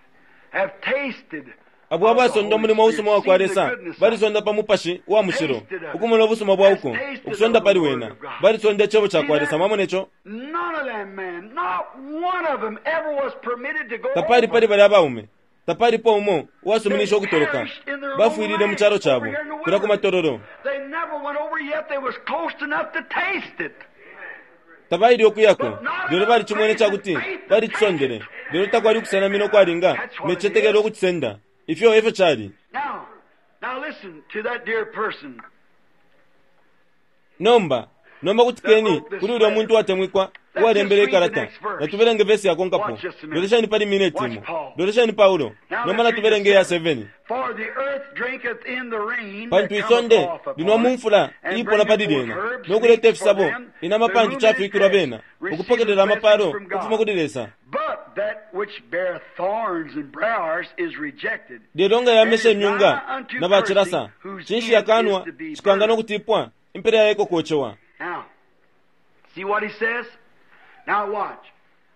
[SPEAKER 1] have tasted
[SPEAKER 2] Abo abasonda umulimo usuma wa kwa Lesa balisonda pa Mupashi wa Mushilo, ukumona ubusuma bwa uko, ukusonda pali wena. Balisonda Icebo ca kwa Lesa. Mwamona ico?
[SPEAKER 1] None of them men, not one of them ever was permitted to go
[SPEAKER 2] Tapali
[SPEAKER 1] over.
[SPEAKER 2] pali balya baume, tapalipo umo uwasuminishe ukutoloka. Bafwilile mu calo cabo, kulya ku matololo.
[SPEAKER 1] They never went over yet they was close enough to taste it.
[SPEAKER 2] Tabaile ukuyako, lelo balicimwene ca kuti balicisondele. Lelo takwali ukusenamina ukwalinga ne citetekelo ukucisenda. Ifyo e fyo cali.
[SPEAKER 1] Now, now listen to that dear person.
[SPEAKER 2] Nomba, nomba kutikeni kuli ulya muntu uwatemwikwa uwalembele ikalata. Natubelenge vesi yakonkapo. Lolesheni pali mineti imo. Lolesheni Paulo. Nomba natubelenge iya 7.
[SPEAKER 1] For the earth drinketh in the rain
[SPEAKER 2] Pantu
[SPEAKER 1] that cometh
[SPEAKER 2] isonde
[SPEAKER 1] off upon
[SPEAKER 2] linwa mu
[SPEAKER 1] it,
[SPEAKER 2] mfula
[SPEAKER 1] and
[SPEAKER 2] iipona pali
[SPEAKER 1] bringeth
[SPEAKER 2] lyena,
[SPEAKER 1] forth herbs
[SPEAKER 2] no kuleta
[SPEAKER 1] meet for
[SPEAKER 2] ifisabo,
[SPEAKER 1] them,
[SPEAKER 2] inama
[SPEAKER 1] to
[SPEAKER 2] pantu
[SPEAKER 1] whom it is
[SPEAKER 2] cafikilwa
[SPEAKER 1] blessed,
[SPEAKER 2] bena,
[SPEAKER 1] receiveth
[SPEAKER 2] ukupokelela amapalo
[SPEAKER 1] blessings from
[SPEAKER 2] ukufuma
[SPEAKER 1] God.
[SPEAKER 2] kuli Lesa.
[SPEAKER 1] But that which beareth thorns and briars is rejected,
[SPEAKER 2] Lelo nga
[SPEAKER 1] and
[SPEAKER 2] yamesha
[SPEAKER 1] is
[SPEAKER 2] imyunga
[SPEAKER 1] nigh unto
[SPEAKER 2] na bacilasa,
[SPEAKER 1] cursing, whose
[SPEAKER 2] cinshi
[SPEAKER 1] end
[SPEAKER 2] yakanwa
[SPEAKER 1] is to be
[SPEAKER 2] cikanga no
[SPEAKER 1] burned.
[SPEAKER 2] kutipwa, impela ya iko kocewa.
[SPEAKER 1] Now, see what he says? Now watch.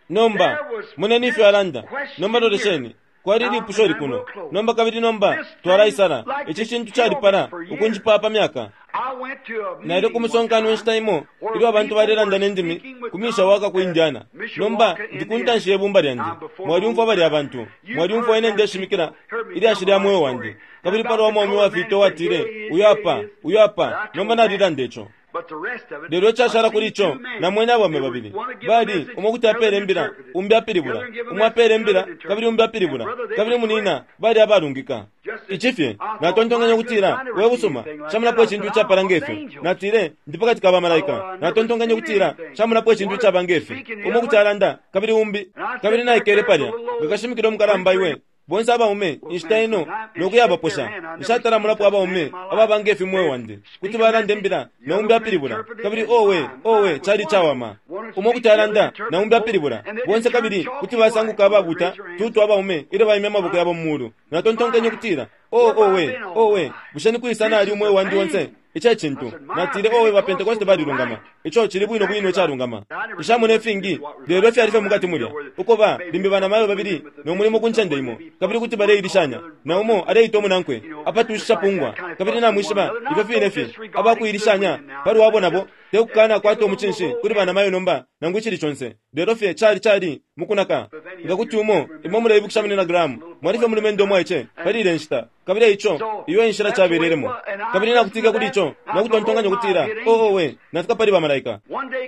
[SPEAKER 2] Nomba, moneni ifyo alanda. Nomba lolesheni. Kwali ilipusho likuno. Nomba kabili nomba, twalaisala. Ici cintu calipala ukunjipaya pa myaka.
[SPEAKER 1] I went to a
[SPEAKER 2] Naile ku
[SPEAKER 1] meeting one
[SPEAKER 2] musonkano
[SPEAKER 1] time
[SPEAKER 2] inshita imo
[SPEAKER 1] where
[SPEAKER 2] ilyo abantu
[SPEAKER 1] people
[SPEAKER 2] balelanda
[SPEAKER 1] were
[SPEAKER 2] ne ndimi
[SPEAKER 1] speaking with
[SPEAKER 2] ku Mishawaka ku
[SPEAKER 1] tongues at
[SPEAKER 2] Indiana. Nomba
[SPEAKER 1] Mishawaka,
[SPEAKER 2] ndi ku ntanshi ye
[SPEAKER 1] Indiana.
[SPEAKER 2] bumba lyandi.
[SPEAKER 1] I'm before
[SPEAKER 2] Mwalyumfwa
[SPEAKER 1] the
[SPEAKER 2] balya bantu.
[SPEAKER 1] You've
[SPEAKER 2] Mwalyumfwa
[SPEAKER 1] heard
[SPEAKER 2] ine
[SPEAKER 1] them
[SPEAKER 2] ndeshimikila
[SPEAKER 1] people, heard me
[SPEAKER 2] ilyashi
[SPEAKER 1] tell
[SPEAKER 2] lya
[SPEAKER 1] my
[SPEAKER 2] mweo
[SPEAKER 1] story.
[SPEAKER 2] wandi. Kabili
[SPEAKER 1] About
[SPEAKER 2] palwa
[SPEAKER 1] the
[SPEAKER 2] mwaume
[SPEAKER 1] colored man
[SPEAKER 2] uwafita
[SPEAKER 1] said,
[SPEAKER 2] uwatile,
[SPEAKER 1] here he is,
[SPEAKER 2] uyo
[SPEAKER 1] here
[SPEAKER 2] apa,
[SPEAKER 1] he is.
[SPEAKER 2] uyo
[SPEAKER 1] But
[SPEAKER 2] apa.
[SPEAKER 1] I told
[SPEAKER 2] Nomba
[SPEAKER 1] that.
[SPEAKER 2] nalilanda ico.
[SPEAKER 1] But the rest of it,
[SPEAKER 2] Lelo icashala
[SPEAKER 1] I've
[SPEAKER 2] kuli
[SPEAKER 1] seen
[SPEAKER 2] ico,
[SPEAKER 1] two men.
[SPEAKER 2] namwene abaume
[SPEAKER 1] They were
[SPEAKER 2] babili.
[SPEAKER 1] one to give a
[SPEAKER 2] Bali,
[SPEAKER 1] message,
[SPEAKER 2] umo kuti
[SPEAKER 1] the other
[SPEAKER 2] apele imbila,
[SPEAKER 1] interpreted.
[SPEAKER 2] umbi
[SPEAKER 1] The
[SPEAKER 2] apilibula.
[SPEAKER 1] other give a
[SPEAKER 2] Umo
[SPEAKER 1] message,
[SPEAKER 2] apele
[SPEAKER 1] the
[SPEAKER 2] imbila,
[SPEAKER 1] other
[SPEAKER 2] kabili
[SPEAKER 1] interpreted.
[SPEAKER 2] umbi
[SPEAKER 1] And
[SPEAKER 2] apilibula.
[SPEAKER 1] brother, they
[SPEAKER 2] Kabili
[SPEAKER 1] was
[SPEAKER 2] munina,
[SPEAKER 1] correct.
[SPEAKER 2] bali abalungika.
[SPEAKER 1] Just as
[SPEAKER 2] Ici fye,
[SPEAKER 1] I thought,
[SPEAKER 2] natontonkanya
[SPEAKER 1] my good,
[SPEAKER 2] ukutila,
[SPEAKER 1] I never
[SPEAKER 2] we
[SPEAKER 1] seen
[SPEAKER 2] busuma,
[SPEAKER 1] anything like that.
[SPEAKER 2] nshamonapo
[SPEAKER 1] I
[SPEAKER 2] icintu
[SPEAKER 1] said, I'm
[SPEAKER 2] icapala
[SPEAKER 1] among
[SPEAKER 2] nge fyo.
[SPEAKER 1] angels.
[SPEAKER 2] Natile, ndi pakati ka bamalaika.
[SPEAKER 1] Oh, I never
[SPEAKER 2] Natontonkanya
[SPEAKER 1] seen
[SPEAKER 2] ukutila,
[SPEAKER 1] anything.
[SPEAKER 2] nshamonapo icintu
[SPEAKER 1] One
[SPEAKER 2] icaba nge fyo.
[SPEAKER 1] speaking, the
[SPEAKER 2] Umo
[SPEAKER 1] other
[SPEAKER 2] kuti
[SPEAKER 1] one.
[SPEAKER 2] alanda, kabili umbi.
[SPEAKER 1] And I
[SPEAKER 2] Kabili
[SPEAKER 1] sat back
[SPEAKER 2] naikele
[SPEAKER 1] there as a
[SPEAKER 2] palya,
[SPEAKER 1] little
[SPEAKER 2] nga
[SPEAKER 1] old
[SPEAKER 2] kashimikila umukalamba
[SPEAKER 1] preacher.
[SPEAKER 2] iwe. Bonse abaume,
[SPEAKER 1] Well,
[SPEAKER 2] inshita
[SPEAKER 1] man
[SPEAKER 2] ino,
[SPEAKER 1] said, I
[SPEAKER 2] no
[SPEAKER 1] and shake their
[SPEAKER 2] kuyabaposha.
[SPEAKER 1] hand. I never seen
[SPEAKER 2] Nshatala
[SPEAKER 1] such man
[SPEAKER 2] abaume,
[SPEAKER 1] in my life.
[SPEAKER 2] ababa nge fyo mweo
[SPEAKER 1] They
[SPEAKER 2] wandi.
[SPEAKER 1] speak
[SPEAKER 2] Kuti
[SPEAKER 1] a
[SPEAKER 2] balanda
[SPEAKER 1] message,
[SPEAKER 2] imbila,
[SPEAKER 1] the
[SPEAKER 2] na
[SPEAKER 1] other
[SPEAKER 2] umbi
[SPEAKER 1] one
[SPEAKER 2] apilibula.
[SPEAKER 1] interpreted,
[SPEAKER 2] Kabili
[SPEAKER 1] and
[SPEAKER 2] owe,
[SPEAKER 1] my,
[SPEAKER 2] owe,
[SPEAKER 1] mine was
[SPEAKER 2] cali
[SPEAKER 1] wonderful.
[SPEAKER 2] cawama.
[SPEAKER 1] One would
[SPEAKER 2] Umo
[SPEAKER 1] speak,
[SPEAKER 2] kuti
[SPEAKER 1] the other
[SPEAKER 2] alanda, na
[SPEAKER 1] interpret,
[SPEAKER 2] umbi
[SPEAKER 1] both,
[SPEAKER 2] apilibula.
[SPEAKER 1] and they
[SPEAKER 2] Bonse
[SPEAKER 1] just turned
[SPEAKER 2] kabili, kuti
[SPEAKER 1] chalky white
[SPEAKER 2] basanguka
[SPEAKER 1] when they
[SPEAKER 2] ababuta,
[SPEAKER 1] raised their hands.
[SPEAKER 2] tutu abaume, ilyo baimya amaboko
[SPEAKER 1] My,
[SPEAKER 2] yabo mu mulu. Natontonkenye
[SPEAKER 1] my,
[SPEAKER 2] ukutila, o
[SPEAKER 1] where have I
[SPEAKER 2] owe,
[SPEAKER 1] been all my
[SPEAKER 2] owe,
[SPEAKER 1] life?
[SPEAKER 2] bushe ni kwisa
[SPEAKER 1] This
[SPEAKER 2] nali
[SPEAKER 1] is
[SPEAKER 2] umweo
[SPEAKER 1] the
[SPEAKER 2] wandi onse?
[SPEAKER 1] thing.
[SPEAKER 2] Ici e
[SPEAKER 1] I
[SPEAKER 2] cintu.
[SPEAKER 1] said, my
[SPEAKER 2] Natile, owe, ba
[SPEAKER 1] Pentecostals
[SPEAKER 2] Pentecoste
[SPEAKER 1] were
[SPEAKER 2] balilungama.
[SPEAKER 1] right.
[SPEAKER 2] Ico cili bwino bwino
[SPEAKER 1] Exactly right.
[SPEAKER 2] icalungama.
[SPEAKER 1] I never seen
[SPEAKER 2] Nshamona
[SPEAKER 1] what
[SPEAKER 2] ifingi,
[SPEAKER 1] is what was
[SPEAKER 2] lelo
[SPEAKER 1] right
[SPEAKER 2] ifyali
[SPEAKER 1] now
[SPEAKER 2] fye mukati
[SPEAKER 1] around
[SPEAKER 2] mulya.
[SPEAKER 1] here where
[SPEAKER 2] Uko ba,
[SPEAKER 1] maybe
[SPEAKER 2] limbi banamayo
[SPEAKER 1] women
[SPEAKER 2] babili,
[SPEAKER 1] with the
[SPEAKER 2] no mulimo
[SPEAKER 1] vision
[SPEAKER 2] ku ncende
[SPEAKER 1] somewhere,
[SPEAKER 2] imo.
[SPEAKER 1] maybe
[SPEAKER 2] Kabili kuti
[SPEAKER 1] fussing one called the
[SPEAKER 2] baleilishanya.
[SPEAKER 1] other
[SPEAKER 2] Na
[SPEAKER 1] brother,
[SPEAKER 2] umo aleita umunankwe,
[SPEAKER 1] you know,
[SPEAKER 2] apatushisha
[SPEAKER 1] just like
[SPEAKER 2] pungwa.
[SPEAKER 1] that kind of
[SPEAKER 2] Kabili
[SPEAKER 1] fussing one
[SPEAKER 2] namwishiba,
[SPEAKER 1] another.
[SPEAKER 2] ifyo
[SPEAKER 1] Now,
[SPEAKER 2] fine
[SPEAKER 1] don't
[SPEAKER 2] fye.
[SPEAKER 1] disregard these good
[SPEAKER 2] Abakuilishanya,
[SPEAKER 1] women now.
[SPEAKER 2] palwabo
[SPEAKER 1] That's
[SPEAKER 2] nabo,
[SPEAKER 1] just
[SPEAKER 2] Te kukana kwata umucinshi kuli banamayo nomba, nangu icili conse, lelo fye cali cali mukunaka. Nga kuti umo, imwe muleibukisha Munyina Graham, mwali fye umulumendo umwaice pali ilya nshita. Kabili eico, iyo e nshila cabelelemo. Kabili nakutike kuli ico, no kutontonkanya ukutila, Oh, owe, nafika pali ba malaika.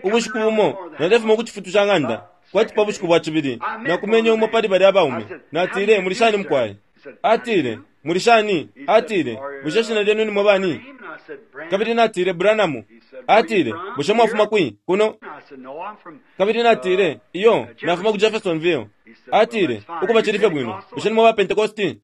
[SPEAKER 2] Ubushiku bumo, nalefuma ku cifutu ca ng'anda, kwati pa bushiku bwa cibili, nakumenye umo pali balya abaume. Natile, Muli shani, mukwai? Atile, Muli shani? Atile, Bushe ishina lyenu nimwe bani? Kabili natile, Branham. Atile, Bushe mwafuma kwi? Kuno? Kabili natile, Iyo, nafuma ku Jeffersonville. Atile, Ukuba cili fye bwino. Bushe nimwe ba Pentecosti?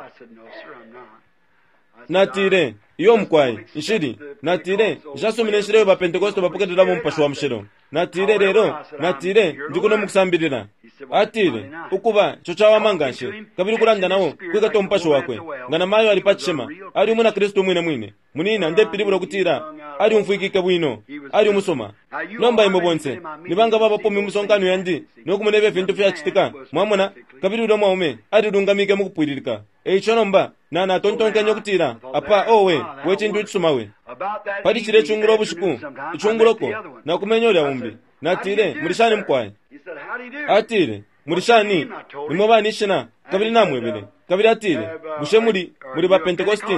[SPEAKER 2] Natile, Iyo mukwai, nshili. Natile, Nshasumina inshila iyo ba Pentecosti bapokelelamo Umupashi wa Mushilo. Natile, Lelo, natile, ndi kuno mukusambilila. Atile, Ukuba, ico cawama nganshi. Kabili ukulanda nao, kwikata Umupashi wakwe. Nga na mayo ali pa cishima, ali umwina Kristu umwine mwine. Munina, ndepilibula ukutila alyumfwikike bwino, ali umusuma. Nomba imwe bonse, ni banga babapo mu misonkano yandi no kumona ifyo ifintu fyacitika, mwamona? Kabili ulya mwaume alilungamike mukupwililika. E ico nomba, na, natontonkenye ukutila, Apa, owe, we cintu icisuma we! Pali cilya icungulo bushiku, icunguloko, nakumenye ulya umbi. Natile, Muli shani, mukwai? Atile, Muli shani? Nimwe bani ishina? Kabili namwebele. Kabili atile, Bushe muli, muli ba Pentecosti?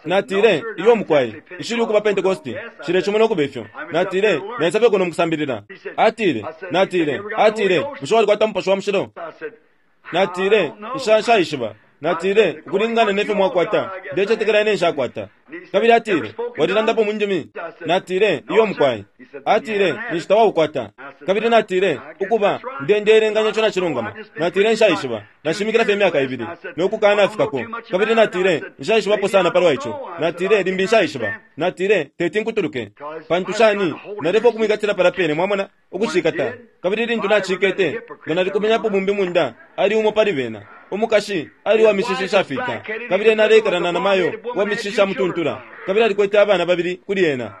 [SPEAKER 2] Natile, Iyo, mukwai. Nshili ukuba Pentecosti. Nshilecimona ukuba ifyo. Natile, Naisa fye kuno mukusambilila. Atile, Natile, atile, Bushe walikwata Mupashi wa Mushilo? Natile, Nsha, nshaishiba. Natile, Ukulingana ne fyo mwakwata, ndecetekela ine nshakwata. Kabili atile, Walilandapo mu ndimi? Natile, Iyo, mukwai. Atile, Ninshi tawaukwata. Kabili natile, Ukuba, nde, ndeelenganya ico nacilungama. Natile, Nshaishiba. Nashimikila fye imyaka ibili, no kukanafikako. Kabili natile, Nshaishibapo sana palwa ico. Natile, Limbi nshaishiba. Natile, Teti nkutuluke. Pantu shani, nalefwaya ukumwikatila palya pene, mwamona, ukucikata. Kabili lintu nacikete, nga nalikumenyapo bumbi munda, ali umo pali bena. Umukashi ali uwa mishishi ishafita, kabili ena aleikala na namayo uwa mishishi ishamutuntula, kabili alikwete abana babili kuli ena.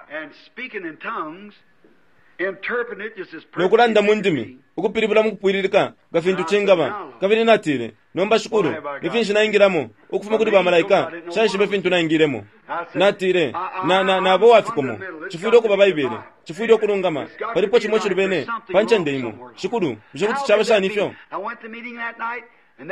[SPEAKER 2] No kulanda mu ndimi, ukupilibula mukupwililika nga fintu cingaba. Kabili natile, Nomba, Shikulu, ni finshi naingilamo? Ukufuma kuli ba malaika, nshaishibe fintu naingilemo. Natile, Na, na, naba uwafikomo. Cifwile ukuba Baibele. Cifwile ukulungama. Palipo cimo icilubene pa ncende imo. Shikulu, bushe kuti caba shani ifyo?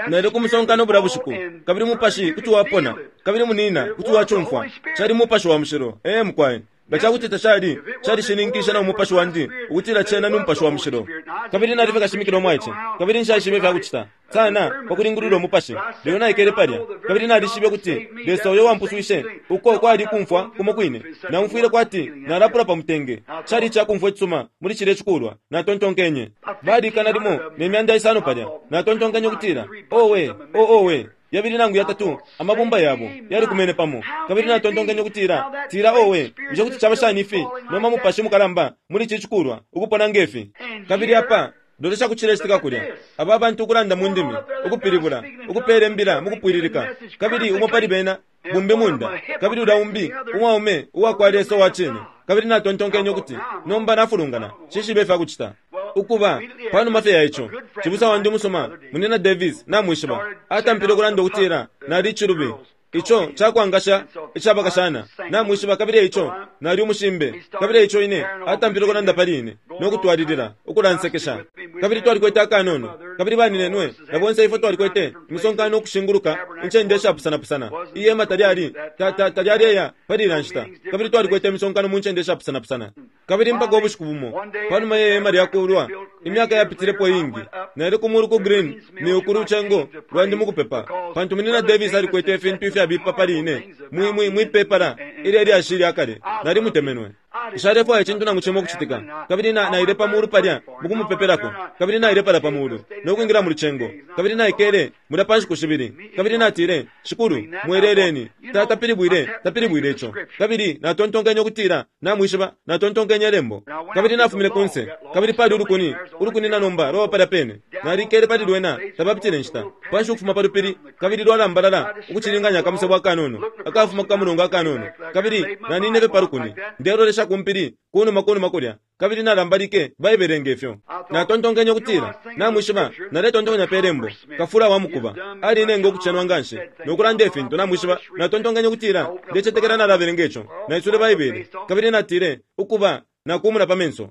[SPEAKER 2] Naile ku musonkano bulya bushiku, kabili Umupashi kuti wapona, kabili munina kuti wacumfwa. Cali Mupashi wa Mushilo. Ee, mukwai. Nga cakuti tacali, calishininkishe na umupashi wandi ukutila cena ni Mupashi wa Mushilo. Kabili nali fye kashimikila umwaice, kabili nshaishibe ifya kucita sana pa kulingulula umupashi. Lelo naikele palya, kabili nalishibe ukuti Lesa uyo uwampuswishe, uko kwali kumfwa kumo kwine. Naumfwile kwati nalapula pa mutenge. Cali ica kumfwa icisuma muli cilye cikulwa. Natontonkenye, Bali ikana limo ne myanda isano palya. Natontonkenye ukutila, Owe, oh, owe! Yabili nangu yatatu amabumba yabo yalikumene pamo, kabili natontonkenye ukutila, Tila, owe, bushe kuti caba shani ifi nomba Mupashi mukalamba muli ici cikulwa ukupona nge fi? Kabili apa, lolesha ku cilecitika kulya, aba bantu ukulanda mu ndimi, ukupilibula, ukupela imbila mukupwililika, kabili umo pali bena bumbi munda, kabili ulya umbi umwaume uwakwa Lesa uwa cine. Kabili natontonkenye ukuti, Nomba nafulungana, nshishibe ifya kucita. Ukuba, pa numa fye ya ico, cibusa wandi umusuma, Munyina Davis, namwishiba, atampile ukulanda ukutila nali icilubi. Ico ca kwangasha ica bakashana, namwishiba, kabili e ico nali umushimbe. Kabili e ico ine, atampile ukulanda pali ine, no kutwalilila ukulansekesha. Kabili twalikwete akanono, kabili baninenwe na bonse ifwe twalikwete imisonkano ukushinguluka incende ishapusana-pusana. Ihema talyali, ta, ta, talyaleya pali ilya nshita, kabili twalikwete imisonkano mu ncende ishapusana-pusana. Kabili mpaka ubushiku bumo, panuma ye hema lyakuulwa, imyaka yapitilepo iingi, naile ku mulu ku Green Mill ku lucengo lwandi mukupepa, pantu Munyina Davis alikwete ifintu ifyabipa pali ine mwi, mwi, mwi pepala ilye lyashi lya kale. Nalimutemenwe. Nshalefwaya icintu nangu cimo ukucitika. Kabili na, naile pa mulu palya mukumupepelako. Kabili naile palya pa mulu, no kwingila mu lucengo. Kabili naikele mulya pa nshiku shibili. Kabili natile, Shikulu, mweleleni. Ta, tapilibwile, tapilibwile ico. Kabili natontonkenye ukutila, Namwishiba, natontonkenye Lembo. Kabili nafumine kunse, kabili pali ulukuni, ulukuni na nomba lwaba palya pene. Nalikele pali lwena, tapapitile inshita, panshi ukufuma pa lupili, kabili lwalambalala ukucilinganya akamusebo akanono akafuma ku kamulongo akanono. Kabili naninine fye pa lukuni, ndelolesha ku mpili kunuma kunuma kulya, kabili nalambalike Baibele nge fyo. Natontonkenye ukutila, Namwishiba, naletontonkanya pe Lembo, kafula wa mukuba alinenga ukucenwa nganshi no kulanda ifintu, namwishiba. Natontonkenye ukutila, Ndecetekela nalabelenga ico. Naiswile Baibele, kabili natile, Ukuba, Nakumuna pa menso.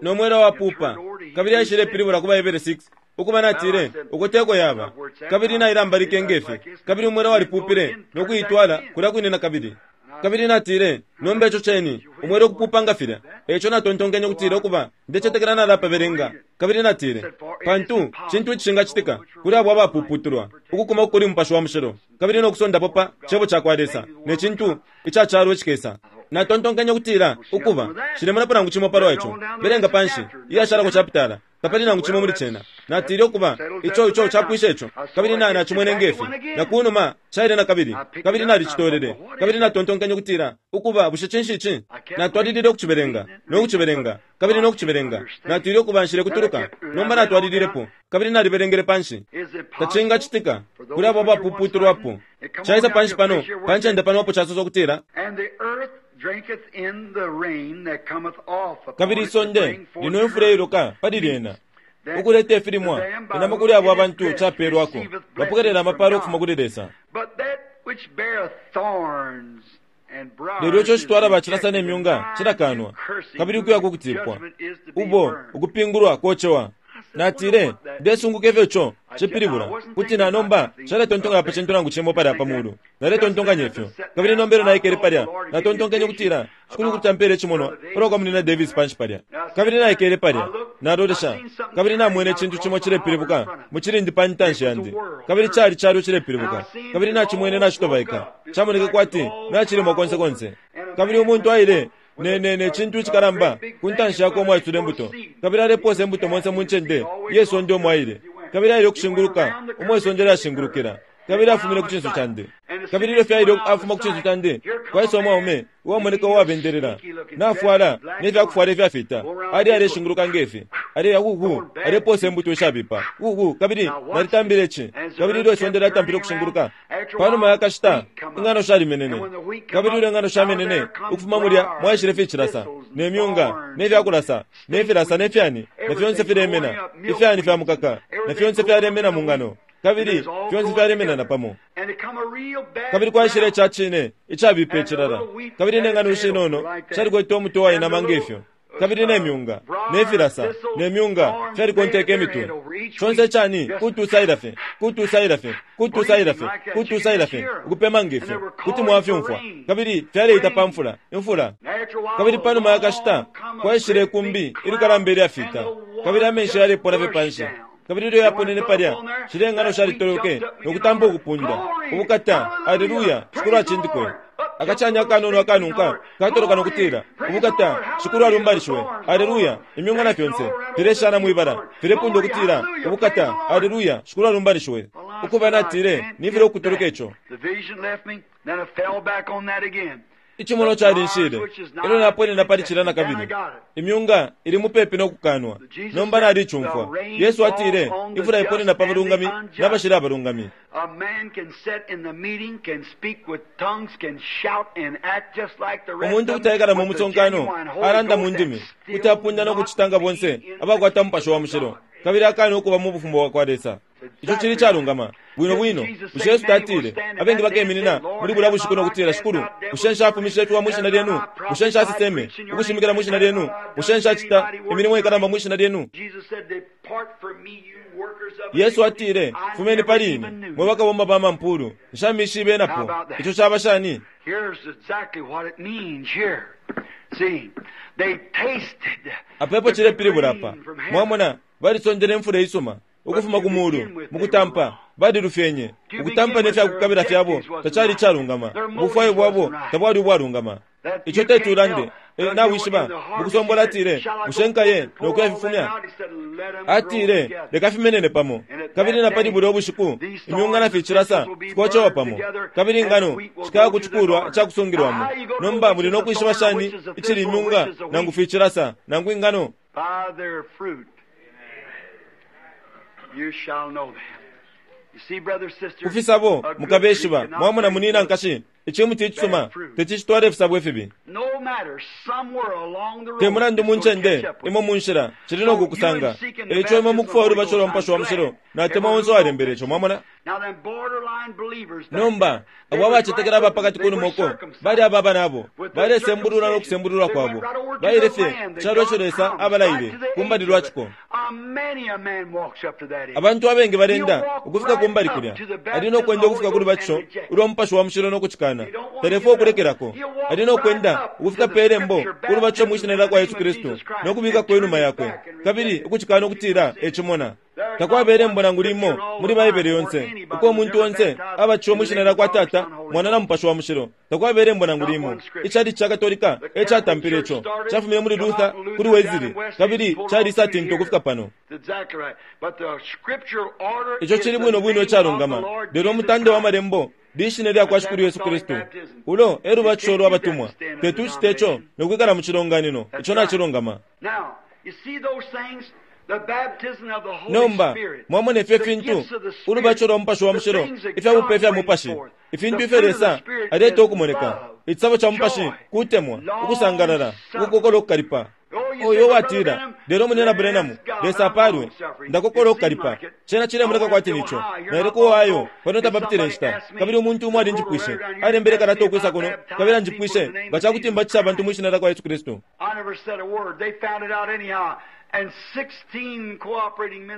[SPEAKER 2] No mwela wapupa, kabili aishilepilibula ku baHebere 6. Ukuba natile, uko teko yaba. Kabili nailambalike nge fi, kabili umwela walipupile no kuitwala kulya kwine na kabili. Kabili natile, Nomba ico ceni, umwela ukupupa nga filya. E ico natontonkenye ukutila, Ukuba, ndecetekela nalapabelenga. Kabili natile, Pantu, cintu icishingacitika kuli abo abapuputulwa ukukuma kuli Mupashi wa Mushilo, kabili no kusondapo pa Cebo cakwa Lesa ne cintu ica calo icikesa. Natontonkenye ukutila, Ukuba, nshilemonapo nangu cimo palwa ico. Belenga panshi, iyashalako chapitala. Tapali nangu cimo muli cena. Natile, Ukuba, ico, ico capwisha ico. Kabili na, nacimwene nge fi. Na kunuma, caile nakabili. Kabili nalicitolele. Kabili natontonkenye ukutila, Ukuba, bushe cinshi ici? Natwalilile ukucibelenga, no kucibelenga, kabili no kucibelenga. Natile, Ukuba, nshilekutuluka. Nomba natwalililepo, kabili nalibelengele panshi. Tacingacitika kuli abo abapuputulwapo. Caisa panshi pano, pa ncende pano apo casosa ukutila. Kabili isonde linwa imfula iiloka pali lyena, ukuleta ifilimwa, inama kuli abo abantu capelwako, bapokelela amapalo ukufuma kuli Lesa. Lelo ico icitwala bacilasa ne myunga cilakanwa, kabili ukuya ku kutipwa, ubo ukupingulwa kocewa. Natile, Ndesunguka ifyo ico cipilibula. Kuti na nomba nshaletontonkanya pa cintu nangu cimo palya pa mulu. Naletontonkanya ifyo. Kabili nomba ilyo naikele palya, natontonkenye ukutila, Shikulu kuti ampela icimonwa palwa kwa Munyina Davis panshi palya. Kabili naikele palya, nalolesha, kabili namwene icintu cimo cilepilibuka mu cilindi pa ntanshi yandi. Kabili cali calo cilepilibuka. Kabili nacimwene nacitobaika. Camoneke kwati nacilimwa konse konse. Kabili umuntu aile ne, ne, ne cintu icikalamba ku ntanshi yakwe umwaisula imbuto, kabili alepoosa imbuto monse mu ncende iye sonde umo aile. Kabili aile ukushinguluka umo isonde lyashingulukila, kabili afumine ku cinso candi. Kabili ilyo fye aile afuma ku cinso candi, kwaisa umwaume uwamoneka uwabendelela, nafwala ne fya kufwala ifyafiita, ali aleshinguluka nge fi, aleya uku, alepoosa imbuto ishabipa uku. Kabili nalitambile ici. Kabili ilyo isonde lyatampile ukushinguluka, Pa numa ya kashita, ing'ano shalimenene. Kabili ilyo ing'ano shamenene, ukufuma mulya mwaishile ficilasa, ne myunga, ne fya kulasa, ne filasa ne fyani, na fyonse filemena, ifyani fya mukaka, na fyonse fyalemena mu ng'ano, kabili fyonse fyalemena na pamo. Kabili kwaishile ica cine icabipa icilala, kabili ne ng'ano ishinono shalikwete umutwe wainama nge fyo. Kabili ne myunga, ne filasa, ne myunga fyalikonteke imitwe. Conse icani kutusaila fye, kutusaila fye, kutusaila fye, kutusaila fye, ukupema nge fyo. Kuti mwafyumfwa. Kabili fyaleita pa mfula, imfula. Kabili pa numa ya kashita, kwaishile ikumbi ilikalamba ilyafita, kabili amenshi yalepona fye panshi. Kabili ilyo yaponene palya, shilya ingano shalitoloke no kutampa ukupunda, Ubukata! Aleluya! Shikulu acindikwe! Akacani akanono akanunka katoloka no kutila, Ubukata! Shikulu alumbanishiwe! Aleluya! Imyunga na fyonse fileshana mwi bala, filepunda ukutila, Ubukata! Aleluya! Shikulu alumbanishiwe! Ukuba, natile, Nifilwa ukutuluka ico. Icimonwa calinshile, elyo naponena pali cilya nakabili. Imyunga ili mupepi no kukanwa. Nomba nalicumfwa. Yesu atile, Imfula iponena pa balungami na bashili abalungami. Umuntu kuti aikala mu musonkano, alanda mu ndimi, kuti apunda no kucita nga bonse abakwata Mupashi wa Mushilo, kabili akaana ukuba mu Bufumu bwa kwa Lesa. Ico cili icalungama bwino bwino. Bushe Yesu tatile, Abengi bakeminina muli bulya bushiku no kutila, Shikulu, bushe nshafumishe ifiwa mwi shina lyenu? Bushe nshaseseme, ukushimikila mwi shina lyenu? Bushe nshacita imilimo ikalamba mwi shina lyenu? Yesu atile, Fumeni pali ine, mwe bakabomba ba mampuulu, nshamishibe napo. Ico caba shani? Apa epo cilepilibula apa. Mwamona, balisondele imfula isuma ukufuma ku muulu mu kutampa, balilufyenye. Ukutampa ne fya kukabila fyabo tacali icalungama, ubufwayo bwabo tabwali ubwalungama. Ico teti ulande. E, nawishiba, mu kusombola atile, Bushe nkaye no kuyafifumya? Atile, Leka fimenene pamo. Kabili na pali bulya ubushiku, imyunga na ficilasa fikocewa pamo, kabili ingano shikaya ku cikulwa ica kusungilwamo. Nomba muli no kwishiba shani icili imyunga nangu ficilasa nangu ingano? Ku fisabo mukabeshiba. Mwamona, munina, nkashi, icimuti icisuma teti citwale ifisabo ifibi. Te mulandu mu ncende imo mu nshila, cili no kukusanga. E ico imwe mukufwaya ulubatisho lwa Mupashi wa Mushilo, natemwa onse uwalembele ico. Mwamona? Nomba abo abacetekela aba pakati kunuma uko bali aba banabo balesembululwa no kusembululwa kwabo, baile fye ku calo ico Lesa abalaile ku mbali lwa ciko. Abantu abengi balenda ukufika ku mbali kulya, ali no kwenda ukufika ku lubatisho ulwa Mupashi wa Mushilo no kucikana. Talefwaya ukulekelako. Ali no kwenda ukufika pe lembo ku lubatisho mwi Shina lyakwa Yesu Kristu no kubikako inuma yakwe, kabili ukucikana ukutila ecimona. Takwaba ilembo nangu limo muli Baibele yonse uko umuntu onse abatishiwe mwi shina lya kwa Tata, Mwana na Mupashi wa Mushilo. Takwaba ilembo nangu limo. Icalici ca Katolika e catampile ico. Cafumine muli Luther, kuli Wesley, kabili caliisatinta ukufika pano. Ico cili bwino bwino icalungama, lelo umutande wa Malembo lishina lya kwa Shikulu Yesu Kristu. Ulo e lubatisho lwa batumwa. Teti ucite ico no kwikala mu cilonganino. Ico nacilungama. Nomba, mwamona ifyo ifintu, ulubatisho lwa Mupashi wa Mushilo, ifya bupe fya Mupashi, ifintu ifyo Lesa aleta ukumoneka. Icisabo ca Mupashi kutemwa, ukusangalala, ukukokola ukukalipa. Uyo uwatila, Lelo Munyina Branham, Lesa apalwe, ndakokola ukukalipa. Cena cilemoneka kwati nico. Naile ku Ohio pano tapapitile inshita, kabili umuntu umo alinjipwishe. Alembele kalata ukwisa kuno, kabili anjipwishe nga cakuti mbatisha abantu mwi Shina lyakwa Yesu Kristu.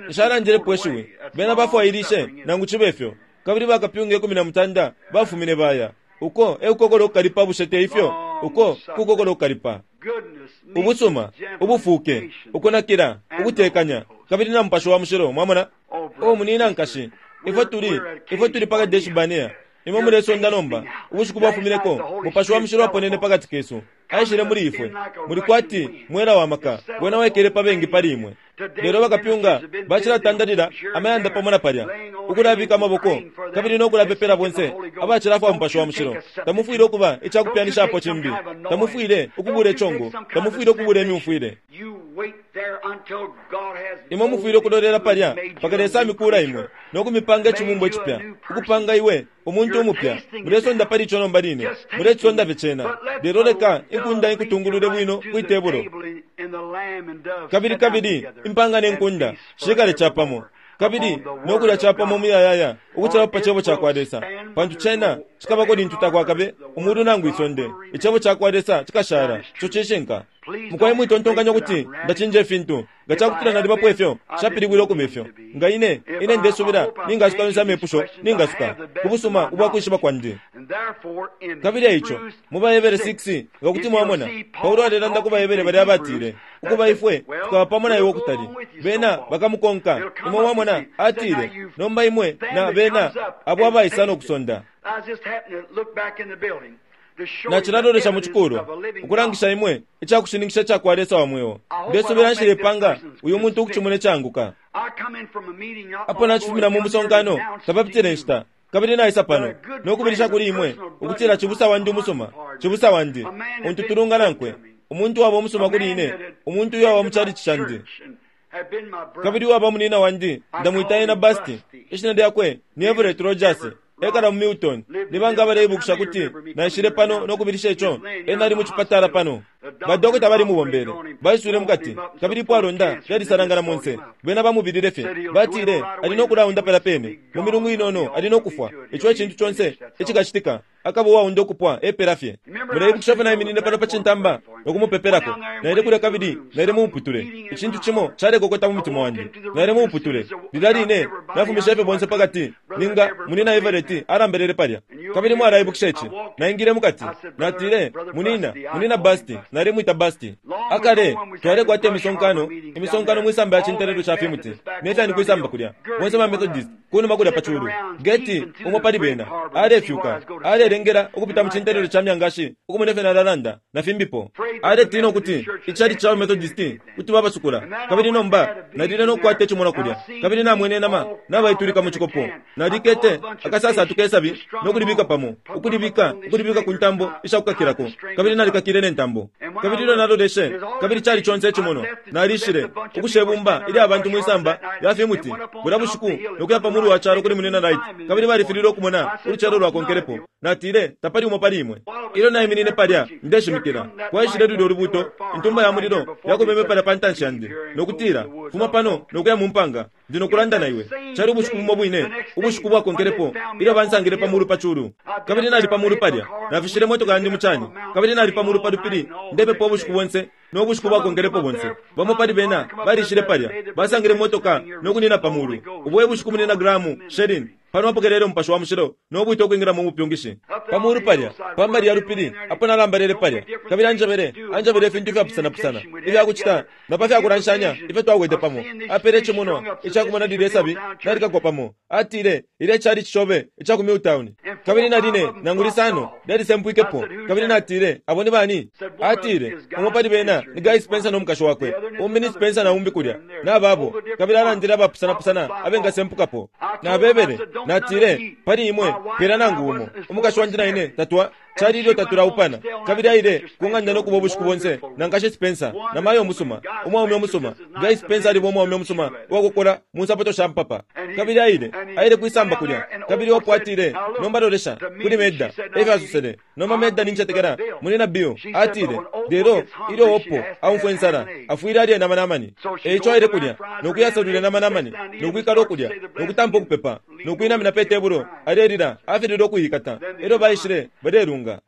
[SPEAKER 2] Nshalandilepo ishiwi. Bena bafwailishe, nangu cibe fyo. Kabili bakapyunga 13 bafumine baya. Uko e kukokola ukukalipa, bushe te ifyo? Uko kukokola ukukalipa. Ubusuma, ubufuuke, ukunakila, ukutekanya, kabili na Mupashi wa Mushilo. Mwamona? Oh, munina, nkashi, ifwe tuli, ifwe tuli pa Kadeshi-barnea. Imwe mulesonda nomba. Ubushiku bwafumineko, Mupashi wa Mushilo aponene pakati kesu. Aishile muli ifwe. Muli kwati mwela wa maka, wena waikele pa bengi pali imwe. Lelo bakapyunga bacilatandalila amayanda pamo na palya, ukulabika amaboko kabili no kulapepela bonse abacilafwa Mupashi wa Mushilo. Tamufwile ukuba icakupyanishapo cimbi. Tamufwile ukubula icongo. Tamufwile ukubula imyumfwile. Imwe mufwile ukulolela palya mpaka Lesa amikuula imwe no kumipanga icibumbwa icipya, ukupanga iwe umuntu umupya. Mulesonda pali ico nomba line. Mulecisonda fye cena. Lelo leka inkunda ikutungulule bwino kwi tebulo. Kabili, kabili impanga ne nkunda shikale capamo, kabili no kulya capamo umuyayaya ukucilapo pa Cebo cakwa Lesa, pantu cena cikabako lintu takwakabe umulu nangu isonde. Icebo cakwa Lesa cikashala. Ico cishinka. Mukwai mwitontonkanya ukuti ndacinja ifintu. Nga cakutila nalibapo ifyo, nshapilibwile ukuba ifyo. Nga ine, ine ndesubila ningasuka yonse amepusho ningasuka, ku busuma ubwa kwishiba kwandi. Kabili eico, mu baHebere 6, nga kuti mwamona, Paulo alelanda ku baHebere balya abatile, Ukuba ifwe tukaba pamo na iwe ukutali. Bena bakamukonka. Imwe mwamona, atile, Nomba imwe na bena abo abaisa no kusonda. Nacilalolesha mu cikulwa, ukulangisha imwe icakushininkisha icakwa Lesa wa mweo. Ndesubila nshilepanga uyu muntu ukucimona icaanguka. Apo nacifumina mu musonkano, tapapitile inshita, kabili naisa pano, no kubilisha kuli imwe ukutila cibusa wandi umusuma, cibusa wandi, untu tulunga nankwe, umuntu uwaba umusuma kuli ine, umuntu uyo waba mu chalichi candi, kabili uwaba munina wandi, ndamwita ena Busty. Ishina lyakwe ni Everett Rogers. Ekala mu Milton. Ni banga abaleibukisha kuti naishile pano no kubilisha ico? Ena ali mu cipatala pano. Ba dokota balimubombele. Baiswile mukati, kabili ipwalonda lyalisalangana monse. Bena bamubilile fye. Batile ali no kulaunda palya pene. Mu milungu inono ali no kufwa. Ico e cintu conse icikacitika. Akaba uwaunda ukupwa epela fye. Muleibukisha ifyo naiminine pano pa cintamba no kumupepelako? Naile kulya kabili naile mu muputule. Icintu cimo calekokota mu mutima wandi. Naile mu muputule. Lilya line nafumishe fye bonse pakati, ninga Munina Everett alambelele palya. Kabili mwalaibukisha ici. Naingile mukati. Natile, Munina, Munina Busty. Nalemwita Busty. Akale, twalekwata imisonkano, imisonkano mwisamba ya cintelelwe ca fimuti, ne fyani kwisamba kulya. Bonse ba Methodist, kunuma kulya pa culu. Gertie, umo pali bena, alefyuka, alelengela ukupita mu cintelelwe ca myangashi ukumona ifyo nalalanda, na fimbipo. Aletina ukuti icalici ca baMethodist kuti babasukula. Kabili nomba nalile no kukwata icimonwa kulya, kabili namwene inama nabaitulika mu cikopo. Nalikete akasasatu ke sabi no kulibika pamo, ukulibika, ukulibika ku ntambo isha kukakilako, kabili nalikakile ne ntambo. Kabili ilyo naloleshe, kabili cali conse icimonwa, nalishile, ukusha ibumba ilya bantu mwi samba lya fimuti bulya bushiku no kuya pa mulu wa calo kuli Munyina Wright, kabili balifililwe ukumona ulucelo lwakonkelepo. Natile, Tapali umo pali imwe. Ilyo naiminine palya ndeshimikila, kwaishile lulyo Lubuuto, Intumba ya Mulilo yakubeme palya pa ntanshi yandi, no kutila, Fuma pano no kuya mu mpanga, ndi no kulanda na iwe. Cali ubushiku bumo bwine, ubushiku bwakonkelepo, ilyo bansangile pa mulu pa culu. Kabili nali pa mulu palya, nafishile motoka yandi mu cani, kabili nali pa mulu pa lupili, ndepepa ubushiku bonse no bushiku bwakonkelepo bonse. Bamo pali bena balishile palya, basangile motoka no kunina pa mulu. Ubo e bushiku Munyina Graham Snelling pano apokelele Umupashi wa Mushilo no bwite ukwingila mu bupyungishi. Pa mulu palya, pa mbali ya lupili, apo nalambalele palya, kabili anjebele, anjebele ifintu ifyapusanapusana ifya kucita na pa fya kulanshanya ifyo twakwete pamo. Apele icimonwa ica kumona lilye sabi nalikakwa pamo. Atile, Ilya ecalici cobe ica ku Milltown. Kabili na line nangu lisano lyalisempwikepo. Kabili natile, Abo ni bani? Atile, Umo pali bena ni Guy Spencer no mukashi wakwe. Umbi ni Spencer na umbi kulya, na babo. Kabili alandile abapusanapusana abengasempukapo. Nabebele, natile, Pali imwe, pela nangu umo. Umukashi wandi na ine tatwa, cali ilyo tatulaupana. Kabili aile ku ng'anda no kuba ubushiku bonse na Nkashi Spencer, na mayo umusuma, umwaume umusuma. Guy Spencer aliba umwaume umusuma uwakokola mu nsapato sha mpapa. Kabili aile, aile kwisamba kulya. Kabili Hope atile, Nomba lolesha, kuli Meda, efyo asosele. Nomba Meda nincetekela, Munyina Bill, atile, lelo ilyo Hope aumfwa insala, afwile alye nama namani. E ico aile kulya, no kuyasalwila nama namani, no kwikala ukulya, no kutampa ukupepa, no kwinamina pe tebulo, alelila, afililwe ukuikata. Elyo baishile, balelunga.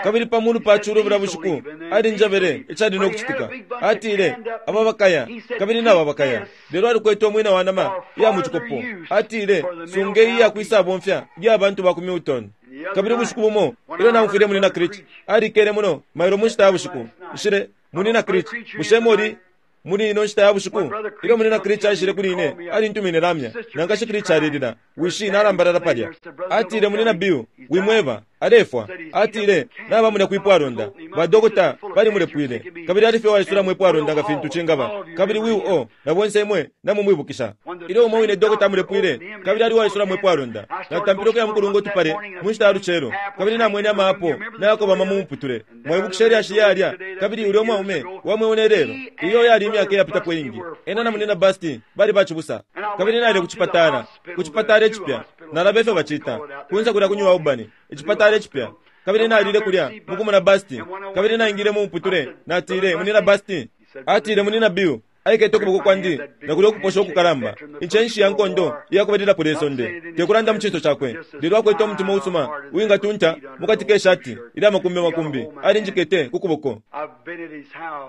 [SPEAKER 2] Kabili pa mulu pa culu bulya bushiku, alinjebele icali no kucitika. Atile, Aba bakaya, kabili naba bakaya. Lelo alikwete umwina wa nama iya mu cikopo. Atile, Sunge iyi iya kwisabomfya iya bantu ba ku Milton. Kabili ubushiku bumo, ilyo naumfwile Munyina Creech, alikele muno mailo mu nshita ya bushiku. Nshile, Munyina Creech, bushe muli muli ino nshita ya bushiku? Ilyo Munyina Creech aishile kuli ine, alintumine lamya. Na Nkashi Creech alelila, wishi nalambalala palya. Atile, Munyina Bill, wimweba, alefwa. Atile, Nabamulya kwipwalonda. Ba dokota balimulepwile. Kabili ali fye uwaisulamo ipwalonda nga fintu cingaba. Kabili Will O. na bonse imwe namumwibukisha. Ilyo umo wine dokota amulepwile, kabili ali uwaisulamo ipwalonda. Natampile ukuya mukulunga utupale mu nshita ya lucelo, kabili namwene ama apo nayakobama mu muputule. Mwaibukisha ilyashi yalya, kabili ulya umwaume wa mweo ne lelo. Iyo yali imyaka iyapitapo iingi. Ena na Munyina Busty bali bacibusa. Kabili naile ku cipatala, ku cipatala icipya. Nalaba ifyo bacita, kunse kulya ku New Albany, icipatala icipya. Kabili nalile kulya mukumona Busty. Kabili naingile mu muputule, natile, Munyina Busty. Atile, Munyina Bill, aikete ukuboko kwandi na kulya ukuposha ukukalamba, incenshi ya nkondo iya kubalilapo lye sonde. Te kulanda mu cinso cakwe, lelo akwete umutima usuma uwingatunta mu kati ke shati ilya makumbi makumbi. Alinjikete ku kuboko.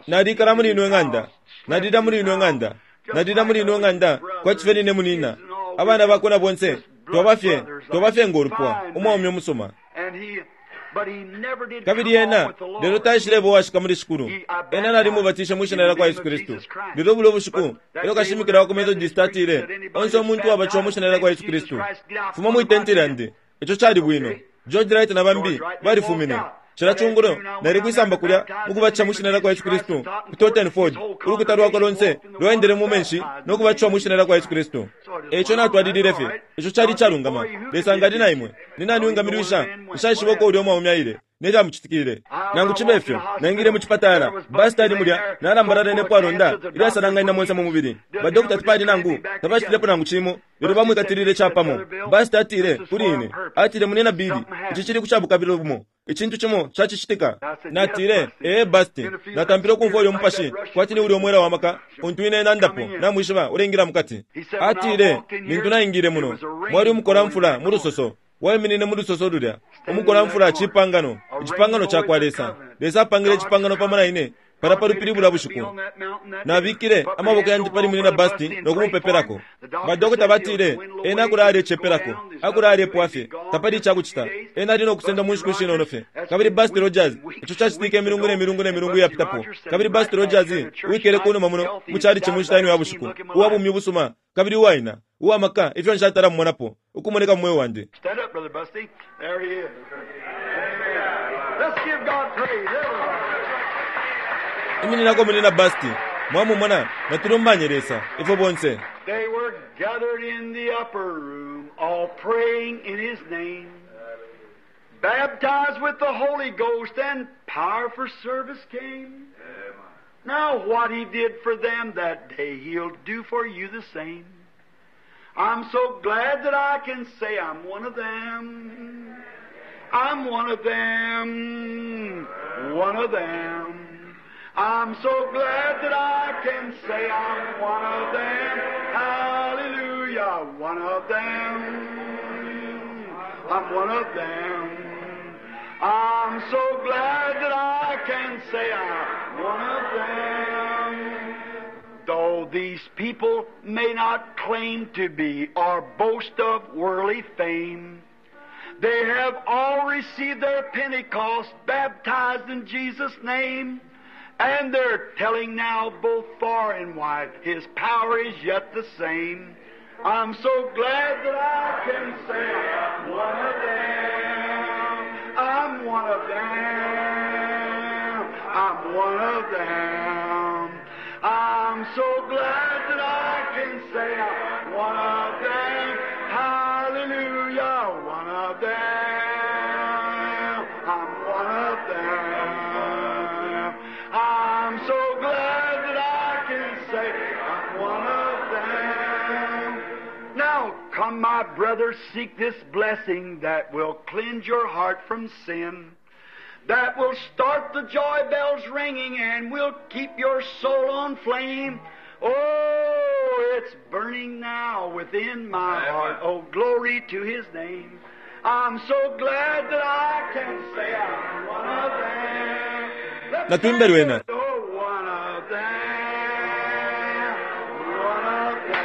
[SPEAKER 2] Nalikala muli ino ng'anda, nalila muli ino ng'anda, nalila muli ino ng'anda kwati fye nine munina. Abana bakwe na bonse twaba fye, twaba fye ngo lupwa, umwaume umusuma. Kabili ena, lelo taishileba uwashika muli Shikulu. Ena nalimubatishe mwi Shina lyakwa Yesu Kristu. Lelo bulyo bushiku, elyo kashimikila wa ku Methodist atile, Onse umuntu uwabatishiwa mwi Shina lyakwa Yesu Kristu, fuma mwi tenti lyandi. Ico cali bwino. George Wright na bambi balifumine. Cila cungulo, nali kwisamba kulya mukubatisha mwi Shina lyakwa Yesu Kristu, ku Totten Ford, ulukuta lwakwe lonse lwaendele mu menshi no kubatishiwa mwi Shina lyakwa Yesu Kristu. E ico natwalilile fye. Ico cali icalungama. Lesa nga ali na imwe, ni nani uwingamilwisha? Nshaishiba uko ulya umwaume aile, ne camucitikile. Nangu cibe fyo, naingile mu cipatala. Basi tali mulya, nalambalala ne pwalonda ilyasalanganina monse mu mubili. Badokota tapali nangu, tabacitilepo nangu cimo, lelo bamwikatilile capamo. Basi atile kuli ine, atile, Munyina Billy, ici cili ku cabukabilo bumo. Icintu cimo cacicitika. Natile, Ee, Busty. Natampile ukumfwa ulyo mupashi, kwati ni ulyo mwela wa maka untu ine nandapo, namwishiba, uleingila mukati. Atile, Lintu naingile muno, mwali umukolamfula mu lusoso. Waiminine mu lusoso lulya. Umukolamfula cipangano, icipangano cakwa Lesa. Lesa apangile icipangano pamo na ine palya pa lupili bulya bushiku. Nabikile amaboko yandi pali Munyina Busty no kumupepelako. Ba dokota batile, Ena akula alecepelako. Akula alepwa fye. Tapali icakucita. Ena ali no kusendwa mu nshiku ishinono fye. Kabili Busty Rogers, ico cacitike imilungu ne milungu ne milungu iyapitapo. Kabili Busty Rogers, uwikele kunuma muno mu chalichi mu nshita ino ya bushiku, uwa bumi ubusuma kabili uwaina, uwa maka ifyo nshatala mumonapo ukumoneka mu mweo wandi.
[SPEAKER 1] Stand up, Brother Busty. There he is. Let's give God praise.
[SPEAKER 2] Imininako Munyina Busty. Mwamumona, natulumbanye Lesa, ifwe bonse.
[SPEAKER 1] They were gathered in the upper room, all praying in His name. Baptized with the Holy Ghost and power for service came. Now what He did for them that day, He'll do for you the same. I'm so glad that I can say I'm one of them. I'm one of them, one of them. I'm so glad that I can say I'm one of them. Hallelujah, one of them. I'm one of them. I'm so glad that I can say I'm one of them. Though these people may not claim to be or boast of worldly fame, they have all received their Pentecost, baptized in Jesus' name, and they're telling now both far and wide, His power is yet the same. I'm so glad that I can say I'm one of them. I'm one of them. I'm one of them. I'm so glad that I can say I'm one of them. Hallelujah, one of them. I'm one of them. I'm so glad that I can say I'm one of them. Now come, my brothers, seek this blessing that will cleanse your heart from sin, that will start the joy bells ringing and will keep your soul on flame. Oh, it's burning now within my heart. Oh, glory to His name. I'm so glad that I can say I'm one of them. Let's
[SPEAKER 2] Natuimbe lwena.
[SPEAKER 1] Oh, one of them, one of them.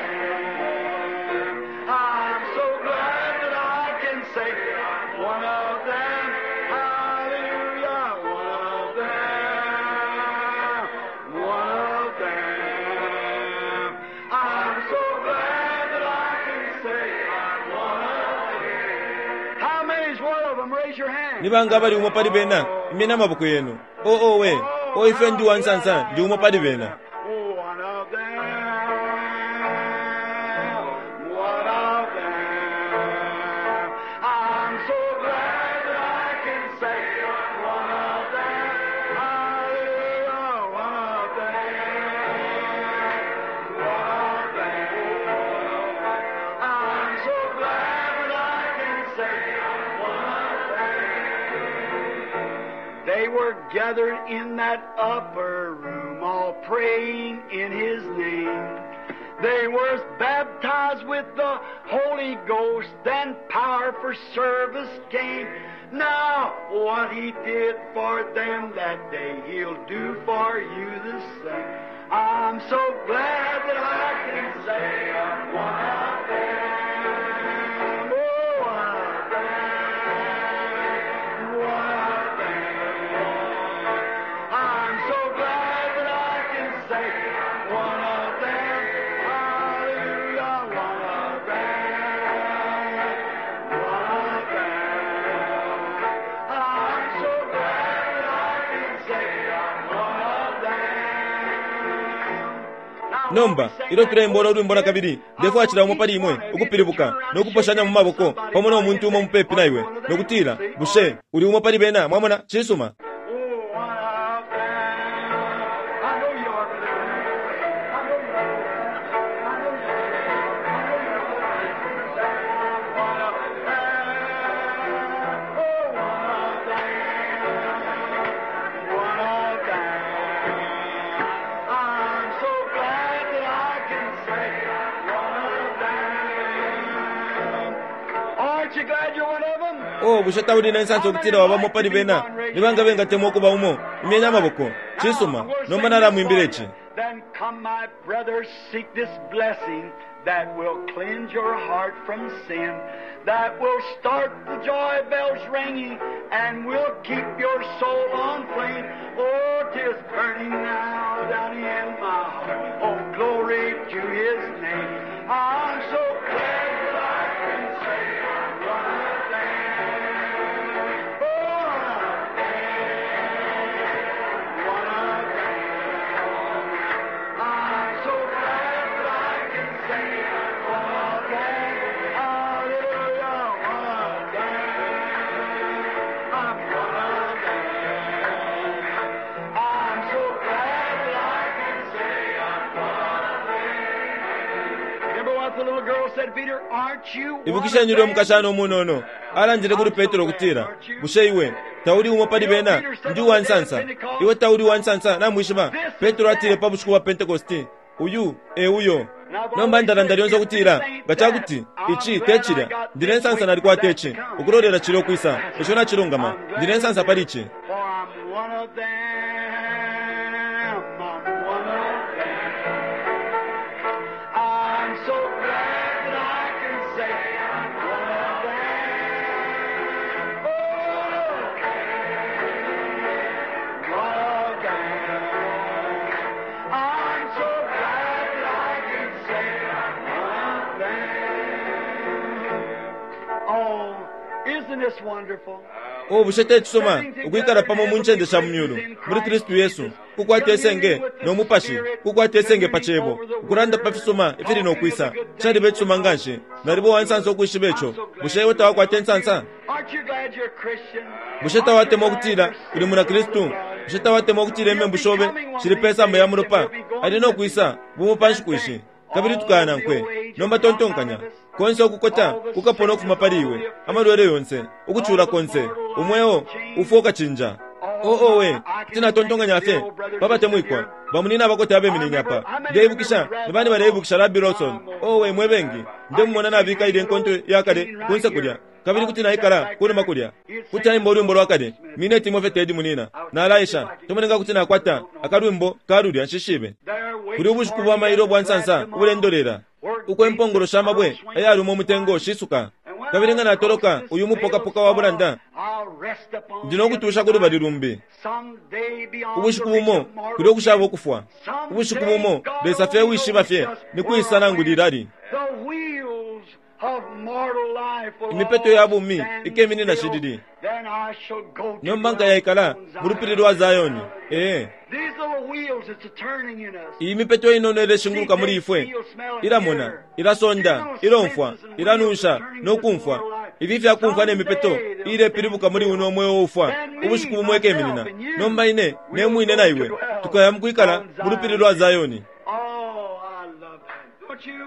[SPEAKER 1] I'm so glad that I can say I'm one of them. Hallelujah, one of them, one of them. I'm so glad that I can say I'm one of them. How many's one of them? Raise your hand.
[SPEAKER 2] Nibanga abali umo pali bena imyeni amaboko yenu. Oo we, o ife ndi wansansa ndi umo pali bena.
[SPEAKER 1] One of them, one of them. I'm so glad that I can say one of them. Hallelujah, one of them, one of them. I'm so glad that I can say one of them. They were gathered in that upper room, all praying in His name. They were baptized with the Holy Ghost, then power for service came. Now, what He did for them that day, He'll do for you the same. I'm so glad that I can say I'm one of them. Oh, one of them. One of them. I'm so glad that I can say I'm one of them. Hallelujah, one of them. One of them. I'm so glad that I can say I'm one of them. Now,
[SPEAKER 2] Nomba ilyo tulembola ulwimbo na kabili ndefwachila umo pali imwe ukupilibuka nokuposhanya mu maboko pamo no muntu umo mupepi na iwe nokutila bushe uli umo pali bena mwamona cisuma.
[SPEAKER 1] Oh, one of them. I know you are, brother. I know you are. I know you are. I know you are. One of them. Oh, one of them. One of them. I'm so glad that I can say one of them. Aren't you glad you're one of them?
[SPEAKER 2] O bushe tauli na nsansa ukutila wabamo pali bena nibanga bengatemwa ukuba umo imyeni amaboko cisuma nomba nalamwimbila ici.
[SPEAKER 1] Then come, my brothers, seek this blessing that will cleanse your heart from sin, that will start the joy bells ringing, and will keep your soul on flame. Oh, 'tis burning now down in my heart. Oh, glory to His name. I'm so glad that I can say I'm one of them. Oh, one of them. One of them. I'm so glad that I can say I'm one of them. Hallelujah, one of them. I'm one of them. I'm so glad that I can say I'm one of them. Remember what
[SPEAKER 2] Ibukisheni ulyo mukashana umunono alandile kuli Petro ukutila, Bushe iwe tauli umo pali bena? Ndi uwa nsansa. Iwe tauli uwa nsansa, namwishiba. Petro atile pa bushiku bwa Pentekoste, Uyu e uyo. Nomba ndalanda lyonse ukutila, nga ca kuti ici te cilya, ndi ne nsansa nalikwata ici, ukulolela cilya ukwisa. Ico nacilungama. Ndi ne nsansa pali ici.
[SPEAKER 1] For I'm one of them. I'm one of them. I'm so glad that I can say I'm one of them. Oh, one of them. I'm so glad that I can say I'm one of them. Oh, isn't this wonderful?
[SPEAKER 2] O bushe te cisuma ukwikala pamo mu ncende sha mu myulu muli Kristu Yesu, kukwata isenge no Mupashi, kukwata isenge pa Cebo, ukulanda pa fisuma ifili no kwisa. Caliba icisuma nganshi. Naliba uwa nsansa ukwishiba ico. Bushe iwe tawakwata insansa?
[SPEAKER 1] Aren't you glad you're a Christian?
[SPEAKER 2] Bushe tawatemwa ukutila uli muna Kristu? Bushe tawatemwa ukutila imembu shobe shili pe samba ya mulopa? Ali no kwisa bumo pa nshiku ishi, kabili tukaya nankwe. Nomba tontonkanya, konse ukukota kukapona ukufuma pali iwe, amalwele yonse, ukucula konse, umweo ufwa ukacinja. Oo we, kuti natontonkanya fye pa batemwikwa bamunina abakota abeminine apa. Ndeibukisha ni bani baleibukisha Rabbi Lawson. Owe mwe bengi, ndemumona nabika ilya inkonto ya kale kunse kulya, kabili kuti naikala kunuma kulya. Kuti aimba ulwimbo lwa kale, mineti imo fye tedi munina. Nalaesha, tomone nga kuti nakwata akalwimbo ka lulya, nshishibe. Kuli ubushiku bwa mailo ubwa nsansa ubulendolela, uko impongolo sha mabwe ayaluma umutengo shisuka. Kabili nga natoloka uyu mupokapoka wa bulanda, ndi no kutusha ku lubali lumbi. Ubushiku bumo kuli ukushaba ukufwa. Ubushiku bumo Lesa fye wishiba fye ni kwisa nangu lilali. Imipeto ya bumi ikeminina shilili. Nomba nkayaikala mu lupili lwa Zioni. Ee. Iyi mipeto inono ileshinguluka muli ifwe, ilamona, ilasonda, ilomfwa, ilanunsha no kumfwa. Ifi ifya kumfwa ne mipeto ilepilibuka muli uno mweo ufwa, ubushiku bumo ikeminina. Nomba ine ne mwine na iwe tukaya mu kwikala mu lupili lwa Zioni.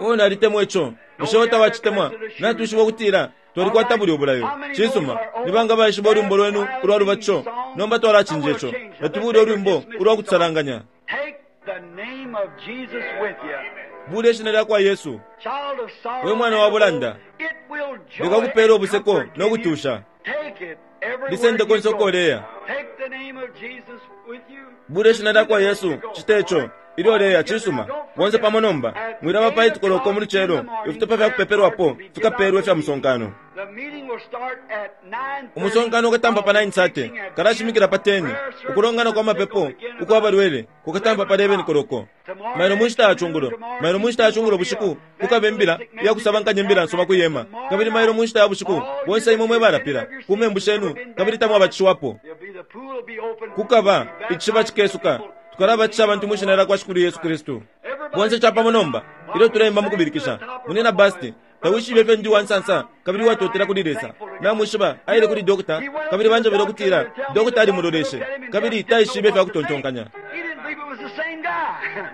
[SPEAKER 2] O nalitemwa ico. Bushe iwe tawacitemwa? Natwishiba ukutila twalikwata bulya ubulayo. Cisuma, ni banga baishiba ulwimbo lwenu ulwa lubatisho? Nomba twalacinja ico. Natubule ulwimbo ulwa kutusalanganya.
[SPEAKER 1] Take the name of Jesus with you.
[SPEAKER 2] Bule ishina lya kwa Yesu.
[SPEAKER 1] Child of sorrow,
[SPEAKER 2] We mwana wa bulanda,
[SPEAKER 1] it will joy
[SPEAKER 2] likakupela ubuseko
[SPEAKER 1] and comfort
[SPEAKER 2] no
[SPEAKER 1] give you.
[SPEAKER 2] kutusha.
[SPEAKER 1] Take it everywhere
[SPEAKER 2] Lisende
[SPEAKER 1] you
[SPEAKER 2] konse
[SPEAKER 1] go.
[SPEAKER 2] uko uleya.
[SPEAKER 1] Take the name of Jesus with you.
[SPEAKER 2] Bule ishina lya kwa Yesu, cite ico. Ilyo uleya, cisuma. Bonse pamo nomba, mwilaba pa itikoloko mu lucelo, ifitupa fya kupepelwapo fikapeelwa ifya musonkano.
[SPEAKER 1] The meeting will start at 9:30.
[SPEAKER 2] Umusonkano ukatampa pa 9:30, kalashimikila pa 10. Ukulongana kwa mapepo ukwa balwele kukatampa pa 11 koloko. Mailo mu nshita ya cungulo, mailo mu nshita ya cungulo bushiku kukaba imbila ya kusabankanya imbila nsoma ku yema. Kabili mailo mu nshita ya bushiku bonse imwe mwe balapila ku membu shenu kabili tamwabatishiwapo.
[SPEAKER 1] There'll be the pool will be open.
[SPEAKER 2] Kukaba icishiba cikesuka, tukalabatisha abantu mu shina lya kwa Shikulu Yesu Kristu. Bonse capamo nomba, ilyo tuleimba mu kubilikisha, munina Basti, tawishibe ifyo ndi wa nsansa kabili uwatotela kuli Lesa. Namwishiba, aile kuli dokota, kabili banjebele ukutila dokota alimuloleshe, kabili taishibe ifya kutontonkanya.
[SPEAKER 1] He didn't believe it was the same guy.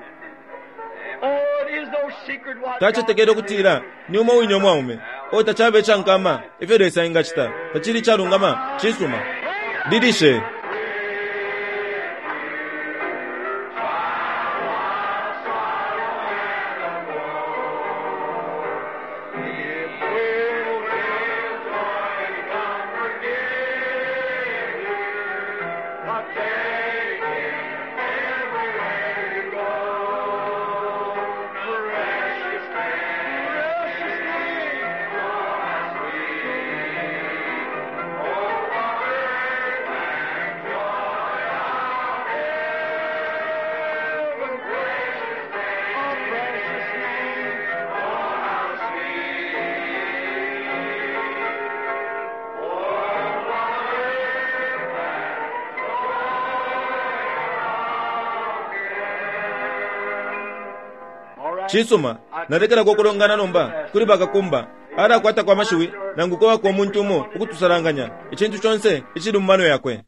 [SPEAKER 1] Oh, it is no secret what
[SPEAKER 2] Tacetekele
[SPEAKER 1] God
[SPEAKER 2] ukutila ni umo wine umwaume. O tacaba icankama ifyo Lesa engacita, tacili icalungama, cisuma. Lilishe. Cisuma, nalekelako ukulongana nomba kuli bakakumba alakwatako amashiwi nangu kwabako umuntu umo ukutusalanganya icintu conse icili mu mano yakwe.